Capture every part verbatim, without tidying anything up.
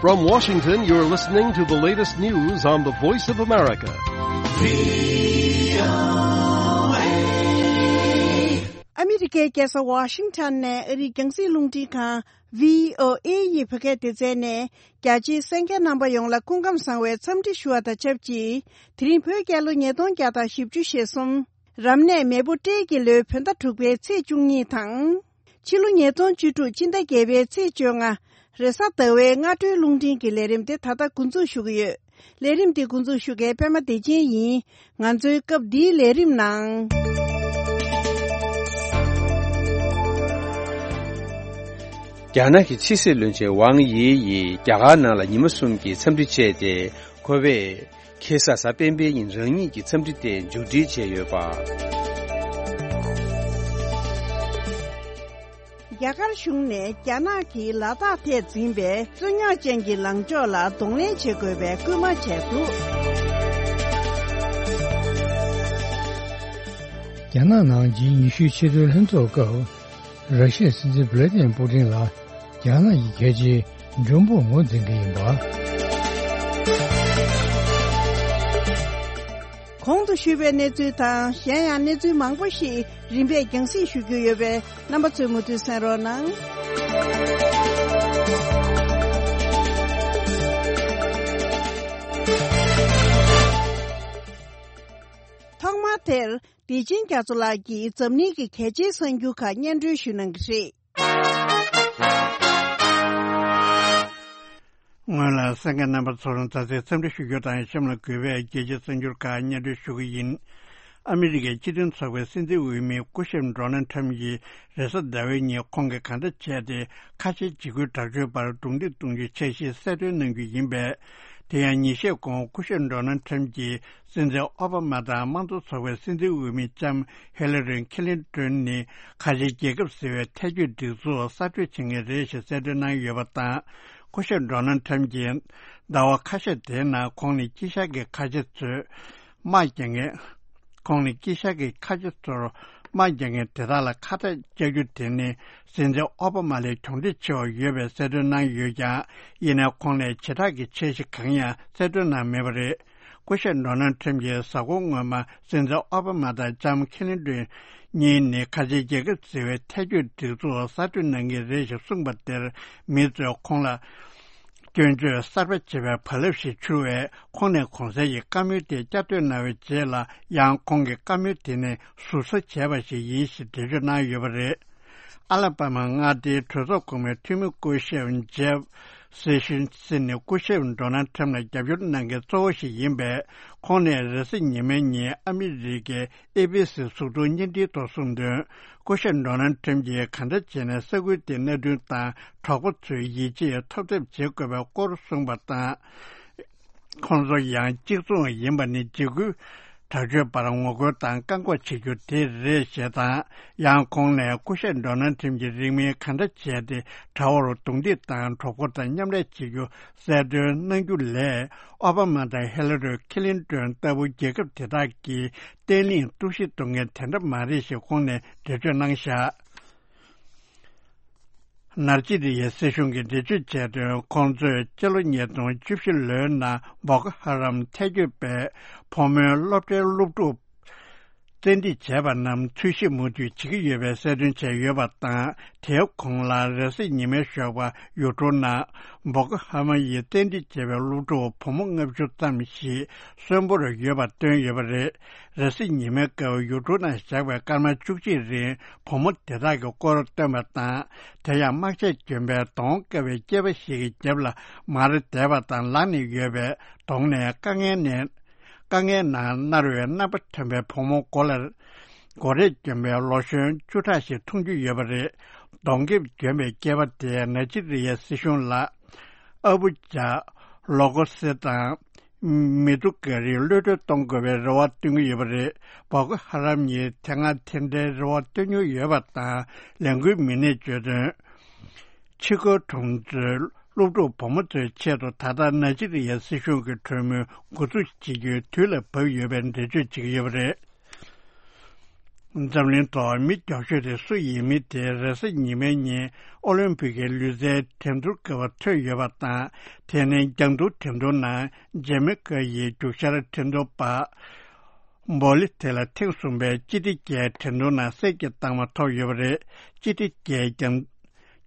From Washington, you're listening to the latest news on the Voice of America. ཨ་མི་རི་ཀའི་རྒྱལ་ས་ཝ་ཤིང་ཊོན་ནས་ཨ་རིའི་རྒྱང་སྲིང་རླུང་འཕྲིན་ཁང་བྷི་ཨོ་ཨེ་ཡི་བོད་སྐད་སྡེ་ཚན་ནས། རྒྱ་ཆེའི་གསན་མཁན་རྣམ་པ་ཡོངས་ལ་སྐུ་ཁམས་བཟང་བའི་འཚམས་འདྲི་ཞུ་བ་དང་ཆབས་ཅིག་དེ་རིང་བོད་རྒྱལ་ལོ་ཉིས་སྟོང་བརྒྱ་དང་བཞི་བཅུ་ཞེ་གསུམ། རབ་གནས་མེ་ཕོ་སྤྲེལ་གྱི་ལོའི་བོད་ཟླ་དྲུག་པའི་ཚེས་བཅུ་གཉིས་དང་། ཕྱི་ལོ་ཉིས་སྟོང་བཅུ་དྲུག་སྤྱི་ཟླ་བརྒྱད་པའི་ཚེས་བཅོ་ལྔ། རེས་གཟའ་ཟླ་བའི་སྔ་དྲོའི་རླུང་འཕྲིན་གྱི་ལས་རིམ་དེ་ད་ལྟ་འགོ་འཛུགས་ཞུ་གི་ཡོད། ལས་རིམ་འདི་འགོ་འཛུགས་ཞུ་མཁན་པད་མ་བདེ་ཆེན་ཡིན། ང་ཚོའི་སྐབས་འདིའི་ལས་རིམ་ནང་། རྒྱ་ནག་གི་ཕྱི་སྲིད་བློན་ཆེན་ཝང་དབྱི་ཡིས་རྒྱ་གར་ནང་ལ་ཉི་མ་གསུམ་གྱི་འཚམས་འདྲི་བྱས་ཏེ། ཁོ་བས་ཁེ་ས་གཟའ་སྤེན་པའི་ཉིན་རང་ཉིད་ཀྱི་འཚམས་འདྲི་དེ་མཇུག་སྒྲིལ་བྱས་ཡོད་པ། རྒྱ་གར་གཞུང་ནས་རྒྱ་ནག་གིས་ལ་དྭགས་ཐད་འཛིན་པའི་རྩོད་རྙོག་ཅན་གྱི་ལངས་ཕྱོགས་ལ་གདོང་ལེན་བྱེད་དགོས་པའི་སྐུལ་མ་བྱས་འདུག། རྒྱ་ནག་ནང་ཇི་ཉི་ཤུའི་ཕྱི་དྲིལ་ལྷན་ཚོགས་སྐབས། ར་ཤི་ཡའི་སྲིད་འཛིན་ཝི་ལ་ཏི་མིར་པུ་ཏིན་ལ་རྒྱ་ནག་གི་རྒྱལ་སྤྱིའི་མགྲོན་པོར་ངོས་འཛིན་གྱི་ཡིན་པ། གོང་དུ་ཞུས་པའི་གནས་ཚུལ་དང་གཞན་ཡང་གནས་ཚུལ་མང་པོ་ཞིག་རིམ་པས་རྒྱང་སྲིང་ཞུ་རྒྱུ་ཡོད་པས། རྣམ་པ་ཚོས་མུ་མཐུད་གསན་རོགས་གནང་། ཐོག་མར་དེར། བདེ་ཆེན་རྒྱ་མཚོ་ལགས་ཀྱིས་འཛམ་གླིང་གི་གལ་ཆེའི་གསར་འགྱུར་ཁག་སྙན་སྒྲོན་ཞུ་གནང་གི་རེད། སྔོན་ལ་གསན་མཁན་རྣམ་པ་ཚོར་མཛའ་བརྩེའི་འཚམས་འདྲི་ཞུ་རྒྱུ་དང་། གཤམ་ལ་གུས་པས་རྒྱལ་སྤྱིའི་གསར་འགྱུར་ཁག་སྙན་སྒྲོན་ཞུ་གི་ཡིན། ཨ་མི་རི་ཀའི་སྤྱི་མཐུན་ཚོགས་པའི་སྲིད་འཛིན་འོས་མི་སྐུ་ཞབས་ཌོ་ནལ་ཁྲམ་གྱིས་རེས་གཟའ་ཟླ་བའི་ཉིན་ཁོང་གིས་གང་འདྲ་བྱས་ཏེ་ཁ་ཆེའི་འཇིགས་སྐུལ་དྲག་སྤྱོད་པར་རྡུང་རྡེག་གཏོང་རྒྱུའི་འཆར་གཞི་གསལ་སྟོན་གནང་རྒྱུ་ཡིན་པས། དེ་ཡང་ཉིན་ཤས་གོང་སྐུ་ཞབས་ཌོ་ནལ་ཁྲམ་གྱིས། སྲིད་འཛིན་ཨོ་བྷ་མ་དང་དམངས་གཙོ་ཚོགས་པའི་སྲིད་འཛིན་འོས་མི་ལྕམ་ཧི་ལ་རི་ཁི་ལིན་ཏོན་ནི་ཁ་ཆེའི་རྒྱལ་ཁབ་ཟེར་བའི་ཐལ་སྐྱོད་སྒྲིག་འཛུགས་གསར་གཏོད་བྱེད་མཁན་རེད་ཞེས་གསལ་སྟོན་གནང་ཡོད་པ་དང་། སྐུ་ཞབས་ཌོ་ནལ་ཁྲམ་གྱིས་ཟླ་བ་ཁ་ཤས་དེའི་ནང་ཁོང་ནི་དཀྱིལ་ཤར་གྱི་ཁ་ཆེ་ཚོས་དམག་རྒྱག་མཁན། ཁོང་ནི་དཀྱིལ་ཤར་གྱི་ཁ་ཆེ་ཚོར་དམག་རྒྱག་མཁན་དེ་དག་ལ་ཁ་གཏད་བཅག་རྒྱུ་དེ་ནི་སྲིད་འཛིན་ཨོ་བྷ་མ་ལས་གྱོང་འདྲི་ཆེ་བ་ཡོད་པའི་གསལ་སྟོན་གནང་ཡོད་ཀྱང་། ཡིན་ནའི་ཁོང་ནས་བྱེ་བྲག་གི་འཆར་གཞི་གང་ཡང་གསལ་སྟོན་གནང་མེད་པ་རེད། སྐུ་ཞབས་ཌོ་ནལ་ཁྲམ་གྱིས་གཟའ་འཁོར་སྔོན་མ་སྲིད་འཛིན་ཨོ་བྷ་མ་དང་ལྕམ་ཁི་ལིན་ཏོན་གཉིས་ནི་ཁ་ཆེའི་རྒྱལ་ཁབ་ཟེར་བའི་ཐལ་སྐྱོད་སྒྲིག་འཛུགས་གསར་གཏོད་གནང་གི་རེད་ཅེས་གསུངས་པ་དེར། མི་ཚོས་ཁོང་ལ་སྐྱོན་བརྗོད་གསར་པ་བྱེད་པའི་བག་ལེབ་ཞིག་འཕྱུར་བས། ཁོང་ནས་གོང་གསལ་གྱི་བཀའ་མོལ་དེ་བསྐྱར་ཟློས་གནང་བའི་རྗེས་ལ། ཡང་ཁོང་གི་བཀའ་མོལ་དེ་ནི་ཟུར་ཟ་བྱས་པ་ཞིག་ཡིན་ཞེས་འགྲེལ་བརྗོད་གནང་ཡོད་པ་རེད། ཨ་ལ་པ་མ་མངའ་སྡེའི་གྲོས་ཚོགས་གོང་མའི་འཐུས་མི་སྐུ་ཞབས་ཇེབ་སེ་ཤུན་སི་ནི་སྐུ་ཞབས་ཌོ་ནལ་ཁྲམ་ལ་རྒྱབ་སྐྱོར་གནང་མཁན་གཙོ་བོ་ཞིག་ཡིན་པས། ཁོང་ནས་རེས་གཟའ་ཉི་མའི་ཉིན་ཨ་མི་རི་ཀའི་ཨེ་བྷི་སི་གཟུགས་མཐོང་བརྙན་འཕྲིན་ཐོག་གསུངས་དོན། སྐུ་ཞབས་ཌོ་ནལ་ཁྲམ་གྱིས་གང་འདྲ་བྱས་ནས་ས་ཁུལ་དེའི་གནད་དོན་དང་གྲོགས་པོ་ཚོའི་ཡིད་ཆེས་ཐོབ་ཐབས་བྱེད་དགོས་པའི་སྐོར་གསུངས་པ་དང་། ཁོང་ཚོ་ཡང་གཅིག་མཚུངས་ཡིན་པ་ནི་འཇིགས་སྐུལ་དྲག་སྤྱོད་པར་ངོ་རྒོལ་དང་བཀག་འགོག་བྱེད་རྒྱུ་དེ་རེད་ཞེས་དང་། ཡང་ཁོང་ནས་སྐུ་ཞབས་ཌོ་ནལ་ཁྲམ་གྱིས་རིང་མིན་གང་འདྲ་བྱས་ཏེ་དགྲ་བོར་རྡུང་རྡེག་དང་གྲོགས་པོ་དང་མཉམ་ལས་བྱེད་རྒྱུ་གསལ་སྟོན་གནང་རྒྱུ་ལས། ཨོ་བྷ་མ་དང་ཧི་ལ་རི་ཁི་ལིན་ཏོན་ལྟ་བུ་རྒྱལ་ཁབ་དེ་དག་གིས་བརྟན་ལྷིང་གཏོར་བཤིག་གཏོང་མཁན་དེ་འདྲ་མ་རེད་ཞེས་ཁོང་ནས་འགྲེལ་བརྗོད་གནང་བཞག། ནཱི་ཇི་རི་ཡའི་སྲིད་གཞུང་གིས་འགྲེལ་བརྗོད་བྱས་དོན། ཁོང་ཚོས་སྤྱི་ལོ་ཉིས་སྟོང་བཅུ་བཞི་ལོའི་ནང་བོ་ཀོ་ཧ་རམ་ཐལ་སྐྱོད་པས་བུ་མོའི་སློབ་གྲྭའི་སློབ་ཕྲུག་བཙན་ཁྲིད་བྱས་པ་རྣམས་འཚོལ་ཞིབ་མུ་མཐུད་བྱེད་ཀྱི་ཡོད་པའི་གསལ་སྟོན་བྱས་ཡོད་པ་དང་། དེའི་གོང་ལ་རེས་གཟའ་ཉི་མའི་ཞོགས་པ་ཡུལ་གྲུ་ནང་བོ་ཀོ་ཧ་རམ་ཡིས་བཙན་ཁྲིད་བྱས་པའི་སློབ་ཕྲུག་བུ་མོ་ལྔ་བཅུ་ཙམ་ཞིག་གསོན་པོར་ཡོད་པ་བཏོན་ཡོད་པ་རེད། རེས་གཟའ་ཉི་མའི་སྐབས་ཡུལ་གྲུ་ནང་བཞག་པའི་སྐར་མ་བཅུ་གཅིག་རིང་བུ་མོ་དེ་དག་གི་སྐོར་བཏོན་པ་དང་། དེ་ཡང་དམག་ཆས་གྱོན་པའི་གདོང་དཀར་བའི་སྐྱེས་པ་ཞིག་གི་རྒྱབ་ལ་མར་བསྡད་པ་དང་། ལངས་ནས་ཡོད་པའི་གདོང་ནས་དཀའ་ངལ་ནས་དཀའ་ངལ་ནང་མནར་བའི་རྣམ་པ་ཐོན་པའི་བུ་མོ་མགོ་ལ་མགོ་རས་གྱོན་པའི་ལོ་གཞོན་བཅུ་ཕྲག་ཞིག་མཐོང་རྒྱུ་ཡོད་པ་རེད། གདོང་དཀར་གྱོན་པའི་སྐྱེས་པ་དེས་ནཱི་ཇི་རི་ཡའི་སྲིད་གཞུང་ལ། ཨ་བུ་ཇཱ་ལོ་ཀོ་སི་དང་། མི་ཏུ་ཀ་རི་གློད་གྲོལ་གཏོང་དགོས་པའི་རེ་བ་བཏོན་གྱི་ཡོད་པ་རེད། བོ་ཀོ་ཧ་རམ་ཡིས་དེ་སྔ་དེ་འདྲའི་རེ་བ་བཏོན་མྱོང་ཡོད་པ་དང་། ལས་འགུལ་མི་སྣས་བརྗོད་དོན། ཕྱི་རྒོལ་གྲོང་ཚོའི་སློབ་ཕྲུག་བུ་མོ་ཚོའི་ཆེད་དུ་ད་ལྟ་ནཱི་ཇི་རི་ཡའི་སྲིད་གཞུང་གི་གྲོས་མོལ་འགོ་འཛུགས་བྱེད་རྒྱུའི་དུས་ལ་བབ་ཡོད་པའི་འགྲེལ་བརྗོད་བྱེད་ཀྱི་ཡོད་པ་རེད། འཛམ་གླིང་ཐོག་མི་མགྱོགས་ཤོས་དེ་སུ་ཡིན་མིན་དེ་རེས་གཟའ་ཉི་མའི་ཉིན་ཨོ་ལིམ་ཕིག་གི་ལུས་རྩལ་འགྲན་བསྡུར་སྐབས་ཐོན་ཡོད་པ་དང་། དེ་ནི་རྒྱང་མཐོང་འགྲན་བསྡུར་ནང་ཇེ་མེ་ཀ་ཡི་རྒྱུག་ཤར་འགྲན་བསྡུར་པ་འབོ་ལི་ཐེ་ལ་ཐེངས་གསུམ་པའི་སྤྱི་བདེ་རྒྱལ་འགྲན་བསྡུར་ནང་གསེར་གྱི་རྟགས་མ་ཐོབ་ཡོད་པ་རེད། སྤྱི་བདེ་རྒྱལ་རྒྱང་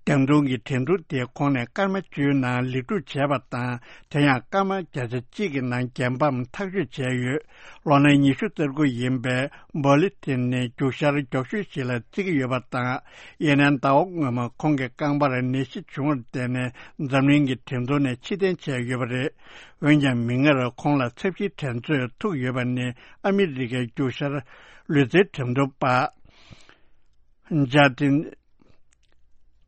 རྒྱང་མཐོང་གི་འགྲན་བསྡུར་དེ་ཁོང་ནས་སྐར་མ་བཅུའི་ནང་ལེགས་གྲུབ་བྱས་པ་དང་། དེ་ཡང་སྐར་མ་བརྒྱ་ཆ་གཅིག་གི་ནང་རྒྱལ་འབངས་ཐག་གཅོད་བྱས་ཡོད། ལོ་ན་ཉི་ཤུ་རྩ་དགུ་ཡིན་པའི་འབོ་ལི་ཐེ་ནི་རྒྱུག་ཤར་མགྱོགས་ཤོས་ཤིག་ལ་བརྩི་གི་ཡོད་པ་དང་། ཡིན་ནའང་ཟླ་བ་སྔོན་མ་ཁོང་གི་རྐང་པར་ནད་གཞི་བྱུང་བར་བརྟེན་ནས་འཛམ་གླིང་གི་འགྲན་བསྡུར་ནས་ཕྱིར་འཐེན་བྱས་ཡོད་པ་རེད། འོན་ཀྱང་མིག་སྔར་ཁོང་ལ་ཚབས་ཆེའི་འགྲན་རྩོད་ཐུག་ཡོད་པ་ནི་ཨ་མི་རི་ཀའི་རྒྱུག་ཤར་ལུས་རྩལ་འགྲན་བསྡུར་པ་ཇ་ཏིན་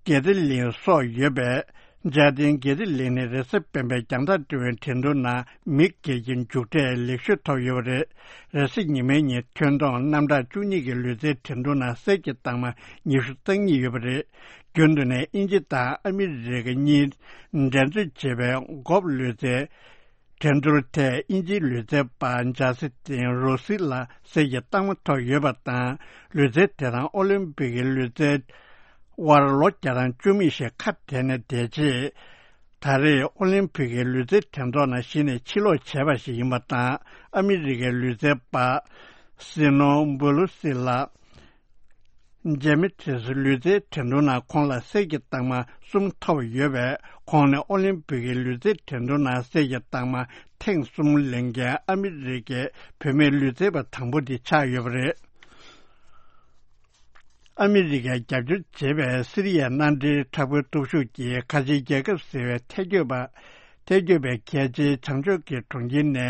གེ་ཏི་ལིན་སོགས་ཡོད་པས། ཇ་ཏིན་གེ་ཏི་ལིན་ནི་རེས་གཟའ་སྤེན་པའི་རྒྱང་ཐག་རིང་བའི་འགྲན་བསྡུར་ནང་མི་སྒེར་གྱི་མཇུག་འབྲས་ལེགས་ཤོས་ཐོབ་ཡོད་པ་རེད། རེས་གཟའ་ཉི་མའི་ཉིན་ཐོན་སྟངས་རྣམ་གྲངས་བཅུ་གཉིས་ཀྱི་ལུས་རྩལ་འགྲན་བསྡུར་ནང་གསེར་གྱི་རྟགས་མ་ཉི་ཤུ་རྩ་གཉིས་ཡོད་པ་རེད། རྒྱུན་དུ་ནས་དབྱིན་ཇི་དང་ཨ་མི་རི་ཀ་གཉིས་འགྲན་རྩོད་བྱེད་པའི་གོལ་ཕ་ལུས་རྩལ་འགྲན་བསྡུར་ཐད་དབྱིན་ཇིའི་ལུས་རྩལ་པ་ཇ་སི་ཏིན་རོ་སི་ལ་གསེར་གྱི་རྟགས་མ་ཐོབ་ཡོད་པ་དང་། ལུས་རྩལ་དེ་རང་ཨོ་ལིམ་པིག་གི་ལུས་རྩལ་དབར་ལོ་བརྒྱ་དང་བཅུ་མེད་ཞིག་ཁ་བྲལ་ནས་བསྡད་རྗེས། ད་རེས་ཨོ་ལིམ་པིག་གི་ལུས་རྩལ་འགྲན་ཚོགས་ནང་གཞི་ནས་ཕྱིར་ལོག་བྱས་པ་ཞིག་ཡིན་པ་དང་། ཨ་མི་རི་ཀའི་ལུས་རྩལ་པ་སི་ནོ་བུ་ལུ་སི་ལགས། ཇེ་མི་ཐེ་སི་ལུས་རྩལ་འགྲན་བསྡུར་ནང་ཁོང་ལ་གསེར་གྱི་རྟགས་མ་གསུམ་ཐོབ་ཡོད་པས། ཁོང་ནི་ཨོ་ལིམ་པིག་གི་ལུས་རྩལ་འགྲན་བསྡུར་ནང་གསེར་གྱི་རྟགས་མ་ཐེངས་གསུམ་ལེན་མཁན་ཨ་མི་རི་ཀའི་བུད་མེད་ལུས་རྩལ་པ་དང་པོ་དེ་ཆགས་ཡོད་པ་རེད། ཨ་མི་རི་ཀས་རྒྱབ་སྐྱོར་བྱེད་པའི་སི་རི་ཡའི་མནའ་འབྲེལ་དྲག་པོའི་སྟོབས་ཤུགས་ཀྱིས་ཁ་ཆེའི་རྒྱལ་ཁབ་ཟེར་བའི་ཐལ་སྐྱོད་པ། ཐལ་སྐྱོད་པའི་གལ་ཆེའི་བྱང་ཕྱོགས་ཀྱི་གྲོང་ཁྱེར་ནས་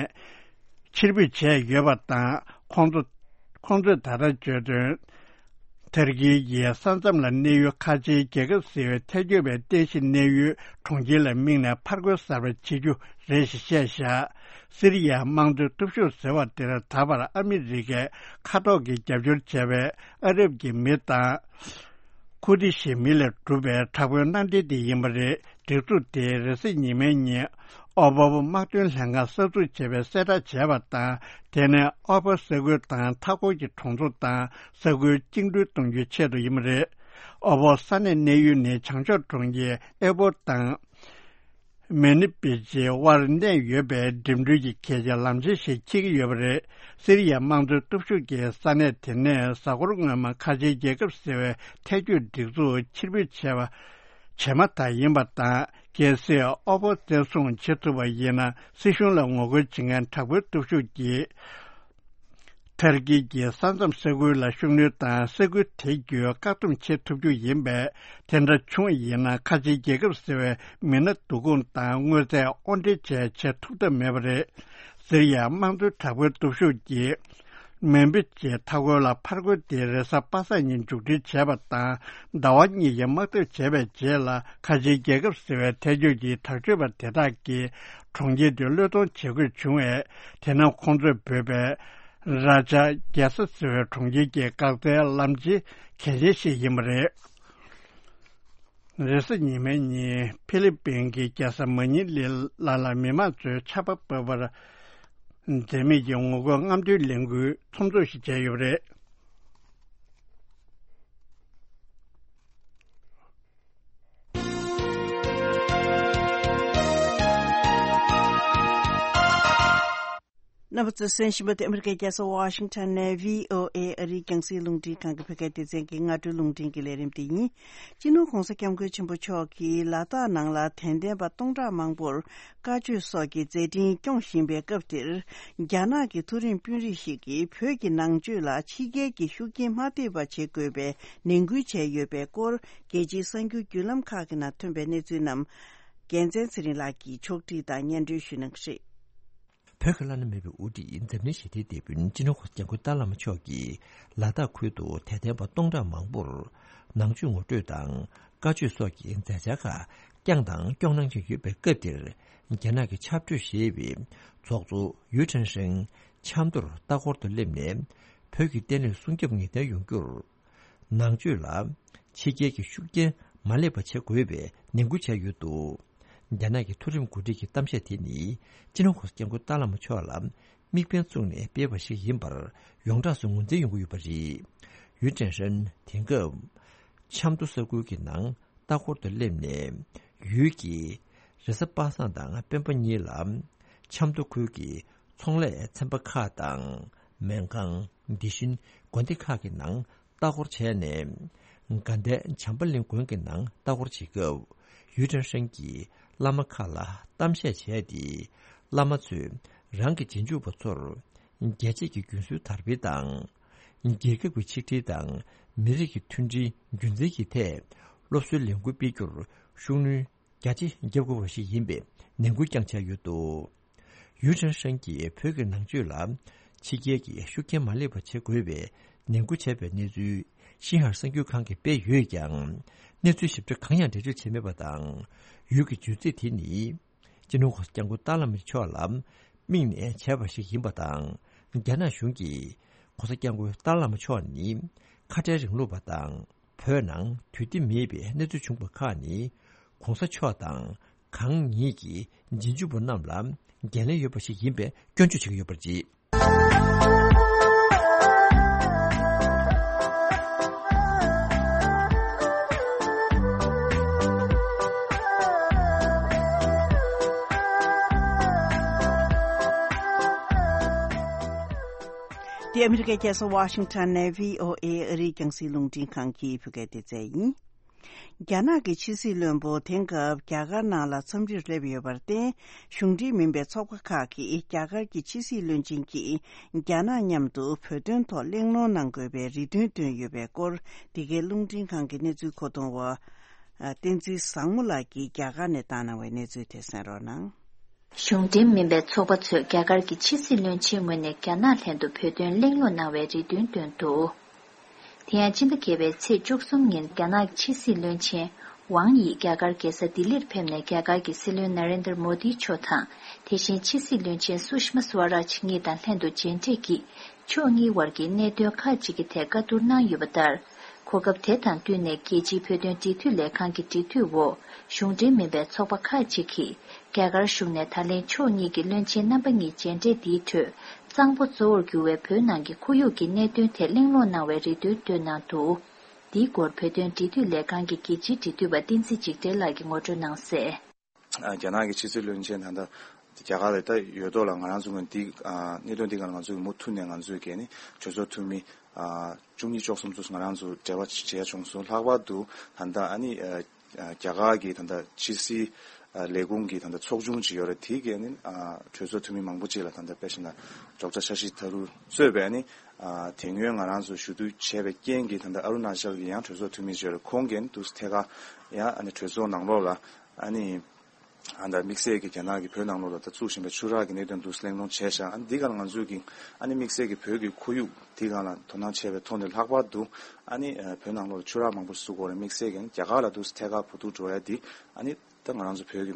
ཕྱིར་འབུད་བྱས་ཡོད་པ་དང་། ཁོང་ཚོ་ཁོང་ཚོས་ད་ལྟ་བརྗོད་དོན། ཐར་ཀི་ཡི་ས་མཚམས་ལ་གནས་ཡུལ་ཁ་ཆེའི་རྒྱལ་ཁབ་ཟེར་བའི་ཐལ་སྐྱོད་པའི་རྟེན་གཞི་གནས་ཡུལ་གྲོང་ཁྱེར་ལ་དམིགས་ནས་ཕར་རྒོལ་གསར་པ་བྱེད་རྒྱུ་རེད་ཞེས་བཤད་བཞག་སི་རི་ཡའི་དམངས་གཙོའི་སྟོབས་ཤུགས་ཟེར་བ་དེར་ད་བར་ཨ་མི་རི་ཀས་མཁའ་ཐོག་གི་རྒྱབ་སྐྱོར་བྱས་པའི་ཨ་རབ་ཀྱི་མི་དང་། ཁུར་དི་ཤའི་མི་ལས་གྲུབ་པའི་དྲག་པོའི་མནའ་འབྲེལ་དེ་ཡིན་པ་རེད། སྒྲིག་འཛུགས་དེས་རེས་གཟའ་ཉི་མའི་ཉིན་ཨོ་བོབ་དམག་དོན་ལྷན་ཁང་གསར་འཛུགས་བྱས་པའི་གསལ་བསྒྲགས་བྱས་པ་དང་། དེ་ནི་ཨོ་བོ་ས་ཁུལ་དང་མཐའ་འཁོར་གྱི་གྲོང་ཚོ་དང་ས་ཁུལ་བཅིངས་འགྲོལ་གཏོང་རྒྱུའི་ཆེད་དུ་ཡིན་པ་རེད། ཨོ་བོ་ས་གནས་གནས་ཡུལ་ནི་བྱང་ཕྱོགས་གྲོང་ཁྱེར་ཨེ་བོ་དང་། མེ་ནི་པི་ཅི་དབར་གནས་ཡོད་པའི་འགྲིམ་འགྲུལ་གྱི་གལ་ཆེའི་ལམ་ཆེན་ཞིག་འཁྱེར་གྱི་ཡོད་པ་རེད། སི་རི་ཡའི་དམངས་གཙོའི་སྟོབས་ཤུགས་ཀྱིས་ས་གནས་དེ་ནས་གཟའ་འཁོར་སྔོན་མ་ཁ་ཆེའི་རྒྱལ་ཁབ་ཟེར་བའི་ཐལ་སྐྱོད་སྒྲིག་འཛུགས་ཕྱིར་འབུད་བྱས་པ་བྱས་མ་ཐག་ཡིན་པ་དང་། གལ་སྲིད་ཨོ་བོ་བཙན་བཟུང་བྱེད་ཐུབ་པ་ཡིན་ན། སྲིད་གཞུང་ལ་ངོ་རྒོལ་བྱེད་མཁན་དྲག་པོའི་སྟོབས་ཤུགས་ཀྱིས། ཐར་ཀི་གི་ས་མཚམས་ས་ཁུལ་ལ་ཤུགས་སྣོན་དང་ས་ཁུལ་དེ་བརྒྱུད་བཀག་སྡོམ་བྱེད་ཐུབ་རྒྱུ་ཡིན་པས། དེ་འདྲ་བྱུང་བ་ཡིན་ན། ཁ་ཆེའི་རྒྱལ་ཁབ་ཟེར་བའི་མི་སྣ་བསྡུ་སྐོང་དང་དངོས་རྫས་དབོར་འདྲེན་བཅས་བྱེད་ཐུབ་ཐབས་མེད་པ་རེད། སི་རི་ཡའི་དམངས་གཙོའི་དྲག་པོའི་སྟོབས་ཤུགས་ཀྱིས། མེ་འབི་ཅེ་མཐའ་འཁོར་ལ་ཕར་རྒོལ་དེ་རེས་གཟའ་པ་སངས་ཉིན་མཇུག་སྒྲིལ་བྱས་པ་དང་། ཟླ་བ་གཉིས་ཀྱི་དམག་འཐབ་བྱས་པའི་རྗེས་ལ། ཁ་ཆེའི་རྒྱལ་ཁབ་ཟེར་བའི་ཐལ་སྐྱོད་ཀྱི་དྲག་སྤྱོད་པ་དེ་དག་གིས་གྲོང་ཁྱེར་དེ་བློས་གཏོང་བྱེད་དགོས་བྱུང་བས། དེ་ནི་ཁོང་ཚོས་འབོད་པའི་ར་ཇ་རྒྱལ་ས་ཟེར་བའི་གྲོང་ཁྱེར་གྱི་འགག་རྩའི་ལམ་ཆེན་གལ་ཆེན་ཞིག་ཡིན་པ་རེད། རེས་གཟའ་ཉི་མའི་ཉིན་ཕི་ལི་པིན་གྱི་རྒྱལ་ས་མ་ཉི་ལི་ལ་ལ་མི་མང་ཚོས་ཆར་པ་བབས་པར་འཛེམ་མེད་ཀྱི་ངོ་རྒོལ་རྔམ་སྟོན་ལས་འགུལ་ཚོགས་འདུ་ཞིག་བྱས་ཡོད་པ་རེད། རྣམ་པ་ཚོས་གསན་བཞིན་པ་དེ་ཨ་མི་རི་ཀའི་རྒྱལ་ས་ཝ་ཤིང་ཊོན་ནས་བྷི་ཨོ་ཨེ་ཨ་རིའི་རྒྱང་སྲིང་རླུང་འཕྲིན་ཁང་གི་བོད་སྐད་སྡེ་ཚན་གྱི་སྔ་དྲོའི་རླུང་འཕྲིན་གྱི་ལས་རིམ་དེ་ཡིན། སྤྱི་ནོར་༧གོང་ས་༧སྐྱབས་མགོན་ཆེན་པོ་མཆོག་གིས་ལ་དྭགས་ནང་ལ་དད་ལྡན་པ་སྟོང་ཕྲག་མང་པོར་བཀའ་ཆོས་སོགས་ཀྱི་མཛད་འཕྲིན་སྐྱོང་བཞིན་པའི་སྐབས་འདིར། རྒྱ་ནག་གི་མཐོ་རིམ་དཔོན་རིགས་ཤིག་གིས་བོད་ཀྱི་ནང་ཆོས་ལ་ཕྱི་རྒྱལ་གྱི་ཤུགས་རྐྱེན་མ་ཐེབས་པ་བྱེད་དགོས་པའི་ནན་སྐུལ་བྱས་ཡོད་པའི་སྐོར། རྒྱལ་སྤྱིའི་གསར་འགྱུར་བརྒྱུད་ལམ་ཁག་གི་ནང་ཐོན་པའི་གནས་ཚུལ་རྣམས། རྒྱལ་མཚན་ཚེ་རིང་ལགས་ཀྱིས་ཕྱོགས་སྒྲིག་དང་སྙན་སྒྲོན་ཞུ་གནང་གི་རེད། བོད་ཀྱི་བླ་ན་མེད་པའི་དབུ་ཁྲིད་འཛམ་གླིང་ཞི་བདེའི་དེད་དཔོན་སྤྱི་ནོར་༧གོང་ས་༧སྐྱབས་མགོན་ཏཱ་བླ་མ་མཆོག་གིས་ལ་དྭགས་ཁུལ་དུ་དད་ལྡན་པ་སྟོང་ཕྲག་མང་པོར་ནང་ཆོས་ངོ་སྤྲོད་དང་བཀའ་ཆོས་སོགས་ཀྱི་མཛད་འཆར་ཁག་བསྐྱངས་དང་སྐྱོང་གནང་བཞིན་ཡོད་པའི་སྐབས་འདིར། རྒྱ་ནག་གི་ཆབ་གྲོས་ཞེས་པའི་ཚོགས་གཙོ་ཡུས་ཁྲེན་ཧྲེང་ཆབ་མདོར་ལྟ་སྐོར་དུ་སླེབས་ནས། བོད་ཀྱི་བརྟན་ལྷིང་སྲུང་སྐྱོབ་ངེས་གཏན་ཡོང་རྒྱུར། ནང་ཆོས་ལ་ཕྱི་རྒྱལ་གྱི་ཤུགས་རྐྱེན་མ་སླེབས་པ་བྱེད་དགོས་པའི་ནན་སྐུལ་བྱས་ཡོད་འདུག་རྒྱ་ནག་གི་མཐོ་རིམ་འགོ་ཁྲིད་ཀྱི་གཏམ་བཤད་དེ་ནི། སྤྱི་ནོར་༧གོང་ས་༧སྐྱབས་མགོན་ཏཱ་བླ་མ་མཆོག་ལ་དམིགས་འབེན་བཙུགས་ནས་སྤེལ་བ་ཞིག་ཡིན་པར་ཡོངས་གྲགས་སུ་ངོས་འཛིན་ཡོང་གི་ཡོད་པ་རེད། ཡུས་ཀྲེང་ཧྲེང་དེང་སྐབས་ཆབ་མདོ་ས་ཁུལ་གྱི་ནང་ལྟ་སྐོར་དུ་སླེབས་ནས། ཡུལ་གྱི་རེས་གཟའ་པ་སངས་དང་སྤེན་པ་གཉིས་ལ་ཆབ་མདོ་ཁུལ་གྱི་ཚོང་ལས་ཚན་པ་ཁག་དང་། སྨན་ཁང་། དེ་བཞིན་དགོན་སྡེ་ཁག་གི་ནང་ལྟ་སྐོར་བྱས་ནས། དགའ་ལྡན་བྱམས་པ་གླིང་དགོན་གྱི་ནང་ལྟ་སྐོར་བྱེད་སྐབས། ཡུས་ཀྲེང་ཧྲེང་གིས་བླ་མ་ཁག་ལ་གཏམ་བཤད་བྱས་ཏེ། བླ་མ་ཚོས་རང་གི་རྗེས་འཇུག་པ་ཚོར་རྒྱལ་གཅེས་ཀྱི་རྒྱུན་སྲོལ་དར་སྤེལ་དང་། རྒྱལ་ཁབ་ཀྱི་ཆིག་སྒྲིལ་དང་མི་རིགས་ཀྱི་མཐུན་སྒྲིལ་རྒྱུན་འཛིན་གྱི་ཐད་སློབ་གསོའི་ལས་འགུལ་སྤེལ་རྒྱུར་ཤུགས་སྣོན་རྒྱ་ཆེ་བརྒྱབ་དགོས་པ་ཞིག་ཡིན་པའི་ནན་སྐུལ་ཀྱང་བྱས་ཡོད་འདུག་ཡུས་ཀྲེང་ཧྲེང་གིས་བོད་ཀྱི་ནང་ཆོས་ལ་ཕྱི་རྒྱལ་གྱི་ཤུགས་རྐྱེན་མ་སླེབས་པ་བྱེད་དགོས་པའི་ནན་སྐུལ་བྱས་པའི་གནས་ཚུལ་ཤིན་ཧྭ་གསར་འགྱུར་ཁང་གིས་སྤེལ་ཡོད་ཀྱང་། གནས་ཚུལ་ཞིབ་ཕྲ་གང་ཡང་འགྲེལ་བརྗོད་བྱས་མེད་པ་དང་། ཡུལ་གྱི་བརྗོད་ཚིག་དེ་ནི། སྤྱི་ནོར་༸གོང་ས་༸སྐྱབས་མགོན་ཏཱ་ལའི་བླ་མ་མཆོག་ལ་དམིགས་ནས་བྱས་པ་ཞིག་ཡིན་པ་དང་། རྒྱ་ནག་གཞུང་གིས་༸གོང་ས་༸སྐྱབས་མགོན་ཏཱ་ལའི་བླ་མ་མཆོག་ནི་ཁ་བྲལ་རིང་ལུགས་པ་དང་། བོད་ནང་དུས་བདེ་མེད་པའི་གནས་ཚུལ་བྱུང་བ་ཁག་ནི། ༸གོང་ས་མཆོག་དང་གང་ཉིད་ཀྱི་རྗེས་འཇུག་པ་རྣམས་ལ་འགན་ལེན་ཡོད་པ་ཞིག་ཡིན་པའི་སྐྱོན་བརྗོད་བྱེད་ཀྱི་ཡོད་པར་བརྗོད། འདི་ཨ་མི་རི་ཀའི་རྒྱལ་ས་ཝ་ཤིང་ཊོན་ནས་བྷི་ཨོ་ཨེ་ཨ་རིའི་རྒྱང་སྲིང་རླུང་འཕྲིན་ཁང་གི་བོད་སྐད་སྡེ་ཚན་ཡིན། རྒྱ་ནག་གི་ཕྱི་སྲིད་བློན་པོ་དེང་སྐབས་རྒྱ་གར་ནང་ལ་འཚམས་འདྲིར་སླེབས་ཡོད་པར་བརྟེན། གཞུང་འབྲེལ་མིན་པའི་ཚོགས་པ་ཁག་གིས་རྒྱ་གར་གྱི་ཕྱི་སྲིད་བློན་ཆེན་གྱིས་རྒྱ་ནག་མཉམ་དུ་བོད་དོན་ཐོག་གླེང་སློང་གནང་དགོས་པའི་རེ་འདུན་བཏོན་ཡོད་པའི་སྐོར། འདི་གའི་རླུང་འཕྲིན་ཁང་གི་གནས་ཚུལ་མཁོ་གཏོང་བ་བསྟན་འཛིན་བཟང་མོ་ལགས་ཀྱིས་རྒྱ་གར་ནས་བཏང་གནང་བའི་གནས་ཚུལ་དེ་གསན་རོགས་གནང་། གཞུང་འབྲེལ་མིན་པའི་ཚོགས་པ་ཚོས་རྒྱ་གར་གྱི་ཕྱི་སྲིད་བློན་ཆེན་ངོས་ནས་རྒྱ་ནག་ལྷན་དུ་བོད་དོན་གླེང་སློང་གནང་བའི་རེ་འདུན་བཏོན་འདུག་དེ་ཡང་སྤྱི་ཟླ་བརྒྱད་པའི་ཚེས་བཅུ་གསུམ་ཉིན་རྒྱ་ནག་ཕྱི་སྲིད་བློན་ཆེན་ཝང་ཡི་རྒྱ་གར་རྒྱལ་ས་ལྡི་ལིར་ཕེབས་ནས་རྒྱ་གར་གྱི་སྲིད་བློན་ན་རེན་དར་མོ་དི་མཆོག་དང་། དེ་བཞིན་ཕྱི་སྲིད་བློན་ཆེན་སུ་ཤི་མ་སུ་ཝ་རཱཇ་གཉིས་དང་ལྷན་དུ་མཇལ་འཕྲད་ཀྱིས། ཕྱོགས་གཉིས་བར་གྱི་གནད་དོན་ཁག་ཅིག་གི་ཐད་བཀའ་བསྡུར་གནང་ཡོད་པ་ལྟར། གོ་སྐབས་དེ་དང་བསྟུན་ནས་རྒྱལ་སྤྱིའི་བོད་དོན་འབྲེལ་མཐུད་ལས་ཁང་གི་འབྲེལ་མཐུད་འོག་གཞུང་འབྲེལ་མིན་པའི་ཚོགས་པ་ཁག་ཅིག་གིས་རྒྱ་གར་གཞུང་ནས་ད་ལན་ཕྱོགས་གཉིས་ཀྱི་བློན་ཆེན་རྣམ་པ་གཉིས་མཇལ་འཕྲད་འདིའི་ཁྲོད་གཙང་པོ་གཙོ་བོར་གྱུར་བའི་བོད་ནང་གི་ཁོར་ཡུག་གི་གནད་དོན་ཐད་གླེང་སློང་གནང་བའི་རེ་འདུན་བཏོན་གནང་འདུག་འདིའི་སྐོར་བོད་དོན་འབྲེལ་མཐུད་ལས་ཁང་གི་རྒྱལ་སྤྱིའི་འབྲེལ་མཐུད་པ་བསྟན་འཛིན་འཇིགས་བྲལ་ལགས་ཀྱིས་ངོ་སྤྲོད་གནང་གསལ། ཨ། རྒྱ་ནག་གི་ཕྱི་སྲིད་བློན་ཆེན་ད་ལྟ་རྒྱ་གར་ལ་ད་ཡོད་དོ་ལ། ང་རང་ཚོ་ངོས་འདི་ཨ་གནད་དོན་འདི་ག་ལ་ང་ཚོ་གི་མུ་མཐུད་ནས་ང་ཚོས་གལ་ནི་གྲོས་ཚོགས་འཐུས་མི་ཨ་བཅུ་གཉིས་བཅུ་གསུམ་ཚོ་ང་རང་ཚོ་འབྲེལ་བ་བྱས་བྱུང་སོང་། ལྷག་པར་དུ་ད་ལྟ་ཨ་ནི་ཨ་རྒྱ་གར་གྱི་ད་ལྟ་ཕྱི་སྲིད་ཨ་ལས་ཁུངས་ཀྱི་ད་ལྟ་ཚོགས་ཆུང་ཅིག་ཡོད་རེད། དེ་གས་ནི་ཨ་གྲོས་ཚོགས་འཐུས་མི་མང་པོ་ཅིག་ལ་ད་ལྟ་དཔེ་བཞིན་ན་ཌོག་ཊར་ཤ་ཤི་ཐ་རུ་གཙོས་པའི་ཨ་ནི་ཨ་དེ་སྔོན་ང་རང་ཚོ་ཞུ་གཏུག་བྱས་པའི་རྐྱེན་གྱིས་ད་ལྟ་ཨ་རུ་ན་ཅལ་གྱི་ཡང་གྲོས་ཚོགས་འཐུས་མི་ཅིག་ཡོད་རེད། ཁོང་གིས་ནི་དུས་ཐད་ཀར་ཡང་ཨ་ནི་གྲོས་ཚོགས་ནང་ལོགས་ལ་ཨ་ནི། ཨ་ད་དམིགས་བསལ་གྱི་རྒྱ་ནག་གིས་བོད་ནང་ལོགས་ལ་ད་བཙུགས་བཞིན་པའི་ཆུ་རགས་ཀྱི་གནད་དོན་འདུག་གླེང་སློང་བྱས་ཤག་ཨ་ནི་འདི་ག་ལ་ང་ཚོས་ཀྱི་ཨ་ནི་དམིགས་བསལ་གྱི་བོད་ཀྱི་ཁོར་ཡུག་འདི་ག་ལ་དོ་སྣང་བྱས་པའི་ཐོག་ནས་ལྷག་པར་དུ་ཨ་ནི་བོད་ནང་ལོགས་ལ་ཆུ་རགས་མང་པོ་བཙུགས་དགོས་རེད། དམིགས་བསལ་གྱི་ཨ་ནི་རྒྱ་གར་ལ་འདུག་ཐད་ཀར་བུ་ཐུག་འགྲོ་ཡ་འདི་ཨ་ནི་ད་ང་རང་ཚོ་བོད་ཀྱི་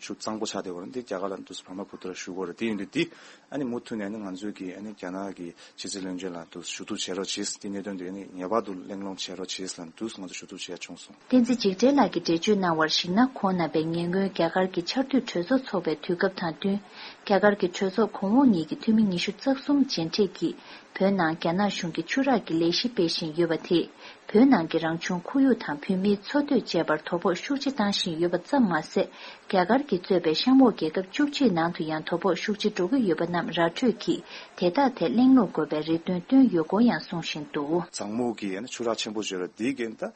ཆུ་གཙང་པོ་ཆགས་བསྡད་ཡོད་རེད། འདི་རྒྱ་གར་ལ་འདུག་བར་མ་བུ་ཐུག་ལ་ཞུ་དགོས་རེད། དེ་ཡིན་དུས་འདི་ཨ་ནི་མུ་མཐུད་ནས་ཨ་ནི་ང་ཚོས་ཀྱི་ཨ་ནི་རྒྱ་ནག་གི་ཕྱི་སྲིད་བློན་ཆེན་ལ་དུ་ཞུ་གཏུག་བྱེད་རོགས་བྱེད། དེ་གནད་དོན་དེ་ནི་ངེས་པར་དུ་གླེང་སློང་བྱེད་རོགས་བྱེད་ལ་དུ་ང་ཚོ་ཞུ་གཏུག་བྱས་བྱུང་སོང་། བསྟན་འཛིན་འཇིགས་བྲལ་ལགས་ཀྱིས་འགྲེལ་བརྗོད་གནང་བར་གཞིགས་ན། ཁོང་རྣམ་པས་ཉེ་སྔོན་རྒྱ་གར་གྱི་ཆར་དུས་གྲོས་ཚོགས་འཚོགས་པའི་དུས་སྐབས་དང་བསྟུན། རྒྱ་གར་གྱི་གྲོས་ཚོགས་གོང་འོག་གཉིས་ཀྱི་འཐུས་མི་ཉི་ཤུ་རྩ་གསུམ་མཇལ་འཕྲད་ཀྱིས། བོད་ནང་རྒྱ་ནག་གཞུང་གིས་ཆུ་རགས་ཀྱི་ལས་གཞི་སྤེལ་བཞིན་ཡོད་པ་དེས། བོད་ནང་གི་རང་བྱུང་ཁོར་ཡུག་དང་བོད་མིའི་འཚོ་སྡོད་བཅས་པར་དོ་ཕོག་ཤུགས་ཆེ་བཏང་བཞིན་ཡོད་པ་ཙམ་མ་ཟད། རྒྱ་གར་གྱིས་གཙོས་པའི་གཤམ་འོག་རྒྱལ་ཁབ་བཅུ་གཅིག་ནང་དུ་ཡང་དོ་ཕོག་ཤུགས་ཆེ་འགྲོ་གི་ཡོད་པ་རྣམས་ར་འཕྲོད་ཀྱིས་དེ་དག་ཐད་གླེང་སློང་དགོས་པའི་རེ་འདུན་བཏོན་ཡོད་སྐོར་ཡང་གསུང་བཞིན་འདུག་གཙང་མོ་གི་ཡང་ན་ཆུ་རགས་ཆེན་པོ་བརྗོད་ར་འདི་གན་ད་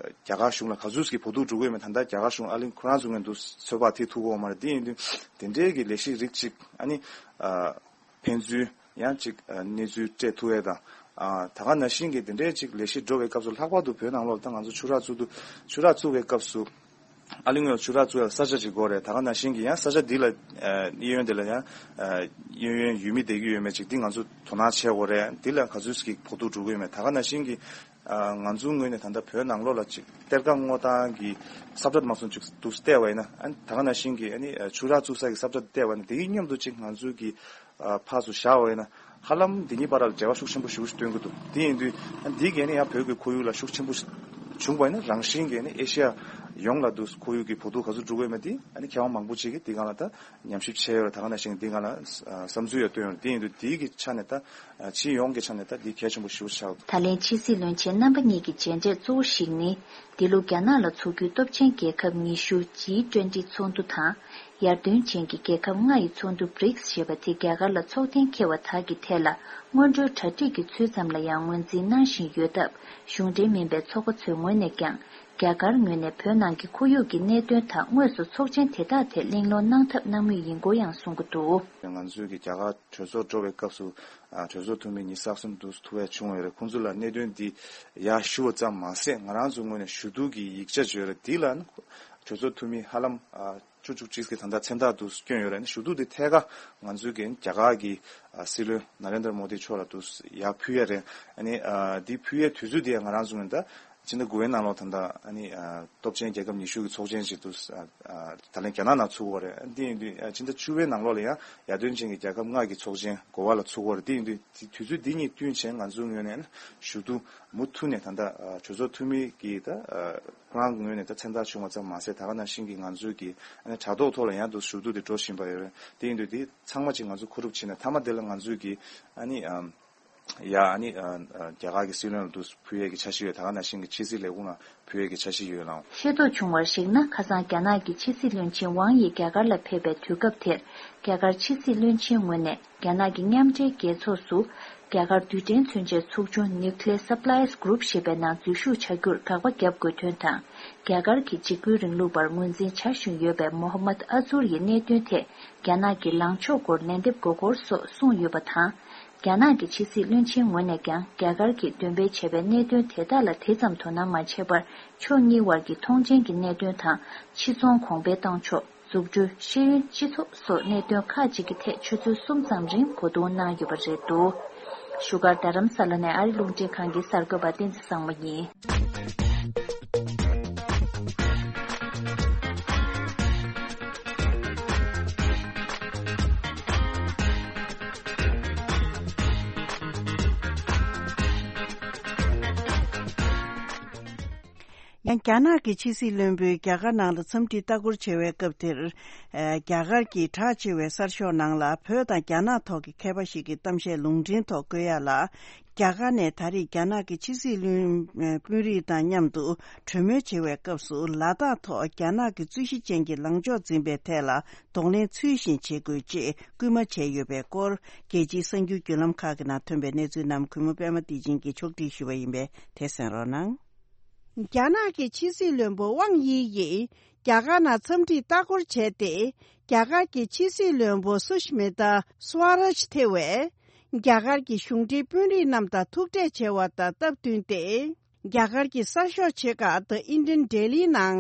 རྒྱ་གར་གཞུང་ལ་ག་ཚོད་ཀྱི་བུ་ཐུག་འགྲོ་གི་ཡོད་མེད། ད་ལྟ་རྒྱ་གར་གཞུང་ཨ་ལིང་ཁོ་རང་ཚོ་ངན་དུ་ཚོད་དཔག་ཐེག་ཐུག་གོ་མ་རེད། འདི་ཡིན་དུས་དེ་འདྲའི་གི་ལས་གཞི་རིགས་གཅིག་ཨ་ནི། ཕན་ཚུན་ཡང་ཅིག་གནས་ཚུལ་སྤྲད་ཐུབ་ཡས་དང་། ད་ག་ནང་བཞིན་གྱི་དེ་འདྲའི་ཅིག་ལས་གཞི་འགྲོ་བའི་སྐབས་སུ་ལྷག་པར་དུ་བོད་ནང་ལོགས་ད་ང་ཚོ་ཆུ་རགས་བཙུགས་དུས་ཆུ་རགས་བཙུགས་པའི་སྐབས་སུ་ཨ་ལི་ངོས་ཆུ་རགས་བཙུགས་ཡས་ས་ཆ་ཅིག་དགོས་རེད། ད་ག་ནང་བཞིན་གྱི་ཡང་ས་ཆ་འདི་ལ་གཡས་གཡོན་དེ་ལ་ཡང་གཡས་གཡོན་ཡུལ་མི་བསྡད་ཀྱི་ཡོད་མེད་ཅིག་འདི་ང་ཚོ་དོ་སྣང་བྱེད་དགོས་རེད། འདི་ལ་ག་ཚོད་ཀྱི་བུ་ཐུག་འགྲོ་གི་ཡོད་མེད། ད་ག་ནང་བཞིན་གྱི་ང་ཚོའི་ངོས་ནས་ད་ལྟ་བོད་ནང་ལོགས་ལ་ཅིག་གཏེར་ཁ་སྔོག་སྟངས་ཀྱི་ས་བཀྲ་མ་སོང་ཅིག་འདུག་བལྟས་པ་ཡིན་ན། ད་ག་ནང་བཞིན་གྱི་ཨ་ནི་ཆུ་རགས་བཙུགས་ས་གི་ས་བཀྲ་བལྟས་པ་ཡིན་ན་དེ་གི་མཉམ་དུ་ཅིག་ང་ཚོའི་གི་ཕར་ཚུར་བཞག་པ་ཡིན་ན་ཧ་ལམ་འདི་གཉིས་བར་ལ་འབྲེལ་བ་ཤུགས་ཆེན་པོ་ཞིག་སྟོན་གྱི་འདུག་དེ་ཡིན་དུས་འདི་གས་ནི་ཡང་བོད་ཀྱི་ཁོར་ཡུག་ལ་ཤུགས་ཆེན་པོ་བྱུང་བ་ཡིན་ན་རང་བཞིན་གྱིས་ནི་ཨེ་ཤི་ཡ་ ཡོངས་ལ་འདུག་ཁོར་ཡུག་གི་བོད་ཐུག་ག་ཚོད་འགྲོ་གི་ཡོད་མེད་དེ་ཨ་ནི་མཁས་དབང་མང་པོ་ཅིག་གིས་དེ་སྒང་ལ་ད་ཉམས་ཞིབ་བྱས་ཡོད་རེད། ད་ག་ནང་བཞིན་དེ་སྒང་ལ་བསམ་ཚུལ་ཡང་བཏོན་ཡོད་རེད། དེ་ཡིན་དུས་དེའི་གི་ཆ་ནས་ད་སྤྱི་ཡོངས་ཀྱི་ཆ་ནས་ད་དེ་གལ་ཆེན་པོ་ཞེ་པོ་ཆགས་འདུག་ད་ལན་ཕྱི་སྲིད་བློན་ཆེན་རྣམ་པ་གཉིས་ཀྱི་མཇལ་འཕྲད་གཙོ་བོ་ཞིག་ནི། འདི་ལོ་རྒྱ་ནག་ལ་འཚོགས་རྒྱུའི་སྟོབས་ཆེན་རྒྱལ་ཁབ་ཉི་ཤུ་ཇི་ཊུ་ཝེན་ཊི་ཚོགས་འདུ་དང་། ཡར་ཐོན་ཅན་གྱི་རྒྱལ་ཁབ་ལྔ་ཡི་ཚོགས་འདུ་བྷི་རིགས་ཞེས་པ་དེ་རྒྱ་གར་ལ་ཚོགས་གཏན་འཁེལ་བ་དག་གི་ཐད་ལ་སྔོན་འགྲོའི་གྲ་སྒྲིག་གི་ཚུལ་ཙམ་ལ་ཡང་ངོས་འཛིན་གནང་བཞིན་ཡོད་སྟབས། གཞུང་འབྲེལ་མིན་པའི་ཚོགས་པ་ཚོའི་ངོས་ནས་ཀྱང་རྒྱ་གར་ངོས་ནས་བོད་ནང་གི་ཁོར་ཡུག་གི་གནད་དོན་དང་དངོས་སུ་ཚོགས་ཆེན་དེ་དག་ཐད་གླེང་སློང་གནང་ཐབས་གནང་མུས་ཡིན་སྐོར་ཡང་གསུང་གི་འདུག་ང་ཚོས་ཀྱི་རྒྱ་གར་གྲོས་ཚོགས་འགྲོ་བའི་སྐབས་སུ་ཨ་གྲོས་ཚོགས་འཐུས་མི་ཉི་ཤུ་རྩ་གསུམ་དུ་ཐུག་ཡ་བྱུང་བ་ཡོད་རེད། ཁོང་ཚོ་ལ་གནད་དོན་འདི་ཡར་ཞུ་བ་ཙམ་མ་ཟད་ང་རང་ཚོའི་ངོས་ནས་ཞུ་གཏུག་གི་ཡིག་ཆ་བརྗོད་རེད། འདི་ལ་ནི་གྲོས་ཚོགས་འཐུས་མི་ཧ་ལམ་ཨ་བཅུ་བཅུ་གཅིག་གི་ད་ལྟ་མཚན་རྟགས་དུ་བསྐྱོན་ཡོད་རེད། ཞུ་གཏུག་དེ་ཐད་ཀར་ང་ཚོའི་གི་རྒྱ་གར་གྱི་ཨ་སྲིད་བློན་ན་རེན་དྲ་མོ་དི་མཆོག་ལ་དུ་ཡར་ཕུལ་ཡ་རེད། ཨ་ནི་ཨ་འདི་ཕུལ་ཡའི་དུས་ཚོད་དེ་ང་རང་ཚོ་ངོས་ད་ཕྱི་ཟླ་དགུ་པའི་ནང་ལོགས་ད་ལྟ་ཨ་ནི་ཨ་སྟོབས་ཆེན་རྒྱལ་ཁབ་ཉི་ཤུ་གི་ཚོགས་ཆེན་ཞིག་ཏུ་ཨ་ཨ་ད་ལན་རྒྱ་ནག་ནང་ཚུགས་པ་རེད། འདི་ཡིན་དུས་ཨ་ཕྱི་ཟླ་བཅུ་པའི་ནང་ལོགས་ལ་ཡང་ཡར་ཐོན་ཅན་གྱི་རྒྱལ་ཁབ་ལྔ་གི་ཚོགས་ཆེན་གོ་བ་ལ་ཚུགས་པ་རེད། འདི་ཡིན་དུས་དེ་དུས་ཚོད་འདི་གཉིས་བསྟུན་བྱས་ང་ཚོའི་ངོས་ནས་ཞུ་གཏུག་མུ་མཐུད་ནས་ད་ལྟ་ཨ་གྲོས་ཚོགས་འཐུས་མི་གིས་ད་ཨ་ཁོ་རང་གི་ངོས་ནས་ད་མཚན་རྟགས་བྱུང་བ་ཙམ་མ་ཟད་ད་ག་ནང་བཞིན་གྱི་ང་ཚོའི་གི་ཨ་ནི་དྲ་ཐོག་ཐོག་ལ་ཡང་དུ་ཞུ་གཏུག་དེ་འགྲོ་བཞིན་པ་ཡོད་རེད། དེ་ཡིན་དུས་དེ་ཚང་མ་ཅིག་ང་ཚོ་མཁོ་སྒྲུབ་བྱས་ནས་མཐའ་མ་དེ་ལ་ང་ཚོའི་གི་ཨ་ནི་ཨ་ཡ་ཨ་ནི་ཨ་ཨ་རྒྱ་གར་གྱི་སྲིད་བློན་ལ་དུ་ཕུལ་ཡས་ཀྱི་འཆར་གཞི་ཡོད། ད་ག་ནང་བཞིན་གྱི་ཕྱི་སྲིད་ལས་ཁུངས་ལ་ཕུལ་ཡས་ཀྱི་འཆར་གཞི་ཡོད་ལགས། ཤེས་རྟོགས་བྱུང་བར་གཞིགས་ན། ཁ་སང་རྒྱ་ནག་གི་ཕྱི་སྲིད་བློན་ཆེན་ཝང་ཡི་རྒྱ་གར་ལ་ཕེབས་པའི་དུས་སྐབས་དེར། རྒྱ་གར་ཕྱི་སྲིད་བློན་ཆེན་ངོས་ནས་རྒྱ་ནག་གི་མཉམ་འབྲེལ་རྒྱལ་ཚོགས་སུ་རྒྱ་གར་རྡུལ་ཕྲན་མཚོན་ཆའི་ཚོགས་ཆུང་Nuclear Suppliers Group ཞེས་པའི་ནང་འཛུལ་ཞུགས་བྱ་རྒྱུར་དགག་པ་བརྒྱབ་དགོས་དོན་དང་། རྒྱ་གར་གྱི་འཇིགས་སྐུལ་རིང་ལུགས་པར་ངོས་འཛིན་བྱ་བཞིན་ཡོད་པའི་མོ་ཧ་མད་ཨ་ཛུར་ཡི་གནད་དོན་ཐད། རྒྱ་ནག་གི་ལངས་ཕྱོགས་སྐོར་ལན་འདེབས་དགོས་སྐོར་སོགས་གསུངས་ཡོད་པ་དང་། རྒྱ་ནག་གི་ཕྱི་སྲིད་བློན་ཆེན་ངོས་ནས་ཀྱང་རྒྱ་གར་གྱིས་འདོན་སྤེལ་བྱས་པའི་གནད་དོན་དེ་དག་ལ་དེ་ཙམ་དོ་སྣང་མ་བྱས་པར། ཕྱོགས་གཉིས་དབར་གྱི་མཐོང་མཆན་གྱི་གནད་དོན་དང་། ཕྱི་ཚོང་གོང་འཕེལ་གཏོང་ཕྱོགས། འཛུགས་སྐྲུན། ཤེས་ཡོན། སྤྱི་ཚོགས་སོགས་གནད་དོན་ཁག་ཅིག་གི་ཐད་ཆུ་ཚོད་གསུམ་ཙམ་རིང་གོ་བསྡུར་གནང་ཡོད་པ་རེད་འདུག་བཞུགས་སྒར་རྡ་རམ་ས་ལ་ནས་ཨ་རི་རླུང་འཕྲིན་ཁང་གི་གསར་འགོད་པ་བསྟན་འཛིན་བཟང་མོ་ཡིན། ཡང་རྒྱ་ནག་གི་ཕྱི་སྲིད་བློན་པོས་རྒྱ་གར་ནང་ལ་འཚམས་འདྲི་ལྟ་སྐོར་བྱེད་པའི་སྐབས་དེར། ཨ་རྒྱ་གར་གྱི་གྲགས་ཆེ་བའི་གསར་ཤོག་ནང་ལ་བོད་དང་རྒྱ་ནག་ཐོག་གི་མཁས་པ་ཞིག་གི་གཏམ་བཤད་ལུང་འདྲེན་ཐོག་བཀོད་ཡ་ལ། རྒྱ་གར་ནས་ད་རེས་རྒྱ་ནག་གི་ཕྱི་སྲིད་བློན་དཔོན་རིགས་དང་མཉམ་དུ་གྲོས་མོལ་བྱེད་པའི་སྐབས་སུ་ལ་དྭགས་ཐོག་རྒྱ་ནག་གི་རྩོད་གཞི་ཅན་གྱི་ལངས་ཕྱོགས་འཛིན་པའི་ཐད་ལ་གདོང་ལེན་ཚུལ་བཞིན་བྱེད་དགོས་ཅེས་སྐུལ་མ་བྱས་ཡོད་པའི་སྐོར། རྒྱལ་སྤྱིའི་གསར་འགྱུར་བརྒྱུད་ལམ་ཁག་གི་ནང་ཐོན་པའི་གནས་ཚུལ་རྣམས་གུས་མོ་པད་མ་བདེ་ཆེན་གྱིས་ཕྱོགས་སྒྲིག་ཞུས་པ་ཡིན་པས་དེ་གསན་རོགས་གནང་། རྒྱ་ནག་གི་ཕྱི་སྲིད་བློན་པོ་ཝང་དབྱི་ཡིས་རྒྱ་གར་ནང་འཚམས་འདྲིའི་ལྟ་སྐོར་བྱས་ཏེ། རྒྱ་གར་གྱི་ཕྱི་སྲིད་བློན་པོ་སུ་ཤི་མི་ཏཱ་སུ་ཝ་རཱཇ་ཐེ་བས། རྒྱ་གར་གྱི་གཞུང་འབྲེལ་དཔོན་རིགས་རྣམས་དང་ཐུག་འཕྲད་བྱས་པ་དང་སྟབས་བསྟུན་ཏེ། རྒྱ་གར་གྱི་གསར་ཤོག་ཆེ་ཁག་The Indian Daily ནང་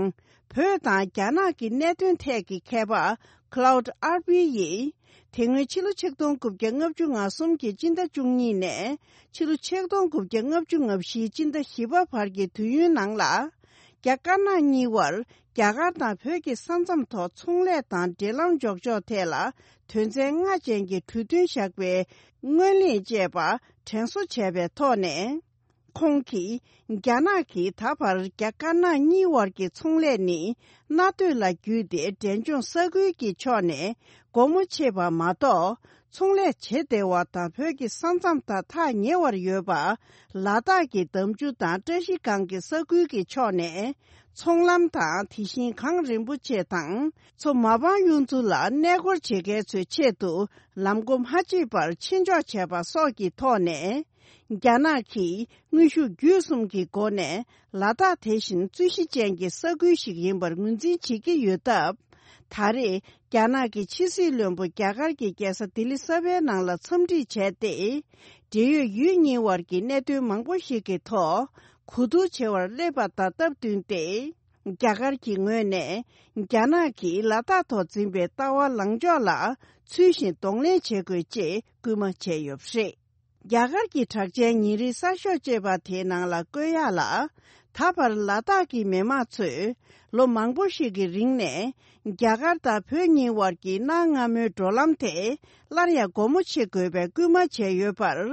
བོད་དང་རྒྱ་ནག་གི་གནད་དོན་ཐད་ཀྱི་མཁས་པ་Claude Arpi ཡིས། དེ་སྔོན་ཕྱི་ལོ་ཆིག་སྟོང་དགུ་བརྒྱ་ལྔ་བཅུ་ང་གསུམ་གྱི་སྤྱི་ཟླ་བཅུ་གཉིས་ནས་ཕྱི་ལོ་ཆིག་སྟོང་དགུ་བརྒྱ་ལྔ་བཅུ་ང་བཞིའི་སྤྱི་ཟླ་བཞི་པ་བར་གྱི་དུས་ཡུན་ནང་ལ། རྒྱ་དཀར་ནག་གཉིས་བར་རྒྱ་གར་དང་བོད་ཀྱི་ས་མཚམས་ཐོག་ཚོང་ལས་དང་འབྲེལ་ལམ་འཇོག་ཕྱོགས་ཐད་ལ་དོན་ཚན་ལྔ་ཅན་གྱི་གྲོས་མཐུན་བཞག་པའི་སྔོན་གླེང་བཅས་པ་དྲན་གསོ་བྱས་པའི་ཐོག་ནས། ཁོང་གིས། རྒྱ་ནག་གིས་ད་བར་རྒྱ་དཀར་ནག་གཉིས་དབར་གྱི་ཚོང་ལས་ནི་མནའ་སྡོད་ལ་བརྒྱུད་དེ་འབྲས་ལྗོངས་ས་ཁུལ་གྱི་ཕྱོགས་ནས་སྒོ་མོ་ཕྱེ་བ་མ་གཏོགས། ཚོང་ལས་བྱེད་བདེ་བ་དང་བོད་ཀྱི་ས་མཚམས་དང་ཐག་ཉེ་བར་ཡོད་པ། ལ་དྭགས་ཀྱི་འདམ་ཆུ་དང་བཀྲ་ཤིས་སྒང་གི་ས་ཁུལ་གྱི་ཕྱོགས་ནས། ཚོང་ལམ་དང་དེ་བཞིན་གངས་རིན་པོ་ཆེ་དང་མཚོ་མ་པང་གཡུ་མཚོ་ལ་གནས་སྐོར་བྱེད་མཁན་ཚོའི་ཆེད་དུ་ལམ་སྒོ་མ་ཕྱེས་པར་ཕྱིར་འཇོག་བྱས་པ་སོགས་ཀྱི་ཐོག་ནས། རྒྱ་ནག་གིས་དངོས་ཤུགས་བརྒྱུད་གསུམ་གྱི་སྒོ་ནས་ལ་དྭགས་དེ་བཞིན་རྩོད་གཞི་ཅན་གྱི་ས་ཁུལ་ཞིག་ཡིན་པར་ངོས་འཛིན་བྱེད་ཀྱི་ཡོད་སྟབས། ད་རེས་རྒྱ་ནག་གི་ཕྱི་སྲིད་བློན་པོ་རྒྱ་གར་གྱི་རྒྱལ་ས་ལྡི་ལི་གསར་པའི་ནང་ལ་འཚམས་འདྲི་བྱས་ཏེ། འབྲེལ་ཡོད་ཡུལ་གཉིས་དབར་གྱི་གནད་དོན་མང་པོ་ཞིག་གི་ཐོག་གོ་བསྡུར་བྱེད་པར་སླེབས་པ་དང་སྟབས་བསྟུན་ཏེ། རྒྱ་གར་གྱི་ངོས་ནས་རྒྱ་ནག་གིས་ལ་དྭགས་ཐོག་འཛིན་པའི་ལྟ་བ་ལངས་ཕྱོགས་ལ་ཚུལ་བཞིན་གདོང་ལེན་བྱེད་དགོས་ཅེས་སྐུལ་མ་བྱས་ཡོད་པ་རེད། རྒྱ་གར་གྱི་གྲགས་ཅན་ཉིན་རེའི་གསར་ཤོག་ཅེས་པ་དེའི་ནང་ལ་བཀོད་ཡག་ལ། ད་བར་ལ་དྭགས་ཀྱི་མི་མང་ཚོས་ལོ་མང་པོ་ཞིག་གི་རིང་ནས་རྒྱ་གར་དང་བོད་གཉིས་དབར་གྱི་གནའ་སྔ་མོའི་འགྲོ་ལམ་དེ་སླར་ཡང་སྒོ་མོ་ཕྱེ་དགོས་པའི་སྐུལ་མ་བྱས་ཡོད་པར།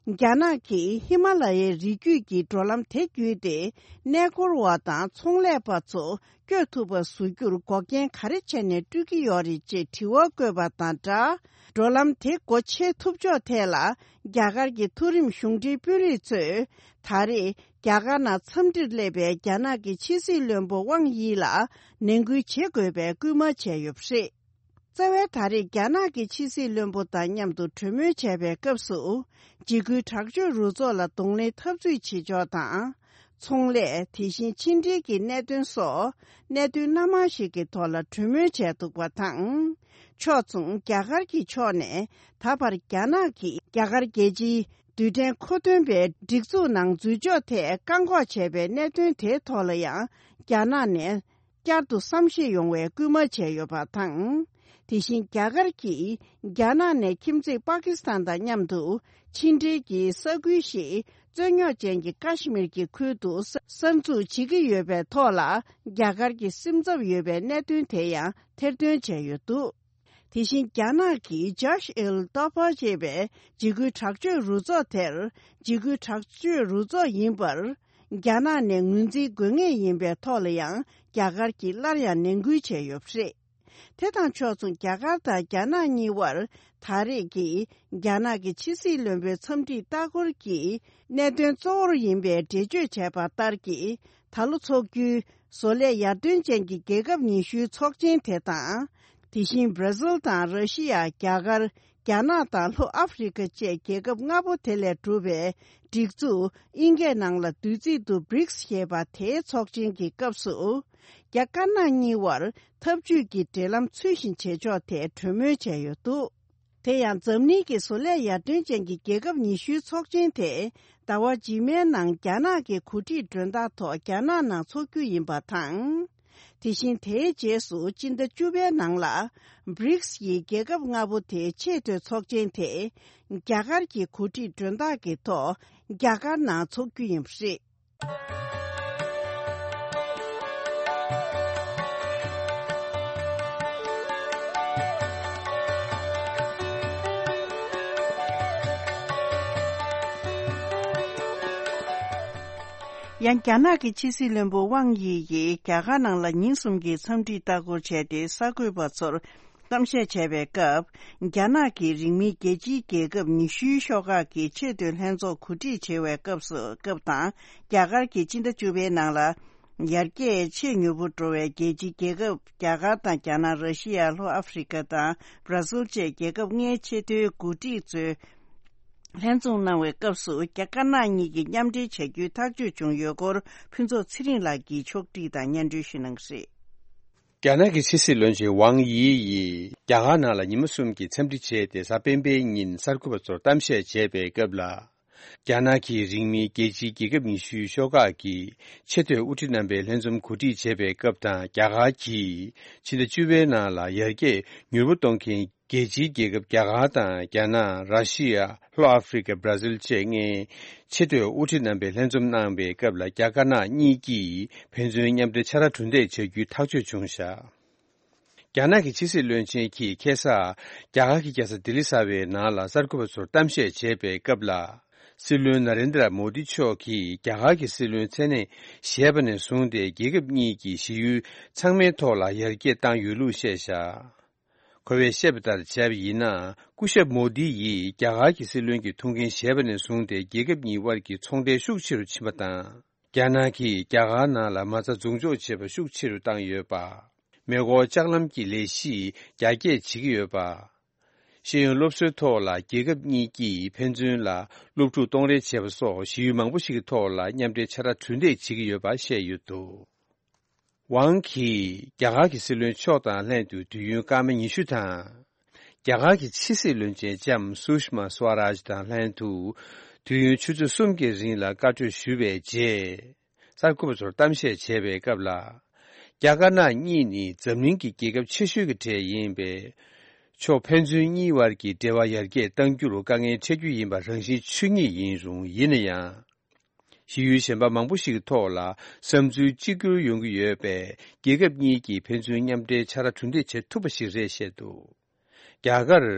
རྒྱ་ནག་གིས་ཧི་མ་ལ་ཡའི་རི་རྒྱུད་ཀྱི་འགྲོ་ལམ་དེ་བརྒྱུད་དེ་གནས་སྐོར་བ་དང་ཚོང་ལས་པ་ཚོ་བསྐྱོད་ཐུབ་པ་བཟོ་རྒྱུར་འགོག་རྐྱེན་ག་རེ་བྱས་ནས་སྤྲོད་ཀྱི་ཡོད་རེད་ཅེས་དྲི་བ་བཀོད་པ་དང་སྦྲགས། འགྲོ་ལམ་དེ་སྒོ་ཕྱེ་ཐུབ་ཕྱོགས་ཐད་ལ་རྒྱ་གར་གྱི་མཐོ་རིམ་གཞུང་འབྲེལ་དཔོན་རིགས་ཚོས་ད་རེས་རྒྱ་གར་ནང་འཚམས་འདྲིར་སླེབས་པའི་རྒྱ་ནག་གི་ཕྱི་སྲིད་བློན་པོ་ཝང་དབྱི་ལ་ནན་སྐུལ་བྱེད་དགོས་པའི་སྐུལ་མ་བྱས་ཡོད་པ་རེད། རྩ་བའི་ད་རེས་རྒྱ་ནག་གི་ཕྱི་སྲིད་བློན་པོ་དང་མཉམ་དུ་གྲོས་མོལ་བྱས་པའི་སྐབས་སུ། འཇིགས་སྐུལ་དྲག་སྤྱོད་རུ་ཚོགས་ལ་གདོང་ལེན་འཐབ་རྩོད་བྱེད་ཕྱོགས་དང་། ཚོང་ལས། དེ་བཞིན་ཕྱི་འབྲེལ་གྱི་གནད་དོན་སོགས་གནད་དོན་སྣ་མང་ཞིག་གི་ཐོག་ལ་གྲོས་མོལ་བྱས་འདུག་པ་དང་། ཕྱོགས་མཚུངས་རྒྱ་གར་གྱི་ཕྱོགས་ནས་ད་བར་རྒྱ་ནག་གིས་རྒྱ་གར་རྒྱལ་སྤྱིའི་རྡུལ་ཕྲན་མཁོ་འདོན་པའི་སྒྲིག་འཛུགས་ནང་འཛུལ་ཕྱོགས་ཐད་བཀག་འགོག་བྱས་པའི་གནད་དོན་དེའི་ཐོག་ལ་ཡང་རྒྱ་ནག་ནས། བསྐྱར་དུ་བསམ་ཤེས་ཡོང་བའི་སྐུལ་མ་བྱས་ཡོད་པ་དང་། དེ་བཞིན་རྒྱ་གར་གྱིས་རྒྱ་ནག་ནས་ཁྱིམ་མཚེས་པ་ཀི་སི་ཐན་དང་མཉམ་དུ་ཕྱི་འབྲེལ་གྱི་ས་ཁུལ་ཞིག་རྩོད་རྙོག་ཅན་གྱི་ཀ་ཤི་མིར་གྱི་ཁུལ་དུ་གསར་འཛུགས་བྱེད་ཀྱི་ཡོད་པའི་ཐོག་ལ་རྒྱ་གར་གྱི་སེམས་འཚབ་ཡོད་པའི་གནད་དོན་དེ་ཡང་ཐེར་འདོན་བྱས་ཡོད་འདུག་དེ་བཞིན་རྒྱ་ནག་གིས་ཇཱཤ་ཨེལ་ཏོ་ཕ་ཅེས་པའི་འཇིགས་སྐུལ་དྲག་སྤྱོད་རུ་ཚོགས་དེར་འཇིགས་སྐུལ་དྲག་སྤྱོད་རུ་ཚོགས་ཡིན་པར། རྒྱ་ནག་ནས་ངོས་འཛིན་དགོས་ངེས་ཡིན་པའི་ཐོག་ལ་ཡང་རྒྱ་གར་གྱིས་སླར་ཡང་ནན་སྐུལ་བྱས་ཡོད་པ་རེད། དེ་དང་ཕྱོགས་མཚུངས་རྒྱ་གར་དང་རྒྱ་ནག་གཉིས་དབར་ད་རེས་ཀྱི་རྒྱ་ནག་གི་ཕྱི་སྲིད་བློན་པོའི་འཚམས་འདྲིའི་ལྟ་སྐོར་གྱི་གནད་དོན་གཙོ་བོར་ཡིན་པའི་འགྲེལ་བརྗོད་བྱས་པ་ལྟར་གྱི་ད་ལོ་འཚོགས་རྒྱུའི་བཟོ་ལས་ཡར་ཐོན་ཅན་གྱི་རྒྱལ་ཁབ་ཉི་ཤུའི་ཚོགས་ཆེན་དེ་དང་། དེ་བཞིན་བྷར་ཟིལ་དང་ར་ཤི་ཡ། རྒྱ་གར། རྒྱ་ནག་དང་ལྷོ་ཨ་ཧྥེ་རི་ཁ་བཅས་རྒྱལ་ཁབ་ལྔ་པོ་དེ་ལས་གྲུབ་པའི་སྒྲིག་འཛུགས་དབྱིན་སྐད་ནང་ལ་བསྡུས་ཚིག་ཏུ་བྷི་རིགས་ཞེས་པ་དེའི་ཚོགས་ཆེན་གྱི་སྐབས་སུ། རྒྱ་དཀར་ནག་གཉིས་དབར་འཐབ་ཇུས་ཀྱི་འབྲེལ་ལམ་ཚུལ་བཞིན་བྱེད་ཕྱོགས་ཐད་གྲོས་མོལ་བྱས་ཡོད་འདུག་དེ་ཡང་འཛམ་གླིང་གི་བཟོ་ལས་ཡར་ཐོན་ཅན་གྱི་རྒྱལ་ཁབ་ཉི་ཤུའི་ཚོགས་ཆེན་དེ་ཟླ་བ་རྗེས་མའི་ནང་རྒྱ་ནག་གི་གོ་སྒྲིག་མགྲོན་བདག་ཐོག་རྒྱ་ནག་ནང་འཚོགས་རྒྱུ་ཡིན་པ་དང་། དེ་བཞིན་དེའི་རྗེས་སུ་སྤྱི་ཟླ་བཅུ་པའི་ནང་ལ་བྷི་རིགས་ཡི་རྒྱལ་ཁབ་ལྔ་པོ་དེའི་ཆེས་མཐོའི་ཚོགས་ཆེན་དེ་རྒྱ་གར་གྱི་གོ་སྒྲིག་མགྲོན་བདག་གི་ཐོག་རྒྱ་གར་ནང་འཚོགས་རྒྱུ་ཡིན་པ་རེད། ཡང་རྒྱ་ནག་གི་ཕྱི་སྲིད་བློན་པོ་ཝང་དབྱི་ཡིས་རྒྱ་གར་ནང་ལ་ཉིན་གསུམ་གྱི་འཚམས་འདྲིའི་ལྟ་སྐོར་བྱས་ཏེ་གསར་འགོད་པ་ཚོར་གཏམ་བཤད་བྱས་པའི་སྐབས། རྒྱ་ནག་གིས་རིང་མིན་རྒྱལ་སྤྱིའི་རྒྱལ་ཁབ་ཉི་ཤུའི་ཤོག་ཁག་གི་ཆེས་མཐོའི་ལྷན་ཚོགས་གོ་སྒྲིག་བྱེད་པའི་སྐབས་སུ་སྐབས་དང་རྒྱ་གར་གྱིས་སྤྱི་ཟླ་བཅུ་པའི་ནང་ལ། ཡར་རྒྱས་ཆེས་མྱུར་པོ་འགྲོ་བའི་རྒྱལ་སྤྱིའི་རྒྱལ་ཁབ་རྒྱ་གར་དང་རྒྱ་ནག་ར་ཤི་ཡ། ལྷོ་ཨ་ཧྥེ་རི་ཁ་དང་བྷ་ར་ཟིལ་བཅས་རྒྱལ་ཁབ་ལྔའི་ཆེས་མཐོའི་འགོ་ཁྲིད་ཚོས་ལྷན་འཛོམས་གནང་བའི་སྐབས་སུ་རྒྱ་དཀར་ནག་གཉིས་ཀྱིས་མཉམ་འབྲེལ་བྱ་རྒྱུའི་ཐག་གཅོད་བྱུང་ཡོད་སྐོར་ཕུན་ཚོགས་ཚེ་རིང་ལགས་ཀྱིས་ཕྱོགས་བསྒྲིགས་དང་སྙན་སྒྲོན་ཞུ་གནང་གི་རེད། རྒྱ་ནག་གི་ཕྱི་སྲིད་བློན་ཆེན་ཝང་དབྱི་ཡིས་རྒྱ་གར་ནང་ལ་ཉི་མ་གསུམ་གྱི་འཚམས་འདྲི་བྱས་ཏེ་གཟའ་སྤེན་པའི་ཉིན་གསར་འགོད་པ་ཚོར་གཏམ་བཤད་བྱས་པའི་སྐབས་ལ། རྒྱ་ནག་གིས་རིང་མིན་རྒྱལ་སྤྱིའི་རྒྱལ་ཁབ་ཉི་ཤུའི་ཤོག་ཁག་གི་ཆེས་མཐོའི་དབུ་ཁྲིད་རྣམ་པའི་ལྷན་འཛོམས་གོ་སྒྲིག་བྱས་པའི་སྐབས་དང་རྒྱ་གར་གྱིས་ཕྱི་ཟླ་བཅུ་པའི་ནང་ལ་ཡར་རྒྱས་མྱུར་པོ་གཏོང་མཁན་རྒྱལ་སྤྱིའི་རྒྱལ་ཁབ་རྒྱ་གར་དང་རྒྱ་ནག་ར་ཤི་ཡ། ལྷོ་ཨ་ཧྥེ་རི་ཁ། བྷ་ར་ཟིལ་བཅས་ལྔའི་ཆེས་མཐོའི་དབུ་ཁྲིད་རྣམ་པའི་ལྷན་འཛོམས་གནང་བའི་སྐབས་ལ་རྒྱ་དཀར་ནག་གཉིས་ཀྱིས་ཕན་ཚུན་མཉམ་འབྲེལ་ཕྱག་ར་གྲུ་འདེགས་བྱ་རྒྱུའི་ཐག་གཅོད་བྱུང་བཞག་རྒྱ་ནག་གི་ཕྱི་སྲིད་བློན་ཆེན་གྱིས་ཁ་སང་རྒྱ་གར་གྱི་རྒྱལ་ས་ལྡི་ལི་གསར་པའི་ནང་ལ་གསར་འགོད་པ་ཚོར་གཏམ་བཤད་བྱས་པའི་སྐབས་ལ། སྲིད་བློན་ན་རེན་དྲ་མོ་དི་མཆོག་གིས་རྒྱ་གར་གྱི་སྲིད་བློན་མཚན་གནས་བཞེས་པ་ནས་བཟུང་སྟེ་རྒྱལ་ཁབ་གཉིས་ཀྱི་ཞི་ཡུལ་ཚང་མའི་ཐོག་ལ་ཡར་རྒྱས་བཏང་ཡོད་ལུགས་བཤད་བཞག་ཁོ་བས་བཤད་པ་ལྟར་བྱས་པ་ཡིན་ན། སྐུ་ཞབས་མོ་དི་ཡིས་རྒྱ་གར་གྱི་སྲིད་བློན་གྱི་ཐུགས་འགན་བཞེས་པ་ནས་བཟུང་སྟེ་རྒྱལ་ཁབ་གཉིས་དབར་གྱི་ཚོང་འབྲེལ་ཤུགས་ཆེ་རུ་ཕྱིན་པ་དང་། རྒྱ་ནག་གིས་རྒྱ་གར་ནང་ལ་མ་རྩ་འཛུགས་འཇོག་བྱེད་པ་ཤུགས་ཆེ་རུ་བཏང་ཡོད་པ། མེ་འཁོར་ལྕགས་ལམ་གྱི་ལས་གཞི་རྒྱ་སྐྱེད་བྱེད་ཀྱི་ཡོད་པ། ཤེས་ཡོན་སློབ་གསོའི་ཐོག་ལ་རྒྱལ་ཁབ་གཉིས་ཀྱིས་ཕན་ཚུན་ལ་སློབ་ཕྲུག་གཏོང་རེས་བྱེད་པ་སོགས་ཞི་ཡུལ་མང་པོ་ཞིག་གི་ཐོག་ལ་མཉམ་འབྲེལ་ཕྱག་ར་གྲུ་འདེགས་བྱེད་ཀྱི་ཡོད་པ་བཤད་ཡོད་འདུག་ཝང་གིས་རྒྱ་གར་གྱི་སྲིད་བློན་མཆོག་དང་ལྷན་དུ་དུས་ཡུན་སྐར་མ་ཉི་ཤུ་དང་། རྒྱ་གར་གྱི་ཕྱི་སྲིད་བློན་ཆེན་ལྕམ་སུ་ཤ་མ་སུ་ཝ་རཱཇ་དང་ལྷན་དུ་དུས་ཡུན་ཆུ་ཚོད་གསུམ་གྱི་རིང་ལ་བཀའ་གྲོས་ཞུས་པའི་རྗེས། གསར་འགོད་པ་ཚོར་གཏམ་བཤད་བྱས་པའི་སྐབས་ལ། རྒྱ་དཀར་ནག་གཉིས་ནི་འཛམ་གླིང་གི་རྒྱལ་ཁབ་ཆེ་ཤོས་ཀྱི་གྲས་ཡིན་པས། ཕྱོགས་ཕན་ཚུན་གཉིས་དབར་གྱི་འབྲེལ་བ་ཡར་རྒྱས་གཏང་རྒྱུར་དཀའ་ངལ་འཕྲད་རྒྱུ་ཡིན་པ་རང་བཞིན་ཆོས་ཉིད་ཡིན་རུང་། ཡིན་ན་ཡང་། ཞི་ཡུལ་གཞན་པ་མང་པོ་ཞིག་གི་ཐོག་ལ་བསམ་ཚུལ་གཅིག་གྱུར་ཡོང་གི་ཡོད་པས། རྒྱལ་ཁབ་གཉིས་ཀྱིས་ཕན་ཚུན་མཉམ་འབྲེལ་ཕྱག་ར་གྲུ་འདེགས་བྱེད་ཐུབ་པ་ཞིག་རེད་བཤད་འདུག་རྒྱ་གར།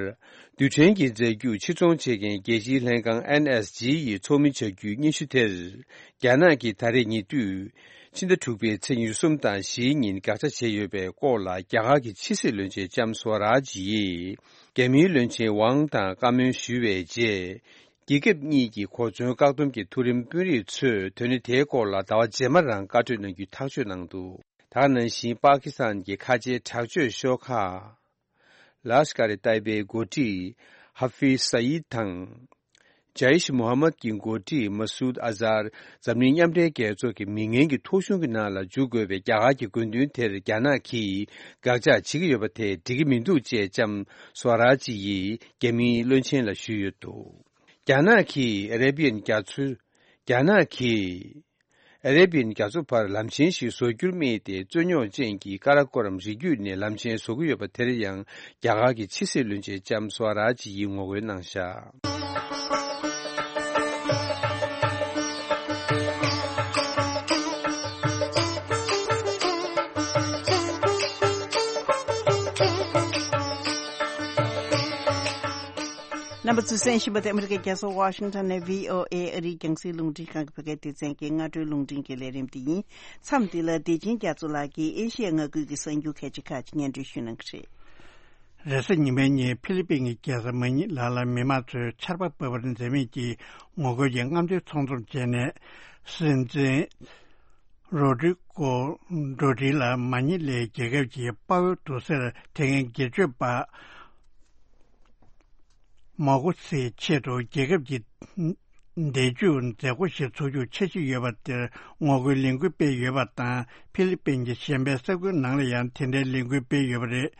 རྡུལ་ཕྲན་གྱི་རྫས་འགྱུར་ཕྱིར་ཚོང་བྱེད་མཁན་རྒྱལ་སྤྱིའི་ལྷན་ཁང་ཨེན་ཨེས་ཇི་ཡི་ཚོགས་མི་བྱ་རྒྱུའི་སྙན་ཞུ་དེར། རྒྱ་ནག་གིས་ད་རེས་ཉེ་དུས། ཕྱི་ཟླ་དྲུག་པའི་ཚེས་ཉེར་གསུམ་དང་བཞིའི་ཉིན་དགག་བྱ་བྱས་ཡོད་པའི་སྐོར་ལ། རྒྱ་གར་གྱི་ཕྱི་སྲིད་བློན་ཆེན་ལྕམ་སུའ་རཱཇ་ཡིས། རྒྱ་མིའི་བློན་ཆེན་ཝང་དང་བཀའ་མོལ་ཞུས་པའི་རྗེས། རྒྱལ་ཁབ་གཉིས་ཀྱི་གོ་མཚོན་བཀག་སྡོམ་གྱི་མཐོ་རིམ་དཔོན་རིགས་ཚོས་དོན་གནད་དེའི་སྐོར་ལ་ཟླ་བ་རྗེས་མ་རང་བཀའ་གྲོས་གནང་རྒྱུའི་ཐག་གཅོད་གནང་འདུག་ད་ག་ནང་བཞིན་པཱ་ཀི་སི་ཐན་གྱི་ཁ་ཆེའི་དྲག་སྤྱོད་ཤོག་ཁག་ལཱཤ་ཀར་ཨི་ཏཱི་བའི་འགོ་ཁྲིད་ཧ་ཧྥིཛ་སཱ་ཡིད་དང་། ཇཱ་ཡིཤ་མུ་ཧམ་མད་ཀྱི་འགོ་ཁྲིད་མ་སུད་ཨ་ཛར། འཛམ་གླིང་མཉམ་འབྲེལ་རྒྱལ་ཚོགས་ཀྱི་མི་ངན་གྱི་ཐོ་གཞུང་གི་ནང་ལ་འཇུག་དགོས་པའི་རྒྱ་གར་གྱི་དགོས་འདུན་དེར་རྒྱ་ནག་གིས་དགག་བྱ་བྱེད་ཀྱི་ཡོད་པ་དེ་འགྲིག་གི་མི་འདུག་ཅེས་ལྕམ་སུའ་རཱཇ་ཡིས་རྒྱ་མིའི་བློན་ཆེན་ལ་ཞུས་ཡོད་འདུག་རྒྱ་ནག་གིས་ཨ་རེ་བི་ཡན་རྒྱ་མཚོའི། རྒྱ་ནག་གིས་ཨ་རེ་བི་ཡན་རྒྱ་མཚོ་བར་ལམ་ཆེན་ཞིག་བཟོ་རྒྱུར་དམིགས་ཏེ། རྩོད་རྙོག་ཅན་གྱི་ཀ་ར་ཀོ་རམ་རི་རྒྱུད་ནས་ལམ་ཆེན་བཟོ་གི་ཡོད་པ་དེར་ཡང་རྒྱ་གར་གྱི་ཕྱི་སྲིད་བློན་ཆེན་ལྕམ་སུའ་རཱཇ་ཡིས་ངོ་རྒོལ་གནང་བཞག་རྣམ་པ་ཚོས་གསན་བཞིན་པ་དེ་ཨ་མི་རི་ཀའི་རྒྱལ་ས་ཝ་ཤིང་ཊོན་ནས་བྷི་ཨོ་ཨེ་ཨ་རིའི་རྒྱང་སྲིང་རླུང་འཕྲིན་ཁང་གི་བོད་སྐད་སྡེ་ཚན་གྱི་སྔ་དྲོའི་རླུང་འཕྲིན་གྱི་ལས་རིམ་དེ་ཡིན། མཚམས་འདི་ལ་བདེ་ཆེན་རྒྱ་མཚོ་ལགས་ཀྱིས་ཨེ་ཤི་ཡའི་མངའ་ཁུལ་གྱི་གསར་འགྱུར་ཁག་ཅིག་ཁག་ཅིག་སྙན་སྒྲོན་ཞུ་གནང་གི་རེད། རེས་གཟའ་ཉི་མའི་ཉིན་ཕི་ལི་པིན་གྱི་རྒྱལ་ས་མ་ཉི་ལ་ལ་མི་མང་ཚོས་ཆར་པ་འབབ་པར་འཛེམ་མེད་ཀྱིས་ངོ་རྒོལ་གྱི་རྔམ་སྟོན་ཚོགས་འཛོམས་བྱས་ནས། སྲིད་འཛིན་རོ་ཌི་ཀོ་ཌོ་ཏི་ལ་མ་ཉི་ལའི་རྒྱལ་ཁབ་ཀྱི་དཔའ་བོའི་དུར་སའི་དེ་སྔའི་སྒེར་གཅོད་པ་མ་གོ་སིའི་ཆེད་དུ་རྒྱལ་ཁབ་ཀྱི་མདེའུ་རྒྱུག་མཛད་སྒོ་ཞིག་འཚོགས་རྒྱུ་འཆར་གཞི་ཡོད་པ་དེར་ངོ་རྒོལ་ལས་འགུལ་སྤེལ་ཡོད་པ་དང་། ཕི་ལི་པིན་གྱི་གཞན་པའི་ས་ཁུལ་ནང་ལ་ཡང་དེ་འདྲའི་ལས་འགུལ་སྤེལ་ཡོད་པ་རེད།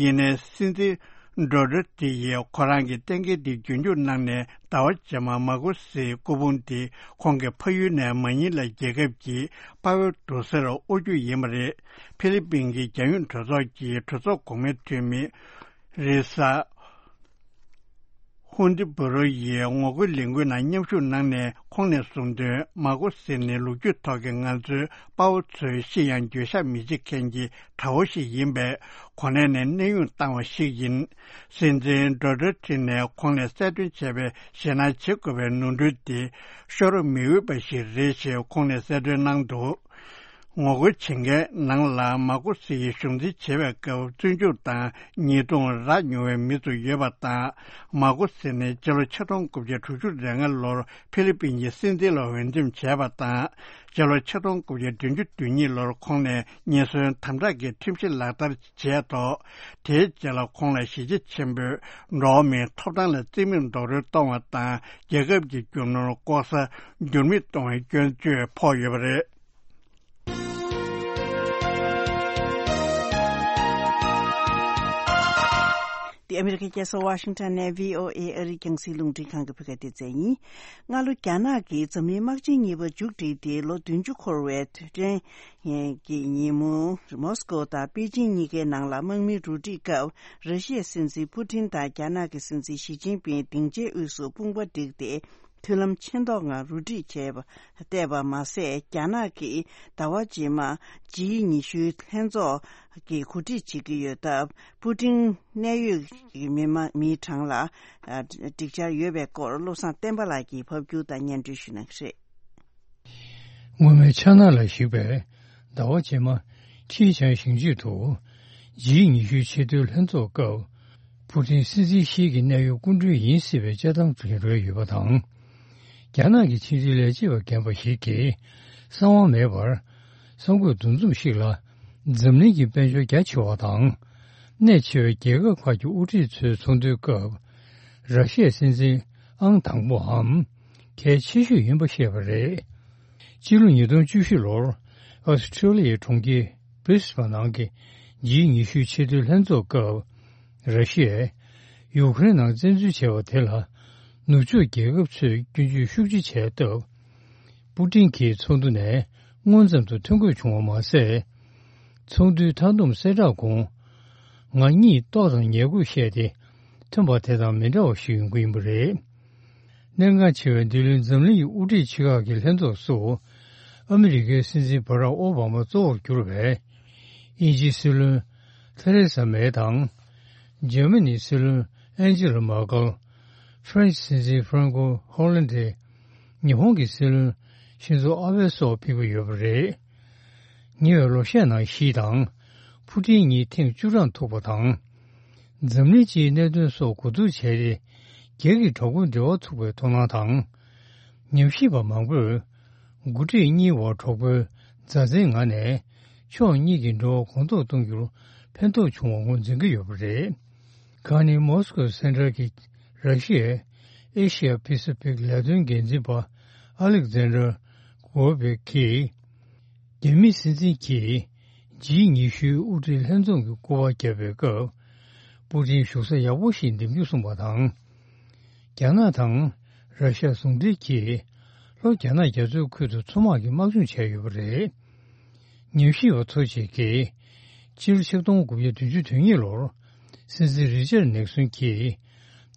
ཡིན་ནའི་སྲིད་འཛིན་ཌོ་ཏི་ཡིས་ཁོ་རང་གི་གཏན་འཁེལ་དེ་རྒྱུན་འཁྱོངས་གནང་ནས། ཟླ་བ་རྗེས་མ་མ་གོ་སིའི་སྐུ་ཕུང་དེ་ཁོང་གི་ཕ་ཡུལ་ནས་མ་ཉི་ལ་རྒྱལ་ཁབ་ཀྱི་དཔའ་བོའི་དུར་སར་དབོར་རྒྱུ་ཡིན་པ་རེད། ཕི་ལི་པིན་གྱི་རྒྱལ་ཡོངས་གྲོས་ཚོགས་ཀྱི་གྲོས་ཚོགས་གོང་མའི་འཐུས་མི་རི་ས་ཧུན་ཏི་བུ་རོ་ཡིས་ངོ་རྒོལ་ལས་འགུལ་ནང་མཉམ་ཞུགས་གནང་ནས། ཁོང་ནས་གསུངས་དོན། མ་གོ་སི་ནི་ལོ་རྒྱུས་ཐོག་གི་ང་ཚོའི་དཔའ་བོ་ཚོའི་ཤི་ཡང་འགྱོད་བཤགས་མི་བྱེད་མཁན་གྱི་དགྲ་བོ་ཞིག་ཡིན་པས། གོ་གནས་ནས་གནས་དབྱུང་བཏང་བ་ཞིག་ཡིན། སྲིད་འཛིན་ཌོ་ཏི་ནས་ཁོང་ནས་གསལ་སྟོན་བྱས་པའི་ཞེད་སྣང་བྱེད་དགོས་པའི་ནོར་འཁྲུལ་དེ་ཤོར་མི་འོས་པ་ཞིག་རེད་ཞེས་ཁོང་ནས་གསལ་སྟོན་གནང་འདུག་ངོ་རྒོལ་བྱེད་མཁན་ནང་ལ་མ་གོ་སི་ཡི་གཞུང་འཛིན་བྱེད་པའི་སྐབས་བཙོན་འཇུག་དང་ཉེས་རྡུང་རག་མྱོང་བའི་མི་ཚོ་ཡོད་པ་དང་། མ་གོ་སི་ནི་སྤྱི་ལོ་ཆིག་སྟོང་དགུ་བརྒྱ་དྲུག་ཅུ་རེ་ལྔ་ལོར་ཕི་ལི་པིན་གྱི་སྲིད་འཛིན་ལ་འོས་འདེམས་བྱས་པ་དང་། སྤྱི་ལོ་ཆིག་སྟོང་དགུ་བརྒྱ་བདུན་ཅུ་དོན་གཉིས་ལོར་ཁོང་ནས་ཉེན་ཟོན་དམ་དྲག་གི་ཁྲིམས་གཞི་ལག་བསྟར་བྱས་ཐོག་དེའི་རྗེས་ལ་ཁོང་ལ་གཞིས་བྱེས་ཆེན་པོས་འགྲོ་བ་མིའི་ཐོབ་ཐང་ལ་རྩིས་མེད་རྡོག་རོལ་གཏོང་བ་དང་། རྒྱལ་ཁབ་ཀྱི་རྒྱུ་ནོར་ལྐོག་ཟ་འགྱུར་མེད་གཏོང་བའི་སྐྱོན་བརྗོད་ཕོག་ཡོད་པ་རེད། འདི་ཨ་མི་རི་ཀའི་རྒྱལ་ས་ཝ་ཤིང་ཊོན་ནས་བྷི་ཨོ་ཨེ་ཨ་རིའི་རྒྱང་སྲིང་རླུང་འཕྲིན་ཁང་གི་བོད་སྐད་སྡེ་ཚན་ཡིན། སྔ་ལོ་རྒྱ་ནག་གིས་འཛམ་གླིང་དམག་ཆེན་གཉིས་པ་མཇུག་བསྒྲིལ་ཏེ་ལོ་བདུན་ཅུ་འཁོར་བའི་དུས་དྲན་གྱི་ཉིན་མོ། མོ་སི་ཀོ་དང་པེ་ཅིང་གཉིས་ཀའི་ནང་ལ་དམག་མིའི་རུ་སྒྲིག་སྐབས། ར་ཤི་ཡའི་སྲིད་འཛིན་པུ་ཏིན་དང་རྒྱ་ནག་གི་སྲིད་འཛིན་ཞི་ཅིན་ཕིང་སྡིངས་ཆའི་དབུས་སུ་དཔུང་པ་བསྒྲིགས་ཏེ། མཐུན་ལམ་ཆེ་མདོག་ངང་རུ་སྒྲིག་བྱས་པ་བལྟས་པ་མ་ཟད། རྒྱ་ནག་གིས་ཟླ་བ་རྗེས་མ་ཇི་ཉི་ཤུའི་ལྷན་ཚོགས་ཀྱི་གོ་སྒྲིག་བྱེད་ཀྱི་ཡོད་སྟབས། པུ་ཏིན་གནད་ཡོད་ཀྱི་མི་མང་མིའི་གྲངས་ལ་ཨ་སྒྲིག་འཆར་ཡོད་པའི་སྐོར་བློ་བཟང་བསྟན་པ་ལགས་ཀྱིས་ཕབ་སྒྱུར་དང་སྙན་སྒྲོན་ཞུ་གནང་གི་རེད། སྔོན་མའི་འཆར་སྣང་ལ་གཞིགས་པས། ཟླ་བ་རྗེས་མ་ཁྲི་ཆང་ཞིང་ཆེད་དུ་ཇི་ཉི་ཤུའི་ཆེས་མཐོའི་ལྷན་ཚོགས་སྐབས། པུ་ཏིན་སྲིད་འཛིན་ཞིག་གི་གནད་ཡོད་སྐུ་མགྲོན་ཡིན་སྲིད་པའི་དཔྱད་གཏམ་ཅིག་རོལ་ཡོད་པ་དང་། རྒྱ་ནག་གི་ཕྱི་འབྲེལ་ལས་བྱེད་པ་རྒན་པ་ཞིག་གིས་གསང་བ་མེད་པར་གསང་དགོས་འདུ་འཛོམས་ཤིག་ལ། འཛམ་གླིང་གི་དཔལ་འབྱོར་རྒྱ་ཆེ་བ་དང་། གནད་ཆེ་བའི་རྒྱལ་ཁབ་ཁག་གི་དབུ་ཁྲིད་ཚོའི་ཚོགས་འདུའི་སྐབས། ར་ཤི་ཡའི་སྲིད་འཛིན་ཨང་དང་པོའམ་གལ་ཆེ་ཤོས་ཡིན་པ་བཤད་པ་རེད། སྤྱི་ལོ་ཉིས་སྟོང་བཅུ་བཞི་ལོར་ཨོ་སི་ཁྲི་ལི་ཡའི་གྲོང་ཁྱེར་བྷི་རི་སི་བྷན་ནང་གི་ཇི་ཉི་ཤུའི་ཆེས་མཐོའི་ལྷན་ཚོགས་སྐབས། ར་ཤི་ཡས་ཡུ་ཀེ་རེན་ནང་བཙན་འཛུལ་བྱས་པ་དེ་ལ་ནུབ་ཕྱོགས་རྒྱལ་ཁབ་ཚོས་སྐྱོན་བརྗོད་ཤུགས་ཆེ་བྱས་སྟབས། པུ་ཏིན་གྱིས་ཚོགས་འདུ་ནས་སྔོན་ཙམ་དུ་ཐོན་དགོས་བྱུང་བ་མ་ཟད། ཚོགས་འདུའི་མཐའ་བསྡོམས་གསལ་བསྒྲགས་གོང་། ང་གཉིས་ལྟོགས་དང་ཉལ་དགོས་བཤད་དེ། ཐོན་པ་དེ་དང་མི་འདྲ་བ་ཞིག་ཡོང་གི་ཡིན་པ་རེད། གནད་འགག་ཆེ་བའི་འདི་ལོའི་འཛམ་གླིང་གི་དབུ་ཁྲིད་ཆེ་ཁག་གི་ལྷན་ཚོགས་སུ། ཨ་མི་རི་ཀའི་སྲིད་འཛིན་བྷ་རག་ཨོ་བྷ་མ་གཙོ་བོར་གྱུར་བའི་དབྱིན་ཇིའི་སྲིད་བློན་ཐེ་རེ་ས་མེ་དང་། འཇར་མ་ནིའི་སྲིད་བློན་ཨན་ཇི་ལ་མར་ཀལ། ཧྥ་རན་སི་སྲིད་འཛིན་ཧྥ་རན་ཀོ་ཧོ་ལན་ཏེ། ཉི་ཧོང་གི་སྲིད་བློན་ཤིན་ཛོ་ཨ་བྷེ་སོགས་ཕེབས་ཀྱི་ཡོད་པ་རེད། ཉེ་བའི་ལོ་ཤས་ནང་ཞི་དང་ཕུ་ཀྲིན་གཉིས་ཐེངས་བཅུ་གྲངས་ཐུག་པ་དང་། འཛམ་གླིང་སྤྱིའི་གནད་དོན་སོགས་གོ་བསྡུར་བྱས་ཏེ། རྒྱལ་གྱི་གྲོགས་པོའི་འབྲེལ་བ་ཚུགས་པའི་དོ་སྣང་དང་། ཉམས་ཞིབ་པ་མང་པོས། འགོ་ཁྲིད་གཉིས་བར་གྲོགས་པོའི་མཛའ་བརྩེའི་ངང་ནས། ཕྱོགས་གཉིས་ཀྱི་འབྲེལ་བ་གོང་མཐོར་གཏོང་རྒྱུར་ཕན་ཐོགས་བྱུང་བ་ངོས་འཛིན་གྱི་ཡོད་པ་རེད། ཁ་ནི་མོ་སི་ཀོའི་སེན་ཊར་གྱི་ར་ཤི་ཡའི་ཨེ་ཤི་ཡ་པེ་སི་ཕིག་ལས་དོན་འགན་འཛིན་པ་ཨ་ལེག་ཛན་ཌར་གོ་བེ་ཀིས། རྒྱ་མིའི་སྲིད་འཛིན་གྱིས་ཇི་ཉི་ཤུའི་དབུ་ཁྲིད་ལྷན་འཛོམས་ཀྱི་སྐོར་བ་བརྒྱབ་པའི་སྐབས། པུ་ཏིན་བཞུགས་ས་ཡག་པོ་ཞིག་འདེམས་རྒྱུ་གསུངས་པ་དང་། རྒྱ་ནག་དང་ར་ཤ་ཟུང་འབྲེལ་གྱིས་ལྷོ་རྒྱ་ནག་རྒྱ་མཚོའི་ཁུལ་དུ་མཚོ་དམག་གི་དམག་སྦྱོང་བྱས་ཡོད་པ་རེད། ཉམས་ཞིབ་པ་ཚོ་གཅིག་གིས་ཕྱི་ལོ་ཆིག་སྟོང་དགུ་བརྒྱ་བདུན་ཅུ་དོན་གཉིས་ལོར་སྲིད་འཛིན་རི་ཅར་ནིག་སོན་གྱིས་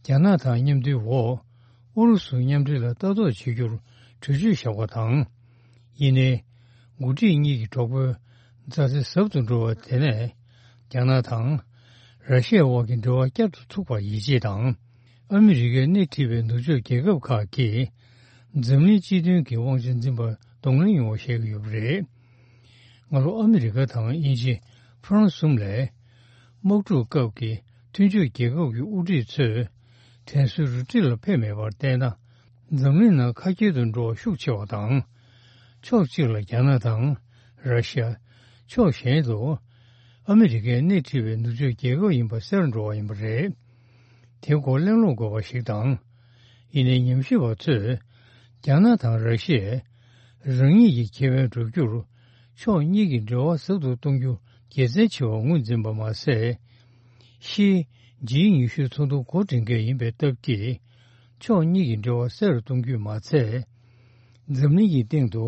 རྒྱ་ནག་དང་མཉམ་འབྲེལ་འོག་ཨུ་རུ་སུ་མཉམ་འབྲེལ་ལ་ལྟ་རྟོག་བྱེད་རྒྱུར་གྲོས་ཆོད་བཞག་པ་དང་། ཡིན་ནའི། འགོ་ཁྲིད་གཉིས་ཀྱི་གྲོགས་པོའི་མཛའ་བརྩེ་ཟབ་ཏུ་འགྲོ་བ་དེ་ནས་རྒྱ་ནག་དང་ར་ཤི་ཡའི་དབར་གྱི་འབྲེལ་བ་བསྐྱར་དུ་ཚུགས་པར་ཡིད་ཆེས་དང་། ཨ་མི་རི་ཀས་སྣེ་ཁྲིད་པའི་ནུབ་ཕྱོགས་རྒྱལ་ཁབ་ཁག་གིས་འཛམ་གླིང་སྤྱི་མཐུན་གྱི་དབང་ཆ་འཛིན་པར་གདོང་ལེན་ཡོང་བ་བཤད་ཀྱི་ཡོད་པ་རེད། སྔ་ལོ་ཨ་མི་རི་ཀ་དང་དབྱིན་ཇི། ཧྥ་རན་སི་གསུམ་ལས། དམག་འཁྲུག་སྐབས་ཀྱི་མཐུན་ཕྱོགས་རྒྱལ་ཁབ་ཀྱི་དབུ་ཁྲིད་ཚོས་དྲན་གསོའི་རུ་སྒྲིག་ལ་ཕེབས་མེད་པར་བལྟས་ན། འཛམ་གླིང་ནང་ཁ་སྐྱེལ་དུ་འགྲོ་བ་ཤུགས་ཆེ་བ་དང་། ཕྱོགས་གཅིག་ལ་རྒྱ་ནག་དང་ར་ཤི་ཡ། ཕྱོགས་གཞན་དུ་ཨ་མི་རི་ཀས་སྣེ་ཁྲིད་པའི་ནུབ་ཕྱོགས་རྒྱལ་ཁབ་ཡིན་པ་གསལ་འགྲོ་བ་ཡིན་པ་རེད། དེའི་སྐོར་གླེང་སློང་དགོས་པ་ཞིག་དང་། ཡིན་ནའི་ཉམས་ཞིབ་པ་ཚོས་རྒྱ་ནག་དང་ར་ཤི་ཡས་རང་ཉིད་ཀྱི་ཁེ་ཕན་བསྒྲུབ་རྒྱུར་ཕྱོགས་གཉིས་ཀྱི་འབྲེལ་བ་ཟབ་ཏུ་གཏོང་རྒྱུ་དགེ་མཚན་ཆེ་བར་ངོས་འཛིན་པ་མ་ཟད། ཞི་ཇི་ཉི་ཤུའི་ཚོགས་འདུ་འགོ་འདྲེན་མཁན་ཡིན་པའི་སྟབས་ཀྱིས། ཕྱོགས་གཉིས་ཀྱི་འབྲེལ་བ་གསལ་རུ་གཏོང་རྒྱུས་མ་ཚད། འཛམ་གླིང་གི་སྟེང་དུ་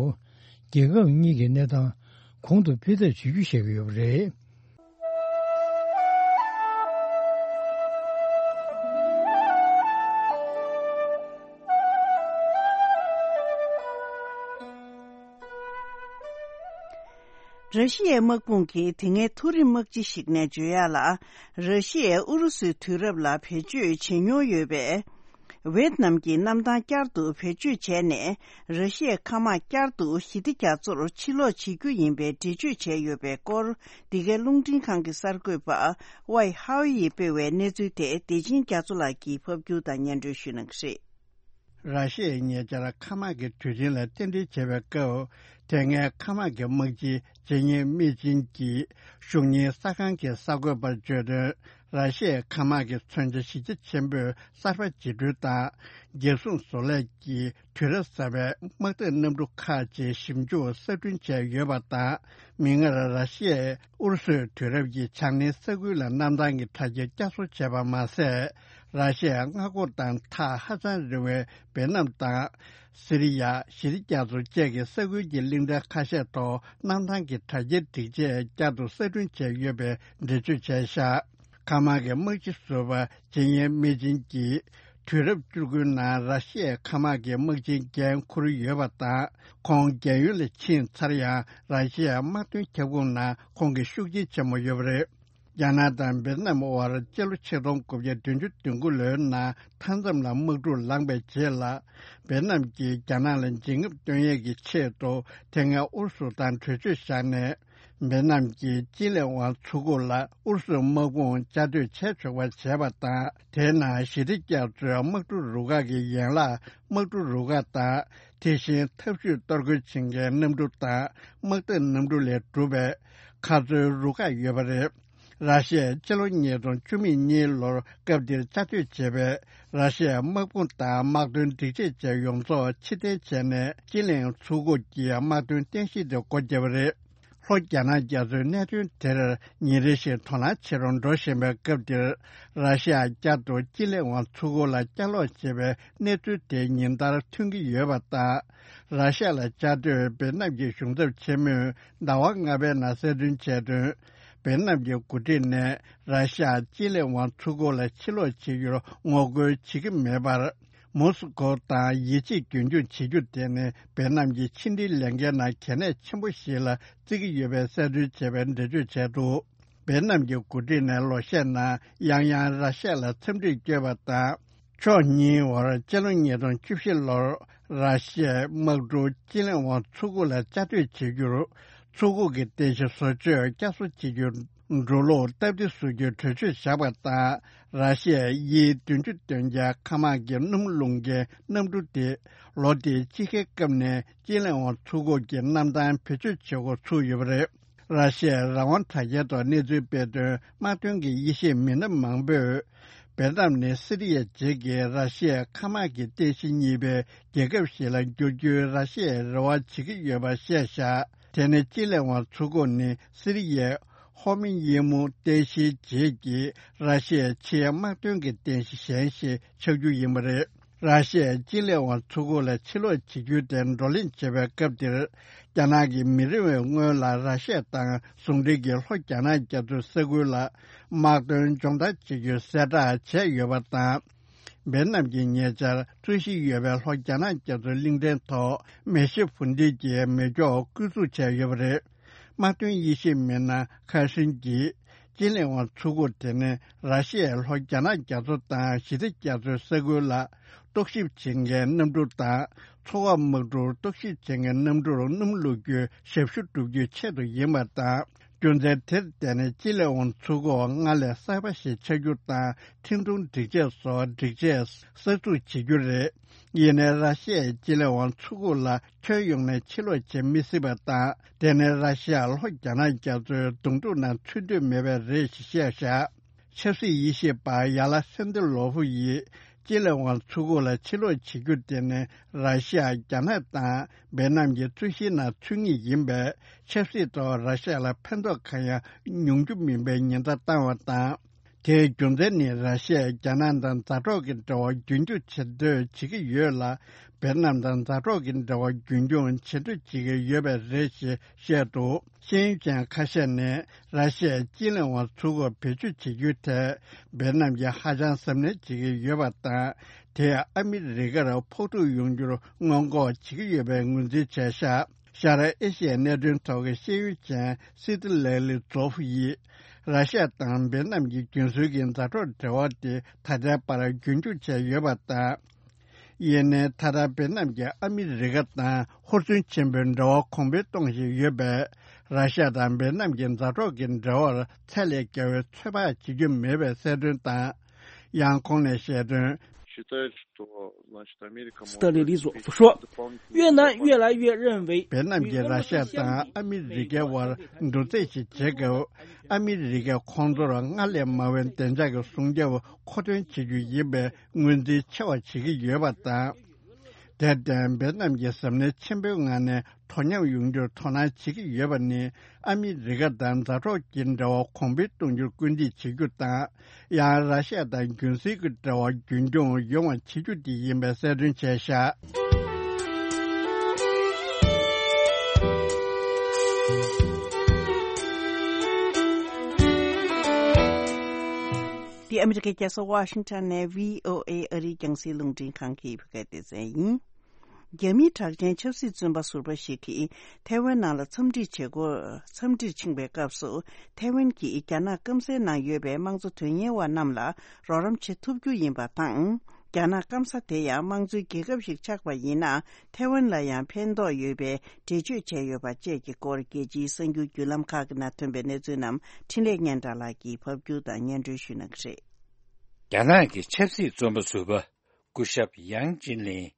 རྒྱལ་ཁབ་གཉིས་ཀྱི་གནས་སྟངས་གོང་དུ་འཕེལ་ཐབས་བྱེད་རྒྱུ་བཤད་ཀྱི་ཡོད་པ་རེད། ར་ཤི་ཡའི་དམག་དཔུང་གིས་དེ་སྔའི་མཐོ་རིམ་དམག་སྤྱི་ཞིག་ནས་བརྗོད་ཡག་ལ། ར་ཤི་ཡས་ཨུ་རུ་སུའི་དུས་རབས་ལ་བེད་སྤྱོད་བྱེད་མྱོང་ཡོད་པའི་ཝེད་ནམ་གྱི་གནམ་ཐང་བསྐྱར་དུ་བེད་སྤྱོད་བྱས་ནས། ར་ཤི་ཡའི་མཁའ་དམག་བསྐྱར་དུ་ཞི་བདེ་རྒྱ་མཚོར་ཕྱིར་ལོག་བྱེད་རྒྱུ་ཡིན་པའི་འགྲེལ་བརྗོད་བྱས་ཡོད་པའི་སྐོར། འདི་གའི་རླུང་འཕྲིན་ཁང་གི་གསར་འགོད་པ་ཝའེ་ཧའོ་ཡིས་སྤེལ་བའི་གནས་ཚུལ་དེ་བདེ་ཆེན་རྒྱ་མཚོ་ལགས་ཀྱིས་ཕབ་སྒྱུར་དང་སྙན་སྒྲོན་ཞུ་གནང་གི་རེད། ར་ཤི་ཡས་ཉེ་ཆར་མཁའ་དམག་གི་དུས་ཆེན་ལ་རྟེན་འབྲེལ་བྱས་པའི་སྐབས། དེ་སྔའི་མཁའ་དམག་གི་དམག་སྤྱི་ཇེ་ཉེ་སྨི་ཅིན་གྱིས་བཞུགས་གཉེར་གསར་ཁང་གི་གསར་འགོད་པར་བརྗོད་དོན། ར་ཤི་ཡའི་མཁའ་དམག་གི་མཚོན་ཆ་གཞི་རྒྱ་ཆེན་པོས་གསར་པ་འཇིགས་སྐྲོལ་དང་། རྒྱལ་སྲུང་བཟོ་ལས་ཀྱི་དུས་རབས་གསར་པའི་དམག་འཐབ་གནམ་གྲུ་ཁག་ཅིག་ཞིབ་འཇུག་གསར་སྐྲུན་བྱས་ཡོད་པ་དང་། མིག་སྔར་ར་ཤི་ཡས་ཨུ་རུ་སུའི་དུས་རབས་ཀྱི་བྱང་སྣེའི་ས་ཁུལ་ལ་གནམ་ཐང་གི་དྲ་རྒྱ་བསྐྱར་གསོ་བྱས་པ་མ་ཟད། ར་ཤི་ཡའི་མངའ་ཁོངས་དང་ཐག་ཧ་ཅང་རིང་བའི་ཝེ་ནམ་དང་། སི་རི་ཡ། ཞི་བདེ་རྒྱ་མཚོ་བཅས་ཀྱི་ས་ཁུལ་གྱི་གླིང་ཕྲན་ཁ་ཤས་ཐོག་གནམ་ཐང་གི་དྲ་རྒྱའི་སྒྲིག་ཆས་བསྐྱར་དུ་གསར་སྐྲུན་བྱས་ཡོད་པའི་འགྲེལ་བརྗོད་བྱས་བཞག་མཁའ་དམག་གི་དམག་སྤྱི་ཟུར་པ་ཇི་ཡན་མི་ཅིན་གྱིས། དུས་རབས་བཅུ་དགུའི་ནང་ར་ཤི་ཡའི་མཁའ་དམག་གི་དམག་ཆེན་འགན་འཁུར་ཡོད་པ་དང་། ཁོང་རྒན་ཡོལ་ལ་ཕྱིན་ཚར་ཡང་། ར་ཤི་ཡའི་དམག་དོན་ཁྱབ་ཁོངས་ནང་ཁོང་གི་ཤུགས་རྐྱེན་ཆེན་མོ་ཡོད་པ་རེད། རྒྱ་ནག་དང་ཝེ་ཏི་ནམ་དབར་སྤྱི་ལོ་ཆིག་སྟོང་དགུ་བརྒྱ་བདུན་ཅུ་དོན་དགུ་ལོའི་ནང་མཐའ་མཚམས་ལ་དམག་འཁྲུག་ལངས་པའི་རྗེས་ལ། ཝེ་ཏི་ནམ་གྱིས་རྒྱ་ནག་ལ་འཇིགས་རྔུབ་སྟོན་ཡས་ཀྱི་ཆེད་དུ། དེ་སྔའི་ཨུ་རུ་སུ་དང་གྲོས་ཆོད་བཞག་ནས། ཝེ་ཏི་ནམ་གྱི་ཅིན་ལེ་ཝང་མཚོ་ཁུག་ལ་ཨུ་རུ་སུའི་དམག་དཔུང་བཅའ་སྡོད་བྱེད་ཆོག་པ་བྱས་པ་དང་། དེའི་ནང་ཞི་བདེ་རྒྱ་མཚོའི་དམག་གྲུ་རུ་ཁག་གི་ཡན་ལག་དམག་གྲུ་རུ་ཁག་དང་། དེ་བཞིན་འཐབ་ཇུས་གཏོར་རྒོལ་བྱེད་མཁན་གནམ་གྲུ་དང་། དམག་འཐབ་གནམ་གྲུ་ལས་གྲུབ་པའི་མཁའ་མཚོའི་རུ་ཁག་ཡོད་པ་རེད། ར་ཤི་ཡས་སྤྱི་ལོ་ཉིས་སྟོང་བཅུ་གཉིས་ལོར་སྐབས་དེར་བཅའ་སྡོད་བྱས་པའི་ར་ཤི་ཡའི་དམག་དཔུང་དང་དམག་དོན་སྒྲིག་ཆས་བཅས་ཡོངས་རྫོགས་ཕྱིར་འཐེན་བྱས་ནས། ཅིན་ལེ་ཝང་མཚོ་ཁུག་གི་དམག་དོན་རྟེན་གཞི་དེ་སྒོ་བརྒྱབ་པ་རེད། ལྷོ་རྒྱ་ནག་རྒྱ་མཚོའི་གནད་དོན་དེར་ཉིན་རེ་བཞིན་དོ་སྣང་ཆེ་རུ་འགྲོ་བཞིན་པའི་སྐབས་འདིར། ར་ཤི་ཡ་བསྐྱར་དུ་ཅིན་ལེ་ཝང་མཚོ་ཁུག་ལ་བསྐྱར་ལོག་བྱས་པའི་གནས་ཚུལ་དེ་ཉིན་ལྟར་ཐོན་གྱི་ཡོད་པ་དང་། ར་ཤི་ཡ་ལ་བཅའ་སྡོད་ཝེ་ཏི་ནམ་གྱི་གཞུང་ཚབ་ཆེན་མོས་ཟླ་བ་ལྔ་པའི་ནང་གསལ་སྟོན་བྱས་དོན། ཝེ་ཏི་ནམ་གྱི་འགོ་ཁྲིད་ནས་ར་ཤི་ཡ་ཅིན་ལེ་ཝང་མཚོ་ཁུག་ལ་ཕྱིར་ལོག་བྱེད་རྒྱུར་ངོ་རྒོལ་བྱེད་ཀྱི་མེད་པར། མོ་སི་ཀོ་དང་ཡིད་ཆེས་རྒྱུན་འཁྱོངས་བྱེད་རྒྱུ་དེ་ནི་ཝེ་ཏི་ནམ་གྱི་ཕྱི་འབྲེལ་ལས་འགན་ནང་གལ་གནད་ཆེན་པོ་ཞིག་ལ་བརྩི་གི་ཡོད་པའི་གསལ་སྟོན་བྱས་པའི་འགྲེལ་བརྗོད་བྱས་འདུག ། བེད་ནམ་གྱི་འགོ་ཁྲིད་ནས་ལོ་ཤས་ནང་ཡང་ཡང་ར་ཤ་ལ་འཚམས་འདྲིར་བསྐྱོད་པ་དང་། ཕྱོགས་གཉིས་བར་སྤྱི་ལོ་ཉིས་སྟོང་བཅུ་བཞི་ལོར་ར་ཤ་ཡའི་དམག་གྲུ་ཅི་ལིན་ཝང་མཚོ་ཁུག་ལ་བཅའ་སྡོད་བྱེད་རྒྱུར། མཚོ་ཁུག་གི་རྟེན་གཞི་བཟོ་བཅོས་བསྐྱར་གསོ་བྱེད་རྒྱུར་འགྲོ་ལུགས་སྟབས་བདེ་བཟོ་རྒྱུའི་གྲོས་ཆོད་བཞག་པ་དང་། ར་ཤ་ཡའི་ཡི་བདུན་ཅུ་དོན་བརྒྱད་མཁའ་དམག་གི་སྣུམ་རླུང་གི་གནམ་གྲུ་དེ། ལོ་དེའི་དཔྱིད་ཀའི་སྐབས་ནས་ཅི་ལིན་ཝང་མཚོ་ཁུག་གི་གནམ་ཐང་བེད་སྤྱོད་བྱེད་འགོ་ཚུགས་ཡོད་པ་རེད། ར་ཤི་ཡའི་རང་དབང་དྲ་རྒྱའི་ཐོག་གནས་ཚུལ་སྤེལ་དོན། དམག་དོན་གྱི་དབྱེ་ཞིབ་མི་སྣ་མང་པོས། བེད་ནམ་ནི་སི་རི་ཡའི་རྗེས་ཀྱི་ར་ཤི་ཡའི་མཁའ་དམག་གི་རྟེན་གཞི་གཉིས་པའི་རྒྱལ་ཁབ་ཞིག་ལ་འགྱུར་རྒྱུའི་ར་ཤི་ཡའི་རེ་བ་བྱེད་ཀྱི་ཡོད་པ་བཤད་བཞག་དེ་ནི་ཅི་ལིན་ཝང་མཚོ་ཁུག་ནི་སི་རི་ཡའི་ཧོར་མུ་དབྱིན་མུ་རྟེན་གཞིའི་རྗེས་ཀྱི་ར་ཤི་ཡའི་ཕྱིའི་དམག་དོན་གྱི་རྟེན་གཞི་གཞན་ཞིག་ཆགས་རྒྱུ་ཡིན་པ་རེད། ར་ཤི་ཡས་ཅི་ལིན་ཝང་མཚོ་ཁུག་ལ་ཕྱིར་ལོག་བྱེད་རྒྱུའི་ཐད་བགྲོ་གླེང་བྱེད་པའི་སྐབས་དེར། རྒྱ་ནག་གིས་མི་རིང་བའི་སྔོན་ལ་ར་ཤི་ཡ་དང་ཟུང་འབྲེལ་གྱི་ལྷོ་རྒྱ་ནག་རྒྱ་མཚོའི་ས་ཁུལ་ལ་དམག་དོན་སྦྱོང་བརྡར་བྱེད་རྒྱུའི་གསལ་བསྒྲགས་བྱས་ཡོད་པ་དང་། བེད་ནམ་གྱིས་ཉེ་ཆར་རྩོད་གཞི་ཡོད་པའི་ལྷོ་རྒྱ་ནག་རྒྱ་མཚོའི་གླིང་ཕྲན་ཐོག་མེ་ཤི་བུ་ཏི་གྱི་མེ་སྒྱོགས་བསྐོར་འཛུགས་བྱས་ཡོད་པ་རེད། དམག་དོན་དབྱེ་ཞིབ་མི་སྣ་ཁ་ཧྲིན་གྱིས། ཅི་ལིན་ཝང་མཚོ་ཁུག་དེ་ནི་ར་ཤི་ཡའི་ལྷོ་རྒྱ་ནག་རྒྱ་མཚོ་དང་ཞི་བདེ་རྒྱ་མཚོའི་ས་ཁུལ་ལ་རྟོག་ཞིབ་བྱེད་མཁན་གནམ་གྲུ་དང་། མཚོ་འོག་དམག་གྲུར་རྟོག་ཞིབ་བྱེད་མཁན་གནམ་གྲུར་སྣུམ་བླུག་རྒྱུའི་ཞབས་ཞུ་བསྒྲུབ་རྒྱུའི་ཆེད་དུ་ཡིན་པ་དང་། རྒྱུ་མཚན་དེར་བརྟེན་ནས་ཅི་ལིན་ཝང་མཚོ་ཁུག་སྔར་ལས་གསར་པ་ཞིག་ཆགས་རྒྱུ་དང་། འཕྲིན་གཏོང་སྒྲིག་ཆས་སོགས་སྒྲིག་ཆས་གསར་འཛུགས་བྱེད་རྒྱུ་རེད། ཡིན་ནའི་ར་ཤི་ཡས་ཅི་ལིན་ཝང་མཚོ་ཁུག་ལ་ཁྱོན་ཡོངས་ནས་ཕྱིར་ལོག་བྱེད་མི་སྲིད་པ་དང་། དེ་ནི་ར་ཤི་ཡ་ལྷོ་རྒྱ་ནག་རྒྱ་མཚོའི་གདོང་དྲུག་ནང་ཚུད་འདོད་མེད་པས་རེད་ཞེས་བཤད་བཞག་ཆབ་སྲིད་དབྱེ་ཞིབ་པ་ཡ་ལ་སན་ཏི་ལོ་ཧྥུ་ཡིས་ཅི་ལིན་ཝང་མཚོ་ཁུག་ལ་ཕྱིར་ལོག་བྱེད་རྒྱུ་དེ་ནི་ར་ཤི་ཡ། རྒྱ་ནག་དང་བེད་ནམ་གྱི་རྩོད་གཞིའི་ནང་ཚུད་ངེས་ཡིན་པས། ཆབ་སྲིད་ཐོག་ར་ཤི་ཡ་ལ་ཕན་ཐོགས་གང་ཡང་ཡོང་རྒྱུ་མིན་པའི་ཉེན་བརྡ་བཏང་བ་དང་། དེའི་རྒྱུ་མཚན་ནི་ར་ཤི་ཡས་རྒྱ་ནག་དང་མཛའ་གྲོགས་ཀྱི་འབྲེལ་བ་རྒྱུན་འཁྱོངས་བྱེད་འདོད་བྱེད་ཀྱི་ཡོད་ལ། བེད་ནམ་དང་མཛའ་གྲོགས་ཀྱི་འབྲེལ་བ་རྒྱུན་འཁྱོངས་བྱེད་འདོད་བྱེད་ཀྱི་ཡོད་པས་རེད་ཅེས་བཤད་འདུག་ཤེས་ཡོན་ཅན་ཁ་ཤས་ནས་ར་ཤི་ཡས་ཅི་ལིན་ཝང་མཚོ་ཁུག་བེད་སྤྱོད་བྱེད་རྒྱུའི་ཐད་བེད་ནམ་གྱིས་ཧ་ཅང་གཟབ་ནན་བྱེད་ཀྱི་ཡོད་པ་དང་། དེས་ཨ་མི་རི་ཀར་ཕོག་ཐུག་ཡོང་རྒྱུར་སྔོན་འགོག་བྱེད་ཀྱི་ཡོད་པའི་ངོས་འཛིན་བྱས་ཤག་ཤར་ཨེ་ཤི་ཡའི་གནད་དོན་ཐོག་གི་ཤེས་ཡོན་ཅན་སི་ཏི་ལེག་ལི་ཛོ་ཧྥུ་ཡིས། ར་ཤ་ཡ་དང་བེད་ནམ་གྱི་རྒྱུན་སྲོལ་གྱི་མཛའ་གྲོགས་འབྲེལ་བ་དེ་ད་ལྟའི་བར་རྒྱུན་འཁྱོངས་བྱས་ཡོད་པ་དང་། ཡིན་ནའི་ད་ལྟ་བེད་ནམ་གྱིས་ཨ་མི་རི་ཀ་དང་ཧུར་བརྩོན་ཆེན་པོས་འབྲེལ་བ་གོང་འཕེལ་གཏོང་བཞིན་ཡོད་པས། ར་ཤ་ཡ་དང་བེད་ནམ་གྱི་མཛའ་གྲོགས་ཀྱི་འབྲེལ་བར་ཚད་ལས་བརྒལ་བའི་ཚོད་དཔག་བྱེད་རྒྱུ་མེད་པའི་གསལ་སྟོན་དང་། ཡང་ཁོང་ནས་བཤད་དོན། считает, что, значит, Америка может 斯特列里佐夫说，越南越来越认为 བེད་ནམ་གྱིས་ར་ཤ་ཡ་དང་ཨ་མི་རི་ཀའི་དབར་འགྲོ་རྩིས་ཤིག་བྱེད་སྐབས། ཨ་མི་རི་ཀས་ཁོང་ཚོར་སྔར་ལས་མང་བའི་བདེ་འཇགས་ཀྱི་སྲུང་སྐྱོབ་མཁོ་འདོན་བྱེད་རྒྱུ་ཡིན་པའི་ངོས་འཛིན་ཆེ་བ་བྱེད་ཀྱི་ཡོད་པ་དང་། དེར་བརྟེན་བེད་ནམ་གྱིས་གཟབ་ནན་ཆེན་པོའི་ངང་ནས་དོ་མཉམ་ཡོང་རྒྱུར་དོ་སྣང་བྱེད་ཀྱི་ཡོད་པ་ནི། ཨ་མི་རི་ཀ་དང་མཛའ་གྲོགས་ཀྱི་འབྲེལ་བ་གོང་འཕེལ་གཏོང་རྒྱུར་སྐུལ་འདེད་བྱེད་རྒྱུ་དང་། ཡང་ར་ཤ་ཡ་དང་རྒྱུན་སྲིང་གི་འབྲེལ་བ་རྒྱུན་འཁྱོངས་ཡོང་བ་བྱེད་རྒྱུ་དེ་ཡིན་པའི་གསལ་སྟོན་བྱས་ཤག་འདི་ཨ་མི་རི་ཀའི་རྒྱལ་ས་ཝ་ཤིང་ཊོན་ནས་བྷི་ཨོ་ཨེ་ཨ་རིའི་རྒྱང་སྲིང་རླུང་འཕྲིན་ཁང་གི་བོད་སྐད་སྡེ་ཚན་ཡིན། རྒྱ་མིའི་གྲགས་ཅན་ཆབ་སྲིད་བཙོན་པ་ཟུར་པ་ཞིག་གིས་ཐའེ་ཝན་ནང་ལ་འཚམས་འདྲིར་བྱེད་སྒོ། འཚམས་འདྲིར་ཕྱིན་པའི་སྐབས་སུ། ཐའེ་ཝན་གྱིས་རྒྱ་ནག་སྐམ་སའི་ནང་ཡོད་པའི་དམངས་གཙོ་དོན་གཉེར་བ་རྣམས་ལ་རོགས་རམ་བྱེད་ཐུབ་རྒྱུ་ཡིན་པ་དང་། རྒྱ་ནག་སྐམ་ས་དེ་ཡང་དམངས་གཙོའི་རྒྱལ་ཁབ་ཞིག་ཆགས་པ་ཡིན་ན། ཐའེ་ཝན་ལ་ཡང་ཕན་ཐོགས་ཡོད་པའི་འགྲེལ་བརྗོད་བྱས་ཡོད་པ་བཅས་ཀྱི་སྐོར། རྒྱལ་སྤྱིའི་གསར་འགྱུར་བརྒྱུད་ལམ་ཁག་གི་ནང་ཐོན་པའི་གནས་ཚུལ་རྣམས་འཕྲིན་ལས་སྙན་གྲགས་ལགས་ཀྱིས་ཕབ་སྒྱུར་དང་སྙན་སྒྲོན་ཞུ་གནང་གི་རེད། རྒྱ་ནག་གི་ཆབ་སྲིད་བཙོན་པ་ཟུར་པ་སྐུ་ཞབས་ཡང་ཅིན་ལིན།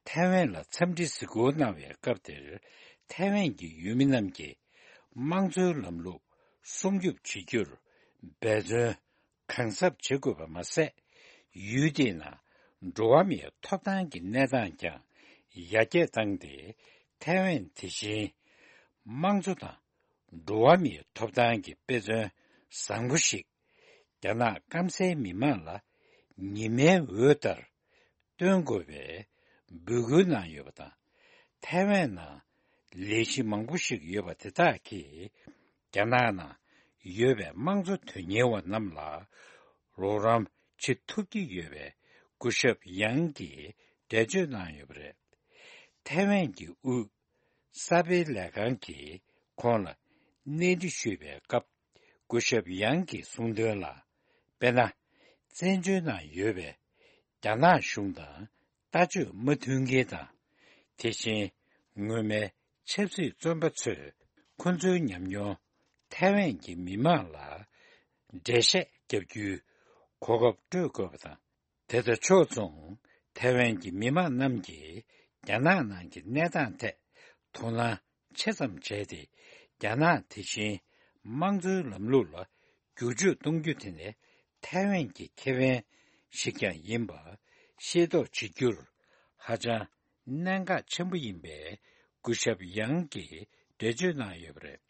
ཐའེ་ཝན་ལ་འཚམས་འདྲི་གཟིགས་སྐོར་གནང་བའི་སྐབས་དེར། ཐའེ་ཝན་གྱི་ཡུལ་མི་རྣམས་ཀྱིས་དམངས་གཙོའི་ལམ་ལུགས་སྲུང་སྐྱོབ་བྱེད་རྒྱུར་འབད་བརྩོན་གང་ཟབ་བྱེད་དགོས་པ་མ་ཟད། ཡུལ་དེའི་ནང་འགྲོ་བ་མིའི་ཐོབ་ཐང་གི་གནས་སྟངས་ཀྱང་ཡར་རྒྱས་བཏང་སྟེ། ཐའེ་ཝན་དེ་བཞིན་དམངས་གཙོ་དང་འགྲོ་བ་མིའི་ཐོབ་ཐང་གི་དཔེ་མཚོན་བཟང་པོ་ཞིག་རྒྱ་ནག་སྐམ་སའི་མི་མང་ལ་ཉི་མའི་འོད་ལྟར་སྟོན་དགོས་པའི་འབོད་སྐུལ་གནང་ཡོད་པ་དང་། ཐའེ་ཝན་ནང་ལས་གཞི་མང་པོ་ཞིག་ཡོད་པ་དེ་དག་གིས་རྒྱ་ནག་ནང་ཡོད་པའི་དམངས་གཙོ་དོན་གཉེར་བ་རྣམས་ལ་རོགས་རམ་བྱེད་ཐུབ་ཀྱི་ཡོད་པའི་སྐུ་ཞབས་ཡང་གིས་འགྲེལ་བརྗོད་གནང་ཡོད་པ་རེད། ཐའེ་ཝན་གྱི་དབུས་གསར་སྤེལ་ལས་ཁང་གིས་ཁོང་ལ་གནས་འདྲི་ཞུས་པའི་སྐབས། སྐུ་ཞབས་ཡང་གིས་གསུངས་དོན་ལ། དཔེར་ན། བཙན་བྱོལ་ནང་ཡོད་པའི་རྒྱ་ནག་གཞུང་དང་ལྟ་སྤྱོད་མ་མཐུན་མཁན་དང་། དེ་བཞིན་སྔོན་མའི་ཆབ་སྲིད་བཙོན་པ་ཚོས་ཁོ་ཚོའི་ཉམས་མྱོང་ཐའེ་ཝན་གྱི་མི་མང་ལ་འགྲེལ་བཤད་བརྒྱབ་རྒྱུའི་གོ་སྐབས་སྤྲོད་དགོས་པ་དང་། དེ་དང་ཕྱོགས་མཚུངས་ཐའེ་ཝན་གྱི་མི་མང་རྣམས་ཀྱིས་རྒྱ་ནག་ནང་གི་གནས་སྟངས་ཐད་དོ་སྣང་ཆེ་ཙམ་བྱས་ཏེ། རྒྱ་ནག་དེ་བཞིན་དམངས་གཙོའི་ལམ་ལུགས་ལ་བསྒྱུར་བཅོས་གཏོང་རྒྱུ་དེ་ནི་ཐའེ་ཝན་གྱི་ཁེ་ཕན་ཞིག་ཀྱང་ཡིན་པ་ཤེས་རྟོགས་བྱེད་རྒྱུར་ཧ་ཅང་གནད་འགག་ཆེན་པོ་ཡིན་པའི་སྐུ་ཞབས་ཡང་གིས་འགྲེལ་བརྗོད་གནང་ཡོད་པ་རེད།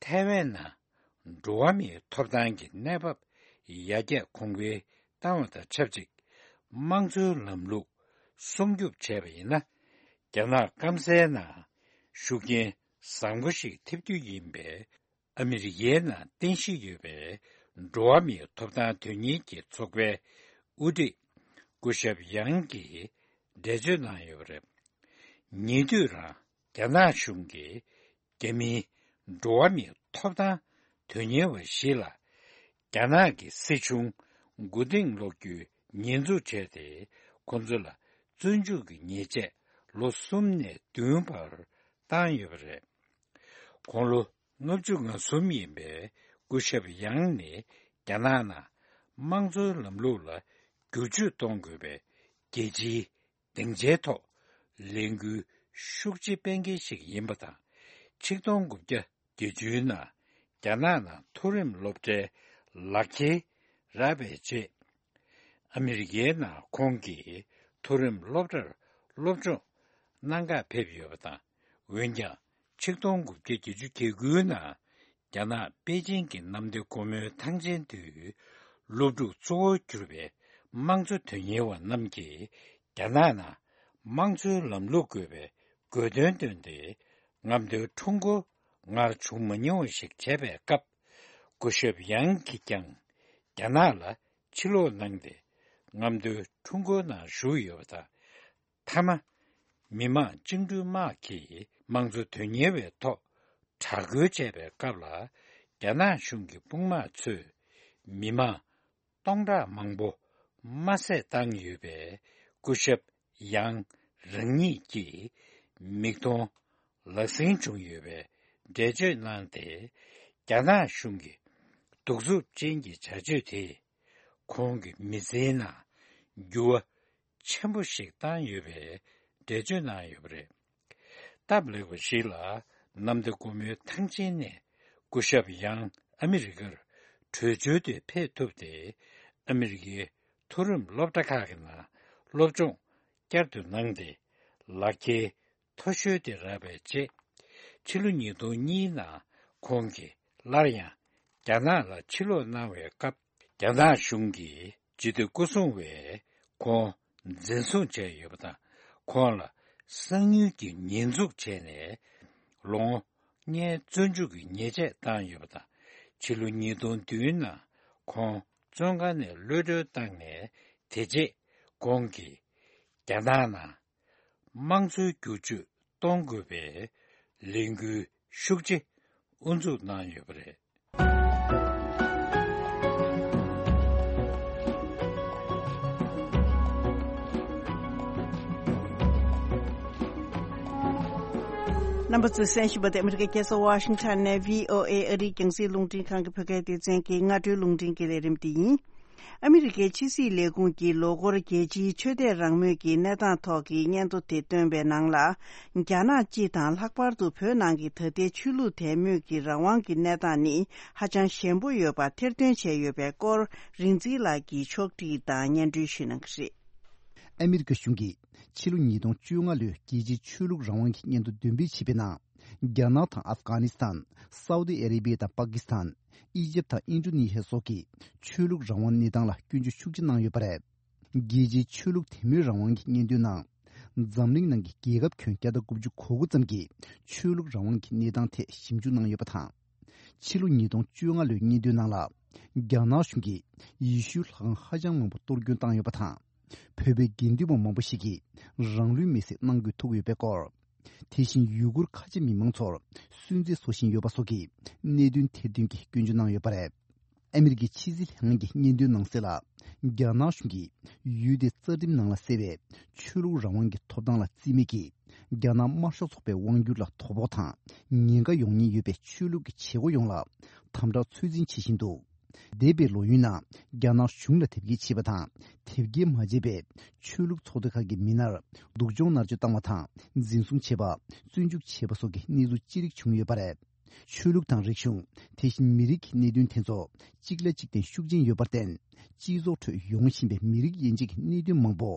ཐའེ་ཝན་ནང་འགྲོ་བ་མིའི་ཐོབ་ཐང་གི་གནས་བབ་ཡར་རྒྱས་གོང་འཕེལ་བཏང་བ་དང་ཆབས་ཅིག་དམངས་གཙོའི་ལམ་ལུགས་སྲུང་སྐྱོབ་བྱས་པ་ཡིན་ན། རྒྱ་ནག་སྐམ་སའི་ནང་ཤུགས་རྐྱེན་བཟང་པོ་ཞིག་ཐེབས་རྒྱུ་ཡིན་པས། ཨ་མི་རི་ཀའི་ནང་རྟེན་གཞི་ཡོད་པའི་འགྲོ་བ་མིའི་ཐོབ་ཐང་དོན་གཉེར་གྱི་ཚོགས་པའི་དབུ་ཁྲིད་སྐུ་ཞབས་ཡང་གིས་འགྲེལ་བརྗོད་གནང་ཡོད་པ་རེད། ཉེ་དུས་རང་རྒྱ་ནག་གཞུང་གིས་རྒྱ་མིའི་འགྲོ་བ་མིའི་ཐོབ་ཐང་དོན་གཉེར་བ་ཞིག་ལ། རྒྱ་ནག་གི་སྲིད་གཞུང་མགོ་རྟིང་སློག་རྒྱུའི་ཉེས་འཛུགས་བྱས་ཏེ། ཁོ་ཚོ་ལ་བཙོན་འཇུག་གི་ཉེས་ཆད་ལོ་གསུམ་ནས་བདུན་བར་བཏང་ཡོད་པ་རེད། དགུང་ལོ་ལྔ་བཅུ་ང་གསུམ་ཡིན་པའི་སྐུ་ཞབས་ཡང་ནི། རྒྱ་ནག་ནང་དམངས་གཙོའི་ལམ་ལུགས་ལ་བསྒྱུར་བཅོས་གཏོང་དགོས་པའི་རྒྱལ་སྤྱིའི་སྡིངས་ཆའི་ཐོག་ལས་འགུལ་ཤུགས་ཆེ་སྤེལ་མཁན་ཞིག་ཡིན་པ་དང་། ཆིག་སྟོང་དགུ་བརྒྱ་བརྒྱད་ཅུའི་ནང་རྒྱ་ནག་ནང་མཐོ་རིམ་སློབ་གྲྭའི་ལག་འཁྱེར་རག་པའི་རྗེས། ཨ་མི་རི་ཀའི་ནང་ཁོང་གིས་མཐོ་རིམ་སློབ་གྲྭར་སློབ་སྦྱོང་གནང་གར་ཕེབས་ཡོད་པ་དང་། འོན་ཀྱང་། ཆིག་སྟོང་དགུ་བརྒྱ་བརྒྱད་ཅུ་གྱ་དགུའི་ནང་རྒྱ་ནག་པེ་ཅིང་གི་གནམ་བདེ་སྒོ་མོའི་ཐང་ཆེན་དུ། སློབ་ཕྲུག་གཙོ་བོར་གྱུར་པའི་དམངས་གཙོ་དོན་གཉེར་བ་རྣམས་ཀྱིས། རྒྱ་ནག་ནང་དམངས་གཙོའི་ལམ་ལུགས་དགོས་པའི་དགོས་འདུན་བཏོན་ཏེ། རྔམ་སྟོན་ཁྲོམ་སྐོར་སྔར་བྱུང་མ་མྱོང་བ་ཞིག་བྱས་པའི་སྐབས། སྐུ་ཞབས་ཡང་གིས་ཀྱང་རྒྱ་ནག་ལ་ཕྱིར་ལོག་གནང་སྟེ། རྔམ་སྟོན་ཁྲོམ་སྐོར་ནང་ཞུགས་ཡོད་པ་དང་། མཐའ་མ། མི་དམངས་བཅིངས་འགྲོལ་དམག་གིས་དམངས་གཙོ་དོན་གཉེར་བའི་ཐོག་དྲག་རྒོལ་བྱས་པའི་སྐབས་ལ། རྒྱ་ནག་གཞུང་གི་དཔུང་དམག་ཚོས་མི་དམངས་སྟོང་ཕྲག་མང་པོ་རྨ་བསྲེགས་བཏང་ཡོད་པའི་སྐུ་ཞབས་ཡང་རང་ཉིད་ཀྱིས་མིག་མཐོང་ལག་ཟིན་བྱུང་ཡོད་པའི་འགྲེལ་བརྗོད་གནང་སྟེ། རྒྱ་ནག་གཞུང་གི་གདུག་རྩུབ་ཅན་གྱི་བྱ་སྤྱོད་དེས་ཁོང་གི་མི་ཚེའི་ནང་འགྱུར་བ་ཆེན་པོ་ཞིག་བཏང་ཡོད་པའི་འགྲེལ་བརྗོད་གནང་ཡོད་པ་རེད། སྟབས་ལེགས་པ་ཞིག་ལ། གནམ་བདེ་སྒོ་མོའི་ཐང་ཆེན་ནས་སྐུ་ཞབས་ཡང་ཨ་མི་རི་ཀར་བྲོས་བྱོལ་དུ་ཕེབས་ཐུབ་སྟེ། ཨ་མི་རི་ཀའི་མཐོ་རིམ་སློབ་གྲྭ་ཁག་གི་ནང་སློབ་སྦྱོང་བསྐྱར་དུ་གནང་སྟེ། ལག་འཁྱེར་མཐོ་ཤོས་དེ་རག་པའི་རྗེས། ཕྱི་ལོ་ཉིས་སྟོང་གཉིས་ནང་ཁོང་གིས་སླར་ཡང་རྒྱ་ནག་ལ་ཕྱིར་ལོག་གནང་བའི་སྐབས། རྒྱ་ནག་གཞུང་གིས་ཇི་ལྟར་སྐུ་སྲུང་བས་ཁོང་འཛིན་བཟུང་བྱས་ཡོད་པ་དང་། ཁོང་ལ་གསང་ཉུལ་གྱི་ཉེས་འཛུགས་བྱས་ནས། ལོ་ངོ་ལྔའི་བཙོན་འཇུག་གི་ཉེས་ཆད་བཏང་ཡོད་པ་དང་། ཕྱི་ལོ་ཉིས་སྟོང་བདུན་ནང་ཁོང་བཙོན་ཁང་ནས་གློད་གྲོལ་བཏང་ནས། དེ་རྗེས་ཁོང་གིས་རྒྱ་ནག་ནང་དམངས་གཙོའི་བསྒྱུར་བཅོས་གཏོང་དགོས་པའི་ལས་འགུལ་ཤུགས་ཆེ་དབུ་འཛུགས་གནང་ཡོད་པ་རེད། རྣམ་པ་ཚོས་གསན་བཞིན་པ་དེ་ཨ་མི་རི་ཀའི་རྒྱལ་ས་ཝ་ཤིང་ཊོན་ནས་བྷི་ཨོ་ཨེ་ཨ་རིའི་རྒྱང་སྲིང་རླུང་འཕྲིན་ཁང་གི་བོད་སྐད་སྡེ་ཚན་གྱི་སྔ་དྲོའི་རླུང་འཕྲིན་གྱི་ལས་རིམ་འདི་ཡིན། ཨ་མི་རི་ཀའི་ཕྱི་སྲིད་ལས་ཁུངས་ཀྱིས་ལོ་འཁོར་རྒྱལ་སྤྱིའི་ཆོས་དད་རང་མོས་ཀྱི་གནས་སྟངས་ཐོག་གི་སྙན་ཐོ་དེ་བཏོན་པའི་ནང་ལ། རྒྱ་ནག་སྤྱི་དང་ལྷག་པར་དུ་བོད་ནང་གི་ད་ལྟའི་ཆོས་ལུགས་དད་མོས་ཀྱི་རང་དབང་གི་གནས་སྟངས་ནི་ཧ་ཅང་ཞན་པོ་ཡོད་པ་ཐེར་འདོན་བྱས་ཡོད་པའི་སྐོར། རིག་འཛིན་ལགས་ཀྱིས་ཕྱོགས་སྒྲིག་དང་སྙན་སྒྲོན་ཞུས་གནང་གི་རེད། ཨ་མི་རི་ཀ་གཞུང་གིས་ཕྱི་ལོ་ཉིས་སྟོང་བཅོ་ལྔ་ལོའི་རྒྱལ་སྤྱིའི་ཆོས་ལུགས་རང་དབང་གི་སྙན་ཐོ་འདོན་སྤེལ་བྱས་པའི་ནང་། རྒྱ་ནག་དང་ཨབ་གྷ་ནི་སི་ཐན། སའུ་ཏི་ཨ་རེ་བྷི་ཡ་དང་པ་ཀི་སི་ཐན། ཨི་ཇིབ་དང་ཨིན་ཌོ་ནེ་ཤི་ཡ་སོགས་ཀྱིས་ཆོས་ལུགས་རང་དབང་གནས་སྟངས་ལ་སྐྱོན་བརྗོད་ཤུགས་ཆེ་གནང་ཡོད་པ་རེད། རྒྱལ་སྤྱིའི་ཆོས་ལུགས་དད་མོས་རང་དབང་གི་སྙན་ཐོའི་ནང་། འཛམ་གླིང་ནང་གི་རྒྱལ་ཁབ་ཁྱོན་བརྒྱ་དང་དགུ་བཅུ་གོ་དགུ་ཙམ་གྱིས་ཆོས་ལུགས་རང་དབང་གི་གནས་སྟངས་ཐད་ཞིབ་འཇུག་གནང་ཡོད་པ་དང་། ཕྱི་ལོ་ཉིས་སྟོང་བཅོ་ལྔ་ལོའི་སྙན་ཐོའི་ནང་ལ། རྒྱ་ནག་གཞུང་གིས་ཡེ་ཤུའི་ལྷ་ཁང་ཧ་ཅང་མང་པོ་གཏོར་སྐྱོན་བཏང་ཡོད་པ་དང་། བོད་པའི་དགེ་འདུན་པ་མང་པོ་ཞིག་གིས་རང་ལུས་མེར་སྲེག་གནང་དགོས་ཐུག་ཡོད་པའི་སྐོར། དེ་བཞིན་ཡུ་གུར་ཁ་ཆེ་མི་མང་ཚོར་སུན་གཙེར་བཟོ་བཞིན་ཡོད་པ་སོགས་ཀྱི་གནད་དོན་ཐེར་འདོན་གྱིས་སྐྱོན་བརྗོད་གནང་ཡོད་པ་རེད། ཨ་མི་རི་ཀའི་ཕྱི་སྲིད་ལྷན་ཁང་གི་སྙན་ཐོའི་ནང་གསལ་ལ། རྒྱ་ནག་གཞུང་གིས་ཡུལ་དེའི་རྩ་ཁྲིམས་ནང་ལ་གསལ་བའི་ཆོས་ལུགས་རང་དབང་གི་ཐོབ་ཐང་ལ་བརྩི་མེད་ཀྱིས། རྒྱ་ནག་དམར་ཤོག་ཚོགས་པའི་དབང་སྒྱུར་ལ་དོ་ཕོག་དང་ཉེན་ཁ་ཡོང་ཉེན་ཡོད་པའི་ཆོས་ལུགས་ཀྱི་བྱེད་སྒོ་ཡོངས་ལ་དམ་དྲག་ཚོད་འཛིན་བྱེད་བཞིན་འདུག་འདས་པའི་ལོ་ཡུན་ནང་རྒྱ་ནག་གཞུང་ལ་དེབ་སྐྱེལ་བྱས་པ་དང་དེབ་སྐྱེལ་མ་བྱས་པའི་ཆོས་ལུགས་ཚོགས་སྡེ་ཁག་གི་མི་སྣར་སྡུག་སྦྱོང་མནར་གཅོད་བཏང་བ་དང་འཛིན་བཟུང་བྱས་པ། བཙོན་འཇུག་བྱས་པ་སོགས་ཀྱི་གནས་ཚུལ་ཅི་རིགས་བྱུང་ཡོད་པ་རེད། ཆོས་ལུགས་དང་རིག་གཞུང་། དེ་བཞིན་མི་རིགས་ཀྱི་གནད་དོན་དེ་ཚོ་གཅིག་ལ་གཅིག་བརྟེན་ཤུགས་ཆེན་ཡོད་པར་བརྟེན། སྤྱི་ཚོགས་ཁྲོད་ཡོང་བཞིན་པའི་མི་རིགས་དབྱེ་འབྱེད་ཀྱི་གནད་དོན་མང་པོ་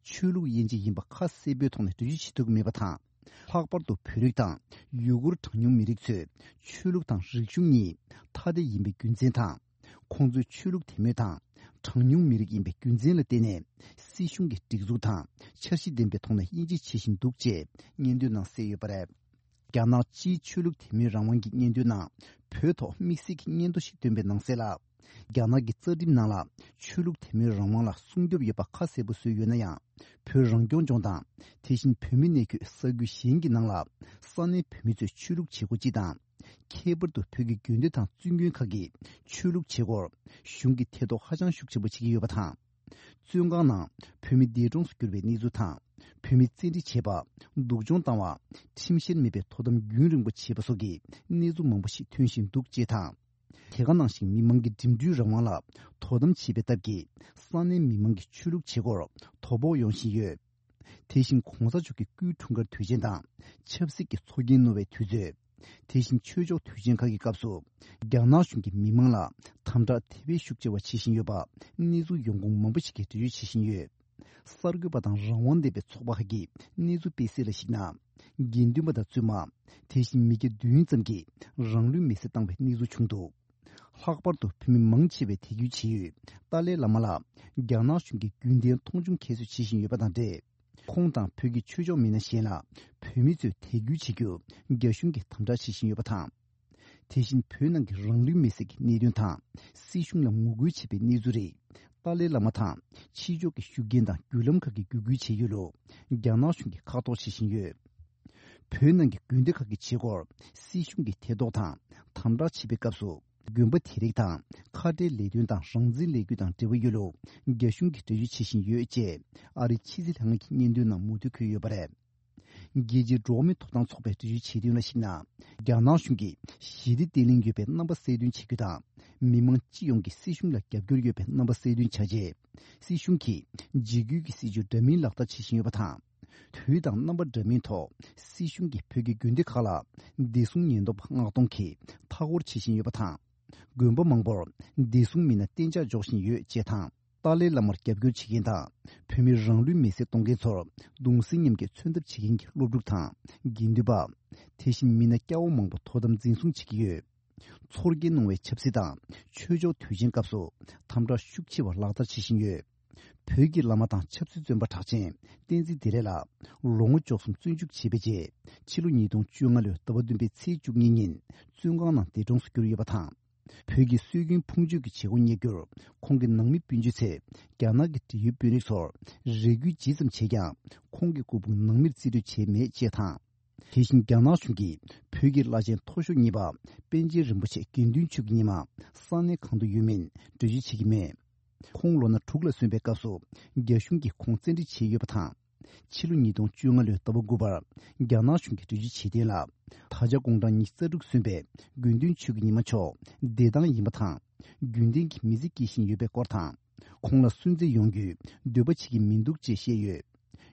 ཆོས་ལུགས་དབྱེ་འབྱེད་ཡིན་པ་ཁ་གསལ་པོའི་ཐོག་ནས་འགྲེལ་བརྗོད་བྱེད་ཐུབ་ཀྱི་མེད་པ་དང་། ལྷག་པར་དུ་བོད་རིགས་དང་ཡུ་གུར་གྲངས་ཉུང་མི་རིགས་ཚོས་ཆོས་ལུགས་དང་རིག་གཞུང་གཉིས་ཐ་དད་ཡིན་པའི་རྒྱུ་མཚན་དང་། ཁོང་ཚོས་ཆོས་ལུགས་དད་མོས་དང་གྲངས་ཉུང་མི་རིགས་ཡིན་པའི་རྒྱུ་མཚན་ལ་བརྟེན་ནས་སྲིད་གཞུང་གི་སྒྲིག་འཛུགས་དང་འཆར་གཞི་ལྡན་པའི་ཐོག་ནས་དབྱེ་འབྱེད་བྱེད་བཞིན་འདུག་ཅེས་སྙན་ཐོའི་ནང་གསལ་ཡོད་པ་རེད། རྒྱ་ནག་སྤྱིའི་ཆོས་ལུགས་དད་མོས་རང་དབང་གི་སྙན་ཐོའི་ནང་བོད་ཐོག་དམིགས་བསལ་གྱི་སྙན་ཐོ་ཞིག་བཏོན་པའི་ནང་གསལ་ལ། རྒྱ་ནག་གི་རྩ་ཁྲིམས་ནང་ལ་ཆོས་ལུགས་དད་མོས་རང་དབང་ལ་སྲུང་སྐྱོབ་ཡོད་པ་ཁ་གསལ་པོ་བཟོས་ཡོད་ན་ཡང་། བོད་རང་སྐྱོང་ལྗོངས་དང་། དེ་བཞིན་བོད་མི་གནས་འཁོད་ས་ཁུལ་གཞན་གྱི་ནང་ལ་ས་གནས་བོད་མི་ཚོས་ཆོས་ལུགས་བྱེད་སྒོ་སྤྱི་དང་། ཁྱད་པར་དུ་བོད་ཀྱི་དགོན་སྡེ་དང་བཙུན་དགོན་ཁག་གིས་ཆོས་ལུགས་བྱེད་སྒོར་གཞུང་གིས་ཐེ་གཏོགས་ཧ་ཅང་ཤུགས་ཆེན་པོ་བྱེད་ཀྱི་ཡོད་པ་དང་། བཙོན་ཁང་ནང་བོད་མི་འདས་གྲོངས་སུ་གྱུར་བའི་གནས་ཚུལ་དང་། བོད་མི་བཙན་ཁྲིད་བྱས་པ། སྡུག་སྦྱོང་བཏང་བ། ཁྲིམས་བཤེར་མེད་པའི་དོ་དམ་རྒྱུན་རིང་པོ་བྱས་པ་སོགས་ཀྱི་གནས་ཚུལ་མང་པོ་ཞིག་ཐོན་བཞིན་འདུག་ཅེས་དང་། དེ་ག་ནང་བཞིན་མི་མང་གི་འགྲིམ་འགྲུལ་རང་དབང་ལ་དོ་དམ་བྱེད་པའི་སྟབས་ཀྱིས་ས་གནས་མི་མང་གི་ཆོས་ལུགས་བྱེད་སྒོར་དོ་ཕོག་ཡོང་བཞིན་ཡོད། དེ་བཞིན་གོང་ས་མཆོག་གི་སྐུའི་འཁྲུངས་སྐར་དུས་ཆེན་དང་ཆབ་སྲིད་ཀྱི་ཚོགས་རྒྱན་བསྣོལ་བའི་དུས་ཚོད། དེ་བཞིན་ཆོས་ཕྱོགས་དུས་ཆེན་ཁག་གི་སྐབས་སུ་རྒྱ་ནག་གཞུང་གིས་མི་མང་ལ་དམ་དྲག་དེ་བས་ཤུགས་ཆེ་བ་བྱེད་བཞིན་ཡོད་པ་གནས་ཚུལ་ཡོང་ཁུངས་མང་པོ་ཞིག་གིས་འགྲེལ་བརྗོད་བྱེད་བཞིན་ཡོད། གསར་འགོད་པ་དང་རང་དབང་ལྡན་པའི་ཚོགས་པ་ཁག་གིས་གནས་ཚུལ་སྤེལ་གསལ་ལ་གཞིགས་ན། དགེ་འདུན་པ་དང་བཙུན་མ། དེ་བཞིན་མི་སྐྱ་བདུན་ཙམ་གྱིས་རང་ལུས་མེར་སྲེག་བཏང་བའི་གནས་ཚུལ་བྱུང་འདུག་ལྷག་པར་དུ་བོད་མི་མང་ཆེ་བའི་དད་གུས་བྱེད་ཡུལ་ཏཱ་ལའི་བླ་མ་ལ་རྒྱ་ནག་གཞུང་གིས་རྒྱུན་ལྡན་མཐོང་ཆུང་ཁྱད་གསོད་བྱེད་བཞིན་ཡོད་པ་དང་འབྲེལ། ཁོང་དང་བོད་ཀྱི་ཆོས་ཕྱོགས་མི་སྣ་གཞན་ལ་བོད་མི་ཚོས་དད་གུས་བྱེད་རྒྱུར་རྒྱ་གཞུང་གིས་དམ་དྲག་བྱེད་བཞིན་ཡོད་པ་དང་། དེ་བཞིན་བོད་ནང་གི་རང་ལུས་མེར་སྲེག་གི་གནད་དོན་དང་སྲིད་གཞུང་ལ་ངོ་རྒོལ་བྱེད་པའི་གནས་ཚུལ་རིགས། ཏཱ་ལའི་བླ་མ་དང་ཕྱི་ཕྱོགས་ཀྱི་ཤུགས་རྐྱེན་དང་བརྒྱུད་ལམ་ཁག་གིས་བརྒྱུད་སྐུལ་བྱེད་ཡུལ་ལུ་རྒྱ་ནག་གཞུང་གིས་ཁ་གཏོགས་བྱེད་བཞིན་ཡོད། བོད་ནང་གི་དགོན་སྡེ་ཁག་གི་བྱེད་སྒོར་སྲིད་གཞུང་གིས་ཐེ་གཏོགས་དང་དམ་དྲག་བྱེད་པའི་སྐབས་སུ། དགོན་པ་དེ་རིགས་དང་ཁ་བྲལ་ལས་དོན་དང་རང་བཙན་ལས་འགུལ་དང་འབྲེལ་བ་ཡོད་ལུགས་རྒྱ་གཞུང་གིས་འགྲེལ་བརྗོད་བྱེད་བཞིན་ཡོད་ཅེས་ཨ་རིའི་ཕྱི་སྲིད་ལྷན་ཁང་གི་སྙན་ཐོའི་ནང་མུ་མཐུད་འཁོད་ཡོད་པ་རེད། རྒྱལ་སྤྱིའི་འགྲོ་བ་མིའི་ཐོབ་ཐང་ཚོགས་པས་འགྲེལ་བརྗོད་བྱས་དོན་ལ་གཞིགས་ན། རྒྱ་ནག་གཞུང་གིས་ཞི་བདེ་བརྟན་ལྷིང་ཡོད་པའི་རྣམ་པ་གསལ་སྟོན་བྱེད་རྒྱུ་དང་། མི་མང་སྤྱི་ཡོངས་ཀྱིས་སྲིད་གཞུང་ལ་རྒྱབ་སྐྱོར་ཡོད་པའི་རྣམ་པ་གསལ་སྟོན་བྱ་ཆེད། སྲིད་གཞུང་གིས་འཇིགས་སྐུལ་གྱི་སྲིད་བྱུས་འདྲ་མིན་ལག་བསྟར་བྱེད་བཞིན་ཡོད་པ་དང་། དུས་དང་རྣམ་པ་འདྲ་མིན་ཐོག་སྲིད་གཞུང་གིས་བོད་ཀྱི་དགོན་སྡེ་ཁག་ལ་བདེ་སྲུང་ཉེན་རྟོག་པ་མངགས་གཏོང་གིས་མཐའ་སྐོར་བྱེད་བཞིན་ཡོད་པ་དང་། དགོན་པ་མང་པོར་བདེ་སྲུང་མི་སྣ་གཏན་འཇགས་འཇོག་བཞིན་ཡོད་ཅེས་དང་། ཏཱ་ལའི་བླ་མར་རྒྱབ་སྐྱོར་བྱེད་མཁན་དང་། བོད་མིར་རང་ལུས་མེར་སྲེག་གཏོང་མཁན་ཚོར་གདུང་སེམས་མཉམ་སྐྱེད་མཚོན་ཐབས་བྱེད་མཁན་གྱི་སློབ་ཕྲུག་དང་། དགེ་འདུན་པ། དེ་བཞིན་མི་སྣ་སྐྱ་བོ་མང་པོ་དོ་དམ་འཛིན་བཟུང་བྱེད་ཀྱི་ཡོད། ཚོར་སྐྱེན་གནང་བའི་ཆབ་སྲིད་དང་ཆོས་ཕྱོགས་དུས་ཆེན་སྐབས་སུ་དམ་དྲག་ཤུགས་ཆེ་བ་ལག་བསྟར་བྱེད་བཞིན་ཡོད། བོད་ཀྱི་བླ་མ་དང་ཆབ་སྲིད་བཙོན་པ་གྲགས་ཅན་བསྟན་འཛིན་བདེ་ལེགས་ལགས་ལོ་ངོ་བཅུ་གསུམ་བཙོན་འཇུག་བྱས་པའི་རྗེས། ཕྱི་ལོ་ཉིས་སྟོང་བཅོ་ལྔ་ལོའི་ཟླ་བ་བདུན་པའི་ཚེས་བཅུ་གཉིས་ཉིན་བཙོན་ཁང་ནང་འདས་གྲོངས་སུ་གྱུར་ཡོད་པ་དང་། བོད་ཀྱི་སྲོལ་རྒྱུན་ཕུང་མཆོད་ཀྱི་བྱེད་སྒོ་གཉེར་རྒྱུར་ཁོང་གི་ནང་མི་སྤུན་མཆེད་ཚོས་རྒྱ་ནག་གི་འབྲེལ་ཡོད་དཔོན་རིགས་ཚོར་རེ་སྐུལ་ཇི་ཙམ་བྱས་ཀྱང་ཁོང་གི་སྐུ་ཕུང་ནང་མིར་རྩིས་སྤྲོད་བྱས་མེད་ཅེས་དང་། དེ་བཞིན་རྒྱ་ནག་གཞུང་གིས་བོད་ཀྱི་བླ་ཆེན་མཐོ་ཤོས་གཉིས་པ་པཎ་ཆེན་རིན་པོ་ཆེ་དགེ་འདུན་ཆོས་ཀྱི་ཉི་མ་ས་གནས་གང་དུ་ཡོད་མིན་འགྲེལ་བརྗོད་བྱེད་ཀྱི་མེད། ཁོང་ལོ་ན་དྲུག་ལ་སོན་པའི་སྐབས་སུ་རྒྱ་གཞུང་གིས་ཁོང་བཙན་ཁྲིད་བྱས་ཡོད་པ་དང་། ཕྱི་ལོ་ཉིས་སྟོང་བཅོ་ལྔ་ལོའི་ཟླ་བ་དགུ་པར་རྒྱ་ནག་གཞུང་གིས་འགྲེལ་བརྗོད་བྱས་དོན་ལ། ད་ཆ་དགུང་གྲངས་ཉི་ཤུ་རྩ་དྲུག་སོན་པའི་དགེ་འདུན་ཆོས་ཀྱི་ཉི་མ་མཆོག་བདེ་ཐང་ཡིན་པ་དང་། རྒྱུན་ལྡན་གྱི་མི་ཚེ་སྐྱེལ་བཞིན་ཡོད་པའི་སྐོར་དང་། ཁོང་ལ་སུན་གཙེར་ཡོང་རྒྱུའི་འདོད་པ་བྱེད་ཀྱི་མི་འདུག་ཅེས་བཤད་ཡོད།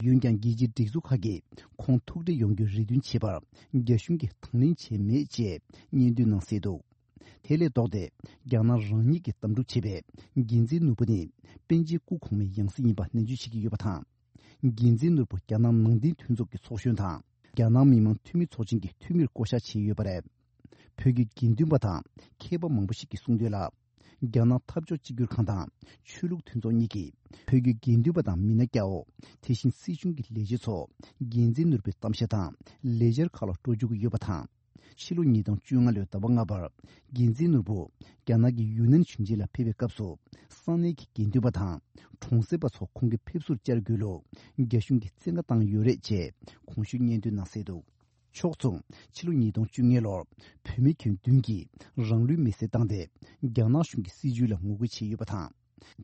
འོན་ཀྱང་རྒྱལ་སྤྱིའི་སྒྲིག་འཛུགས་ཁག་གིས་ཁོང་ཐུག་འཕྲད་ཡོང་རྒྱུའི་རེ་འདུན་བྱས་པར་རྒྱ་གཞུང་གིས་དང་ལེན་བྱས་མེད་ཅེས་སྙན་ཐོའི་ནང་གསལ་འདུག་དེ་ལས་ལྡོག་སྟེ་རྒྱ་ནག་རང་ཉིད་ཀྱིས་དམ་ཕྲུག་བྱེད་པའི་འགན་འཛིན་ནོར་བུ་ནི་པཎ་ཆེན་སྐུ་གོང་མའི་ཡང་སྲིད་ཡིན་པ་ནན་བརྗོད་བྱེད་ཀྱི་ཡོད་པ་དང་། འགན་འཛིན་ནོར་བུ་རྒྱ་ནག་ནང་བསྟན་མཐུན་ཚོགས་ཀྱི་ཚོགས་གཞོན་དང་རྒྱ་ནག་མི་དམངས་འཐུས་མི་ཚོགས་ཆེན་གྱི་འཐུས་མིར་བསྐོ་གཞག་བྱས་ཡོད་པ་རེད། བོད་ཀྱི་དགེ་འདུན་པ་དང་མཁས་པ་མང་པོ་ཞིག་གིས་གསུངས་དོན་ལ། རྒྱ་ནག་འཐབ་ཕྱོགས་གཅིག་གྱུར་ཁང་དང་ཆོས་ལུགས་མཐུན་ཚོགས་གཉིས་ཀྱིས་བོད་ཀྱི་དགེ་འདུན་པ་དང་མི་སྣ་སྐྱ་བོ། དེ་བཞིན་སྲིད་གཞུང་གི་ལས་བྱེད་ཚོ་འགན་འཛིན་ནོར་བུའི་གཏམ་བཤད་དང་ལས་འཆར་ཁག་ལ་འགྲོ་བཅུག་གི་ཡོད་པ་དང་། ཕྱི་ལོ་ཉིས་སྟོང་བཅོ་ལྔ་ལོའི་ཟླ་བ་ལྔ་པར་འགན་འཛིན་ནོར་བུ་རྒྱ་ནག་གི་ཡུན་ནན་ཞིང་ཆེན་ལ་ཕེབས་པའི་སྐབས་སུ། ས་གནས་ཀྱི་དགེ་འདུན་པ་དང་གྲོང་གསེབ་པ་ཚོ་ཁོང་གི་ཕེབས་བསུར་བཅར་དགོས་ལུགས་རྒྱ་གཞུང་གིས་བཙན་བཀའ་བཏང་ཡོད་རེད་ཅེས་གོང་ཞུས་སྙན་ཐོའི་ནང་གསལ་འདུག་ཕྱོགས་མཚུངས། ཕྱི་ལོ་ཉིས་སྟོང་བཅོ་ལྔ་ལོར་བོད་མི་ཁྱོན་བདུན་གྱིས་རང་ལུས་མེར་སྲེག་བཏང་སྟེ། རྒྱ་ནག་གཞུང་གི་སྲིད་བྱུས་ལ་ངོ་རྒོལ་བྱས་ཡོད་པ་དང་།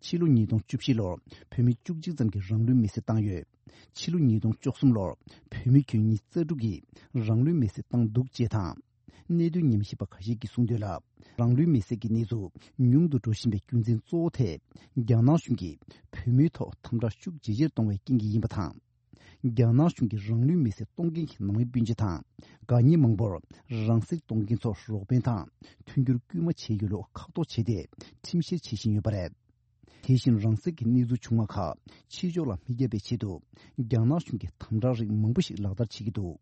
ཕྱི་ལོ་ཉིས་སྟོང་བཅུ་བཞི་ལོར་བོད་མི་བཅུ་གཅིག་ཙམ་གྱིས་རང་ལུས་མེར་སྲེག་བཏང་ཡོད། ཕྱི་ལོ་ཉིས་སྟོང་བཅུ་གསུམ་ལོར་བོད་མི་ཁྱོན་ཉིས་རྩ་དྲུག་གིས་རང་ལུས་མེར་སྲེག་བཏང་འདུག་ཅེས་དང་། གནད་དོན་ཉམས་ཞིབ་པ་ཁ་ཤས་ཀྱིས་གསུངས་དོན་ལ། རང་ལུས་མེར་སྲེག་གི་གནས་ཚུལ་ཉུང་དུ་འགྲོ་བཞིན་པའི་རྒྱུ་མཚན་གཙོ་བོ་དེ། རྒྱ་ནག་གཞུང་གིས་བོད་མིའི་ཐོག་དམ་དྲག་ཤུགས་ཇེ་ཆེར་གཏོང་བའི་རྐྱེན་གྱིས་ཡིན་པ་དང་། རྒྱ་ནག་གཞུང་གིས་རང་ལུས་མེར་སྲེག་གཏོང་མཁན་གྱི་ནང་མི་སྤུན་མཆེད་དང་། དགའ་ཉེ་མང་པོར་རང་སྲེག་གཏོང་མཁན་ཚོར་རོགས་ཕན་དང་མཐུན་འགྱུར་སྐུལ་མ་བྱས་ཡོད་ལུགས་ཁག་ཐོག་བྱས་ཏེ། ཁྲིམས་བཤེར་བྱེད་བཞིན་ཡོད་པ་རེད། དེ་བཞིན་རང་སྲེག་གི་གནས་ཚུལ་བྱུང་བ་ཁག་ཕྱི་ཕྱོགས་ལ་མི་བརྒྱབ་པའི་ཆེད་དུ། རྒྱ་ནག་གཞུང་གིས་དམ་དྲག་རིགས་མང་པོ་ཞིག་ལག་བསྟར་བྱེད་ཀྱི་འདུག་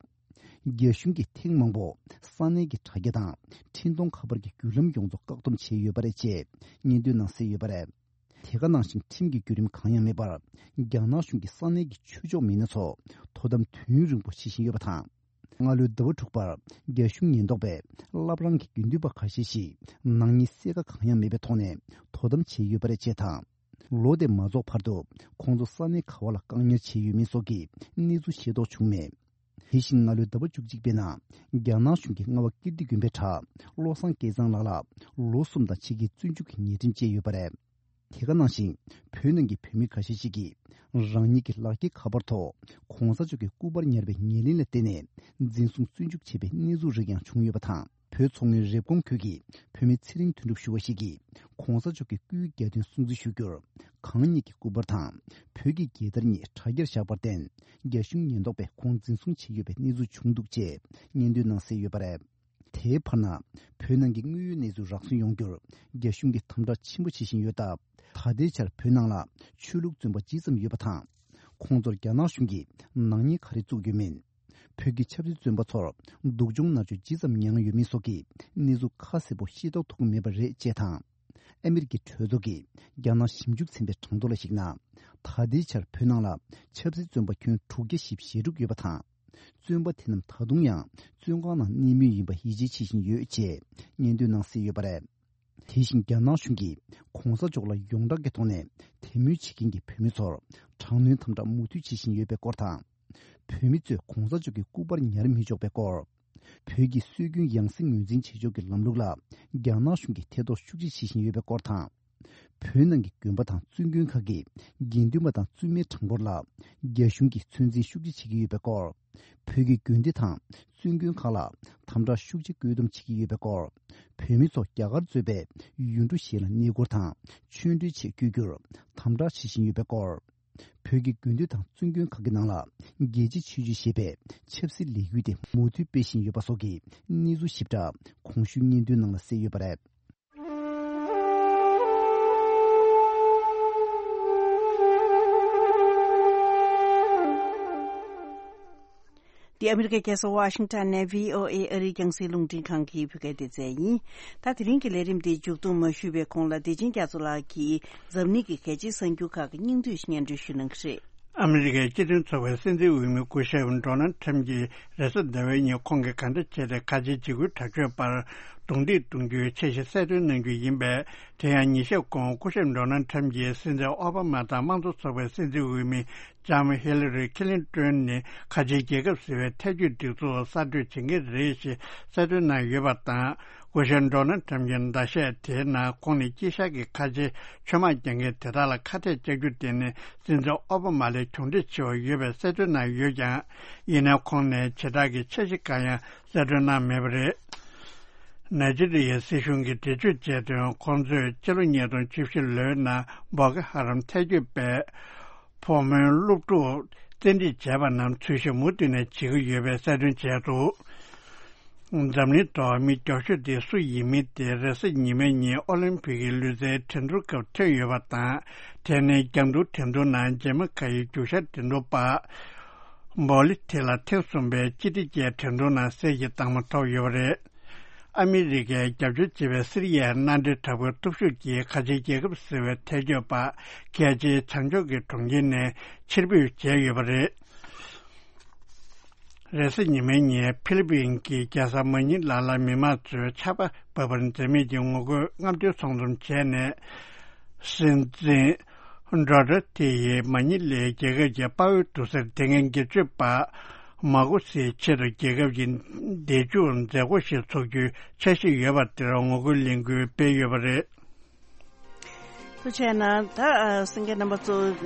རྒྱ་གཞུང་གིས་ཐེངས་མང་པོ་ས་གནས་ཀྱི་དྲ་རྒྱ་དང་འཕྲིན་གཏོང་ཁ་པར་གྱི་བརྒྱུད་ལམ་ཡོངས་རྫོགས་བཀག་སྡོམ་བྱས་ཡོད་པ་རེད་ཅེས་སྙན་ཐོའི་ནང་གསལ་ཡོད་པ་རེད། དེ་ག་ནང་བཞིན་ཁྲིམས་ཀྱི་བརྒྱུད་རིམ་གང་ཡང་མེད་པར། རྒྱ་ནག་གཞུང་གིས་ས་གནས་ཀྱི་ཆོས་ཕྱོགས་མི་སྣ་ཚོ་དོ་དམ་དུས་ཡུན་རིང་པོ་བྱེད་བཞིན་ཡོད་པ་དང་། སྔ་ལོའི་ཟླ་བ་དྲུག་པར་རྒྱ་གཞུང་ཉེན་རྟོག་པས་བླ་བྲང་གི་དགེ་འདུན་པ་ཁ་ཤས་ཤིག་ནག་ཉེས་གསལ་ཁ་གང་ཡང་མེད་པའི་ཐོག་ནས་དོ་དམ་བྱས་ཡོད་པ་རེད་ཅེས་དང་། ལོ་དེ་མ་རྫོགས་བར་དུ་ཁོང་ཚོ་ས་གནས་ག་བ་ལ་བཀག་ཉར་བྱས་ཡོད་མེད་སོགས་ཀྱི་གནས་ཚུལ་ཤེས་རྟོགས་བྱུང་མེད། དེ་བཞིན་སྔ་ལོའི་ཟླ་བ་བཅུ་གཅིག་པའི་ནང་རྒྱ་ནག་གཞུང་གིས་རྔ་བ་ཀིརྟི་དགོན་པའི་གྲྭ་བློ་བཟང་སྐལ་བཟང་ལགས་ལ་ལོ་གསུམ་དང་ཕྱེད་ཀའི་བཙོན་འཇུག་གི་ཉེས་ཁྲིམས་བཅད་ཡོད་པ་རེད། དེ་ག་ནང་བཞིན་བོད་ནང་གི་བོད་མི་ཁ་ཤས་ཤིག་གིས་རང་ཉིད་ཀྱི་ལག་འཁྱེར་ཁ་པར་ཐོག་གོང་ས་མཆོག་གི་སྐུ་པར་ཉར་བའི་ཉེར་ལེན་ལ་བརྟེན་ནས་འཛིན་བཟུང་བཙོན་འཇུག་བྱས་པའི་གནས་ཚུལ་རིགས་ཡང་བྱུང་ཡོད་པ་དང་། བོད་མཚོ་སྔོན་རེབ་གོང་ཁུལ་གྱི་བོད་མི་ཚེ་རིང་དོན་གྲུབ་ཞུ་བ་ཞིག་གིས་གོང་ས་མཆོག་གི་སྐུའི་གྱ་སྟོན་སྲུང་བརྩི་ཞུ་རྒྱུར། གང་ཉིད་ཀྱི་སྐུ་པར་དང་བོད་ཀྱི་རྒྱལ་དར་གཉིས་དྲ་རྒྱར་བཞག་པར་བརྟེན། རྒྱ་གཞུང་ཉེན་རྟོག་པས་ཁོང་འཛིན་བཟུང་བྱས་ཡོད་པའི་གནས་ཚུལ་བྱུང་འདུག་ཅེས་སྙན་ཐོའི་ནང་གསལ་ཡོད་པ་རེད། དེའི་བར་ན། བོད་ནང་གི་དངོས་ཡོད་གནས་ཚུལ་རགས་ཟིན་ཡོང་རྒྱུར། རྒྱ་གཞུང་གིས་དམ་དྲག་ཆེན་པོ་བྱེད་བཞིན་ཡོད་སྟབས། ད་ལྟའི་ཆར་བོད་ནང་ལ་ཆོས་ལུགས་བཙོན་པ་ཇི་ཙམ་ཡོད་པ་དང་། ཁོང་ཚོར་རྒྱ་ནག་གཞུང་གིས་ནག་ཉེས་ག་རེ་བཙུགས་ཡོད་མེད། བོད་ཀྱི་ཆབ་སྲིད་བཙོན་པ་ཚོར་སྡུག་སྦྱོང་མནར་གཅོད་ཇི་ཙམ་མྱངས་ཡོད་མེད་སོགས་ཀྱི་གནས་ཚུལ་ཁ་གསལ་པོ་ཤེས་རྟོགས་ཐུབ་ཀྱི་མེད་པ་རེད་ཅེས་དང་། ཨ་མི་རི་ཀའི་གྲོས་ཚོགས་ཀྱིས་རྒྱ་ནག་ཞིབ་འཇུག་ཚན་པའི་གྲངས་ཐོ་ལ་གཞིགས་ན། ད་ལྟའི་ཆར་བོད་ནང་ལ་ཆབ་སྲིད་བཙོན་པ་ཁྱོན་དྲུག་བརྒྱ་བཞི་བཅུ་ཞེ་དྲུག་ཡོད་པ་དང་། བཙོན་པ་དེ་རྣམས་ད་དུང་ཡང་བཙོན་ཁང་ནང་གནས་མུས་ཡིན་པ་ཡིད་ཆེས་བྱེད་བཞིན་ཡོད་ཅེས་སྙན་ཐོའི་ནང་གསལ་ཡོད་པ་རེད། དེ་བཞིན་རྒྱ་ནག་གཞུང་གིས་གོང་ས་མཆོག་ལ་ཡོངས་གྲགས་ཀྱི་ཐོག་ནས་དད་མོས་བྱེད་མཁན་གྱི་བོད་མི་ཚོར་དྲག་གནོན་དམ་དྲག་མུ་མཐུད་བྱེད་བཞིན་ཡོད་པའི་སྐོར་དང་། བོད་མི་ཚོས་གོང་ས་མཆོག་གི་སྐུ་པར་ཉར་མི་ཆོག་པའི་སྐོར། བོད་ཀྱི་སྲོལ་རྒྱུན་ཡང་སྲིད་ངོས་འཛིན་བྱེད་ཕྱོགས་ཀྱི་ལམ་ལུགས་ལ་རྒྱ་ནག་གཞུང་གིས་ཐེ་གཏོགས་ཤུགས་ཆེ་བྱེད་བཞིན་ཡོད་པའི་སྐོར་དང་། བོད་ནང་གི་དགོན་པ་དང་བཙུན་དགོན་ཁག་གི་དགེ་འདུན་པ་དང་བཙུན་མའི་གྲངས་འབོར་ལ་རྒྱ་གཞུང་གིས་ཚོད་འཛིན་ཤུགས་ཆེ་བྱེད་ཀྱི་ཡོད་པའི་སྐོར། བོད་ཀྱི་དགོན་སྡེ་དང་བཙུན་དགོན་ཁག་ལ་དམ་དྲག་ཤུགས་ཆེ་བཀོད་འདོམས་བྱེད་ཀྱི་ཡོད་པའི་སྐོར། བོད་མི་ཚོ་རྒྱ་གར་གཙོས་པའི་ཡུལ་གྲུ་གཞན་ལ་གནས་སྐོར་དང་ཆོས་འབྲེལ་ཆེད་བསྐྱོད་རྒྱུར་དམ་དྲག་བྱེད་བཞིན་ཡོད་པའི་སྐོར། བོད་ཀྱི་དགོན་སྡེ་དང་བཙུན་དགོན་ཁག་གི་ནང་ལ་རྒྱལ་གཅེས་ཆོས་སྤྱོད་ཞེས་པའི་ཆབ་སྲིད་ལས་འགུལ་དེ་མུ་མཐུད་སྤེལ་བཞིན་ཡོད་པ་སོགས་ཀྱི་གནས་ཚུལ་ཞིབ་ཕྲ་གོང་ཞུས་སྙན་ཐོའི་ནང་ལ་གསལ་ཡོད་པ་རེད། འདི་ཨ་མི་རི་ཀའི་རྒྱལ་ས་ཝ་ཤིང་ཊོན་ནས་བྷི་ཨོ་ཨེ་ཨ་རིའི་རྒྱང་སྲིང་རླུང་འཕྲིན་ཁང་གི་བོད་སྐད་སྡེ་ཚན་ཡིན། ད་དེ་རིང་གི་ལས་རིམ་འདི་མཇུག་བསྡོམས་མ་ཞུས་པའི་གོང་ལ་བདེ་ཆེན་རྒྱ་མཚོ་ལགས་ཀྱིས་འཛམ་གླིང་གི་གལ་ཆེའི་གསར་འགྱུར་ཁག་གི་སྙིང་བསྡུས་སྙན་སྒྲོན་ཞུ་གནང་གི་རེད། ཨ་མི་རི་ཀའི་སྤྱི་མཐུན་ཚོགས་པའི་སྲིད་འཛིན་འོས་མི་སྐུ་ཞབས་ཌོ་ནལ་ཁྲམ་གྱིས་རེས་གཟའ་ཟླ་བའི་ཉིན་ཁོང་གིས་ག་འདྲ་བྱས་ཏེ་ཁ་ཆེའི་འཇིགས་སྐུལ་དྲག་སྤྱོད་པར་རྡུང་རྡེག་གཏོང་རྒྱུའི་འཆར་གཞི་གསལ་སྟོན་གནང་རྒྱུ་ཡིན་པས། དེ་ཡང་ཉིན་ཤས་གོང་སྐུ་ཞབས་ཌོ་ནལ་ཁྲམ་གྱིས་སྲིད་འཛིན་ཨོ་བྷ་མ་དང་དམངས་གཙོ་ཚོགས་པའི་སྲིད་འཛིན་འོས་མི་ལྕམ་ཧི་ལ་རི་ཁི་ལིན་ཏོན་ནི་ཁ་ཆེའི་རྒྱལ་ཁབ་ཟེར་བའི་ཐལ་སྐྱོད་སྒྲིག་འཛུགས་གསར་གཏོད་བྱེད་མཁན་རེད་ཞེས་གསལ་སྟོན་གནང་ཡོད་པ་དང་། སྐུ་ཞབས་ཌོ་ནལ་ཁྲམ་གྱི་ཟླ་ཤས་དེའི་ནང་ཁོང་ནི་དཀྱིལ་ཤར་གྱི་ཁ་ཆེའི་ཆོས་དམག་རྒྱག་མཁན་དེ་དག་ལ་ཁ་གཏད་བཅག་རྒྱུ་དེ་ནི་སྲིད་འཛིན་ཨོ་བྷ་མ་ལས་གྱོང་འདྲེས་ཆེ་བ་ཡོད་པའི་གསལ་སྟོན་གནང་ཡོད་ཀྱང་། ཡིན་ནའི་ཁོང་ནས་བྱེ་བྲག་གི་འཆར་གཞི་འགའ་ཡང་གསལ་སྟོན་གནང་མེད་པ་རེད། ནཱི་ཇི་རི་ཡའི་སྲིད་གཞུང་གིས་འགྲེལ་བརྗོད་བྱས་དོན། ཁོང་ཚོས་ཕྱི་ལོ་ཉིས་སྟོང་བཅུ་བཞི་ལོའི་ནང་བོ་ཀོ་ཧ་རམ་ཐལ་སྐྱོད་པས་ཕོ་མོའི་སློབ་ཕྲུག་བཙན་ཁྲིད་བྱས་པ་རྣམས་འཚོལ་ཞིབ་མུ་མཐུད་ནས་བྱེད་ཀྱི་ཡོད་པའི་གསལ་སྟོན་བྱས་འདུག་འཛམ་གླིང་ཐོག་མི་མགྱོགས་ཤོས་དེ་སུ་ཡིན་མིན་དེ་རེས་གཟའ་ཉི་མའི་ཉིན་ཨོ་ལིམ་ཕིག་གི་ལུས་རྩལ་འགྲན་བསྡུར་སྐབས་ཐོན་ཡོད་པ་དང་། དེ་ནི་རྒྱང་ཐུང་འགྲན་བསྡུར་ནང་རྗེས་མ་འགའ་ཡི་རྒྱུག་ཤར་འགྲན་བསྡུར་པ། འབོ་ལི་ཐི་ལ་ཐེངས་གསུམ་པའི་སྤྱི་བདེ་ཅན་འགྲན་བསྡུར་ནང་གསལ་བྱེད་དང་པོ་ཐོབ་ཡོད་པ་རེད། ཨ་མི་རི་ཀས་རྒྱབ་སྐྱོར་བྱེད་པའི་སི་རི་ཡའི་མནའ་འབྲེལ་དྲག་པོའི་སྟོབས་ཤུགས་ཀྱིས་ཁ་ཆེའི་རྒྱལ་ཁབ་ཟེར་བའི་ཐལ་སྐྱོད་པ་རྒྱལ་སྤྱིའི་བྱང་ཕྱོགས་ཀྱི་གྲོང་ཁྱེར་ནས་ཕྱིར་འབུད་བྱས་ཡོད་པ་རེད། རེས་གཟའ་ཉི་མའི་ཉིན་ཕི་ལི་པིན་གྱི་རྒྱལ་ས་མ་ཉི་ལ་ལ་མི་མང་ཚོས་ཆར་པ་འབབ་པར་འཛེམ་མེད་ཀྱི་ངོ་རྒོལ་རྔམ་སྟོན་ཚོགས་འཛོམས་བྱས་ནས། སྲིད་འཛིན་རོ་ཏྲ་ཏི་ཡིས་མ་ཉི་ལའི་རྒྱལ་ཁབ་ཀྱི་དཔའ་བོའི་དུར་སའི་དེ་སྔའི་སྒེར་གཅོད་པ་མ་གོ་སིའི་ཆེད་དུ་རྒྱལ་ཁབ་ཀྱི་བདེ་འཇུག་མཛད་སྒོ་ཞིག་འཚོགས་རྒྱུའི་འཆར་གཞི་ཡོད་པ་དེར་ངོ་རྒོལ་ལས་འགུལ་སྤེལ་ཡོད་པ་རེད། ཐུགས་རྗེ་གནང་། ད་གསན་མཁན་རྣམ་པ་ཚོ།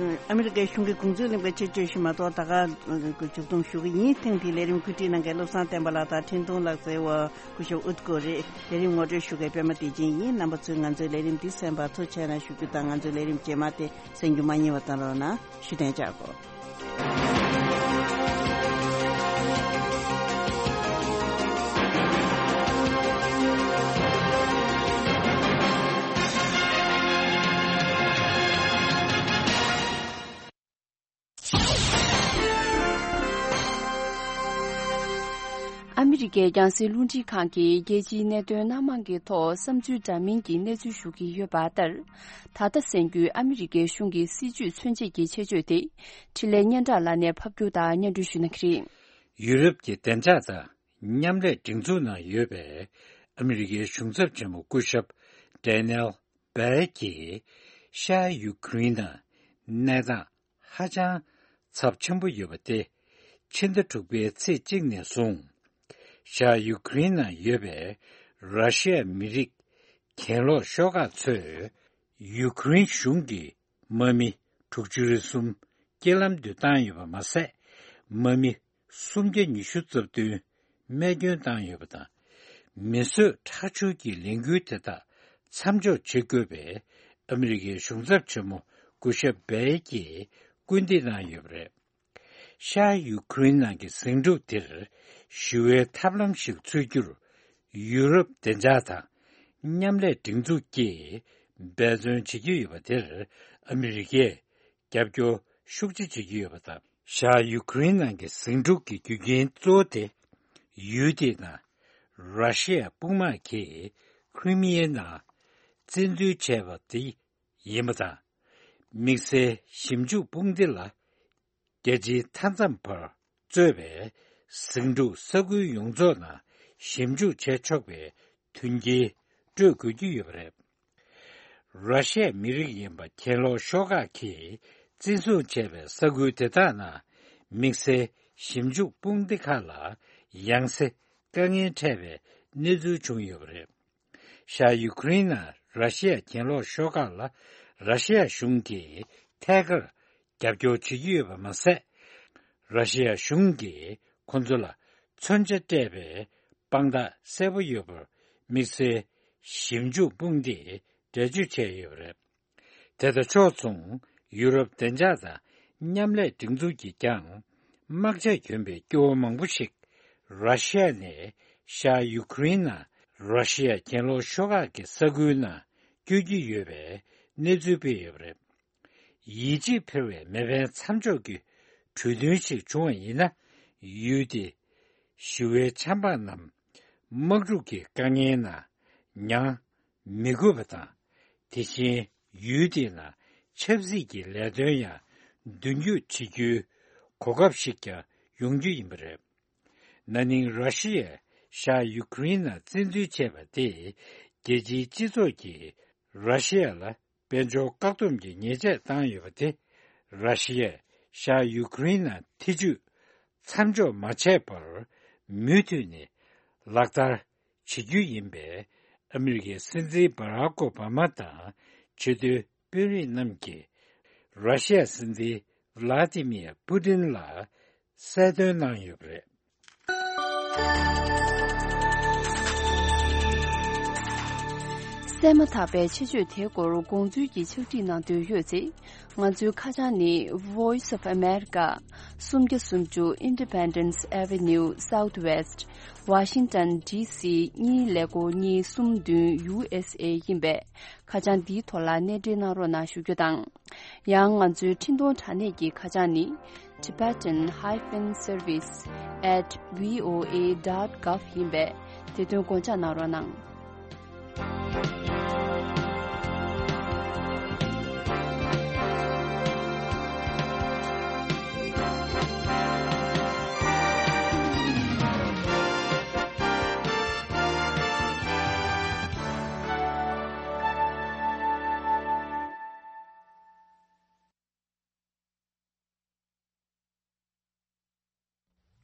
ཨ་མི་རི་ཀའི་གཞུང་གི་དགོངས་ཚུལ་གླེང་བའི་ཆེད་བརྗོད་ཞུ་མ་གཏོགས། ད་ག་མཇུག་བསྡོམས་ཞུ་གི་ཡིན། ཐེངས་འདིའི་ལས་རིམ་གོ་སྒྲིག་གནང་མཁན་བློ་བཟང་བསྟན་པ་ལགས་དང་འཕྲིན་གཏོང་ལག་རྩལ་བ་སྐུ་ཞབས་ཨུད་ཀོ་རེད། ལས་རིམ་ངོ་སྤྲོད་ཞུ་མཁན་པད་མ་བདེ་ཆེན་ཡིན། རྣམ་པ་ཚོས་ང་ཚོའི་ལས་རིམ་འདི་གསན་པར་ཐུགས་རྗེ་གནང་ཞུ་རྒྱུ་དང་། ང་ཚོའི་ལས་རིམ་རྗེས་མ་དེ་གསན་རྒྱུ་མ་བསྙེལ་བ་གནང་རོགས་གནང་། བཞུགས་གདན་འཇགས་དགོས། ཨ་མི་རི་ཀའི་རྒྱང་སྲིང་རླུང་འཕྲིན་ཁང་གིས་རྒྱལ་སྤྱིའི་གནད་དོན་སྣ་མང་གི་ཐོག་བསམ་ཚུལ་འདྲ་མིན་གྱི་གནས་ཚུལ་ཞུ་གི་ཡོད་པ་ལྟར། ད་ལྟ་གསན་རྒྱུའི་ཨ་མི་རི་ཀའི་གཞུང་གི་སྲིད་བྱུས་མཚོན་བྱེད་ཀྱི་ཆེད་བརྗོད་དེ། འཕྲིན་ལས་སྙན་གྲགས་ལགས་ནས་ཕབ་སྒྱུར་དང་སྙན་སྒྲོན་ཞུ་གནང་གི་རེད། ཡུ་རོབ་ཀྱི་བདེ་འཇགས་དང་མཉམ་ལས་སྒྲིག་འཛུགས་ནང་ཡོད་པའི་ཨ་མི་རི་ཀའི་གཞུང་ཚབ་ཆེན་མོ་སྐུ་ཞབས་ཌེ་ནེལ་སྦེལ་གྱིས་ཤར་ཡུ་ཁུ་རེན་ནང་གནས་སྟངས་ཧ་ཅང་ཚབས་ཆེན་པོ་ཡོད་པ་སྟེ། ཕྱི་ཟླ་དྲུག་པའི་ཚེས་གཅིག་ནས་བཟུང་། ཤར་ཡུ་ཁུ་རེན་ནང་ཡོད་པའི་ར་ཤི་ཡ་མི་རིགས་གྱེན་ལོག་ཤོག་ཁག་ཚོས་ཡུ་ཁུ་རེན་གཞུང་གི་དམག་མི་དྲུག་ཅུ་རེ་གསུམ་རྐྱེན་ལམ་དུ་བཏང་ཡོད་པ་མ་ཟད། དམག་མི་སུམ་བརྒྱ་ཉི་ཤུ་རྩ་བདུན་རྨས་སྐྱོན་བཏང་ཡོད་པ་དང་། མི་གསོད་ཁྲག་སྦྱོར་གྱི་ལས་འགུལ་དེ་དག་མཚམས་འཇོག་བྱེད་དགོས་པའི་ཨ་མི་རི་ཀའི་གཞུང་ཚབ་ཆེན་མོ་སྐུ་ཞབས་སྦེལ་གྱིས་སྐུལ་འདེད་གནང་ཡོད་པ་རེད། ཤར་ཡུ་ཁུ་རེན་ནང་གི་ཟིང་འཁྲུག་དེར་ཞི་བའི་ཐབས་ལམ་ཞིག་འཚོལ་རྒྱུར། ཡུ་རོབ་བདེ་འཇགས་དང་མཉམ་ལས་སྒྲིག་འཛུགས་ཀྱིས་འབད་བརྩོན་བྱེད་ཀྱི་ཡོད་པ་དེར་ཨ་མི་རི་ཀས་རྒྱབ་སྐྱོར་ཤུགས་ཆེ་བྱེད་ཀྱི་ཡོད་པ་དང་། ཤར་ཡུ་ཁུ་རེན་ནང་གི་ཟིང་འཁྲུག་གི་རྒྱུ་རྐྱེན་གཙོ་བོ་དེ། ཡུལ་དེའི་ནང་ར་ཤི་ཡ་དཔུང་དམག་གིས་ཁི་རི་མི་ཡའི་ནང་བཙན་འཛུལ་བྱས་པ་དེ་ཡིན་པ་དང་། དམིགས་བསལ་ཞིབ་འཇུག་དཔུང་སྡེ་ལ། རྒྱལ་སྤྱིའི་མཐའ་མཚམས་བར་གཙོས་པའི་ཟིང་འཁྲུག་ས་ཁུལ་ཡོངས་རྫོགས་ནང་ཞིབ་འཇུག་བྱས་ཆོག་པའི་མཐུན་རྐྱེན་སྤྲོད་དགོས་ཀྱི་ཡོད་པ་རེད། ར་ཤི་ཡའི་མི་རིགས་ཡིན་པ་གྱེན་ལོག་ཤོག་ཁག་གིས་བཙན་བཟུང་བྱས་པའི་ས་ཁུལ་དེ་དག་ནང་དམིགས་བསལ་ཞིབ་འཇུག་དཔུང་སྡེ་ཁག་ལ་ཡང་སེ་དཀའ་ངལ་འཕྲད་པའི་གནས་ཚུལ་བྱུང་ཡོད་པ་རེད། ཤར་ཡུ་ཁུ་རེན་ནང་ར་ཤི་ཡ་གྱེན་ལོག་ཤོག་ཁག་ལ་ར་ཤི་ཡ་གཞུང་གིས་ཐད་ཀར་རྒྱབ་སྐྱོར་བྱེད་ཀྱི་ཡོད་པ་མ་ཟད། ར་ཤི་ཡ་གཞུང་གིས་ཁོ་ཚོ་ལ་མཚོན་ཆ་སྤྲད་པའི་དཔང་རྟགས་གསལ་པོ་ཡོད་པར་དམིགས་བསལ་ཞིབ་འཇུག་དཔུང་སྡེས་འགྲེལ་བརྗོད་བྱས་ཡོད་པ་རེད། དེ་དང་ཕྱོགས་མཚུངས། ཡུ་རོབ་བདེ་འཇགས་དང་མཉམ་ལས་སྒྲིག་འཛུགས་ཀྱིས་ཀྱང་། དམག་ཆས་གྱོན་པའི་སྐྱོ་བོ་མང་པོ་ཞིག་ར་ཤི་ཡ་ནས་ཤར་ཡུ་ཁུ་རེན་ནང་ར་ཤི་ཡ་གྱེན་ལོག་ཤོག་ཁག་གི་ས་ཁུལ་ནང་བསྐྱོད་ཀྱི་ཡོད་པའི་གནས་ཚུལ་སྤེལ་ཡོད་པ་རེད། ཡིད་ཆེས་འཕེར་བའི་མེ་འཕེན་མཚམས་འཇོག་གི་གྲོས་མཐུན་ཞིག་བྱུང་བ་ཡིན་ན། ཡུལ་དེ་ཞི་བའི་ཆབ་འབངས་རྣམས་དམག་འཁྲུག་གི་དཀའ་ངལ་ནང་མྱངས་མི་དགོས་པ་དང་། དེ་བཞིན་ཡུལ་དེའི་ནང་ཆབ་སྲིད་ཀྱི་ལས་དོན་ཡང་མདུན་སྐྱོད་བྱེད་རྒྱུའི་གོ་སྐབས་ཤིག་ཀྱང་ཡོང་རྒྱུ་ཡིན་པ་རེད། ན་ནིང་ར་ཤི་ཡས་ཤར་ཡུ་ཁུ་རེན་ནང་བཙན་འཛུལ་བྱས་པ་དེས་རྒྱལ་སྤྱིའི་སྤྱི་ཚོགས་ཀྱིས་ར་ཤི་ཡ་ལ་དཔལ་འབྱོར་བཀག་སྡོམ་གྱི་ཉེས་ཆད་བཏང་ཡོད་པ་དེ། ར་ཤི་ཡས་ཤར་ཡུ་ཁུ་རེན་ནང་ཐེ་ཇུས་མཚམས་འཇོག་མ་བྱས་པར་མུ་མཐུད་ནས་ལག་བསྟར་བྱེད་རྒྱུ་ཡིན་པས། ཨ་མི་རི་ཀའི་སྲིད་འཛིན་བྷ་རག་ཨོ་བྷ་མ་དང་ཆེས་མཐོའི་དཔོན་རིགས་རྣམས་ཀྱིས་ར་ཤི་ཡ་སྲིད་འཛིན་ཝ་ལ་ཏི་མིར་པུ་ཏིན་ལ་གསལ་སྟོན་གནང་ཡོད་པ་རེད། གསན་མ་ཐག་པའི་ཆེད་བརྗོད་དེའི་སྐོར་དགོངས་ཚུལ་གྱི་ཕྱག་བྲིས་གནང་འདོད་ཡོད་ཚེ། ང་ཚོའི་ཁ་བྱང་ནི། Voice of America། སུམ་བརྒྱ་སུམ་ཅུ་Independence Avenue Southwest། Washington D C གཉིས་ཀླད་ཀོར་གཉིས་གསུམ་བདུན། U S A ཡིན་པས། ཁ་བྱང་འདིའི་ཐོག་ལ་གནས་འབྲེལ་གནང་རོགས་གནང་ཞུ་རྒྱུ་དང་། ཡང་ང་ཚོའི་འཕྲིན་གཏོང་དྲ་གནས་ཀྱི་ཁ་བྱང་ནི། Tibetan hyphen service at V O A dot gov ཡིན་པས། དེ་དོན་དགོངས་འཇགས་གནང་རོགས་གནང་།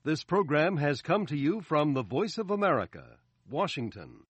This program has come to you from the Voice of America, Washington.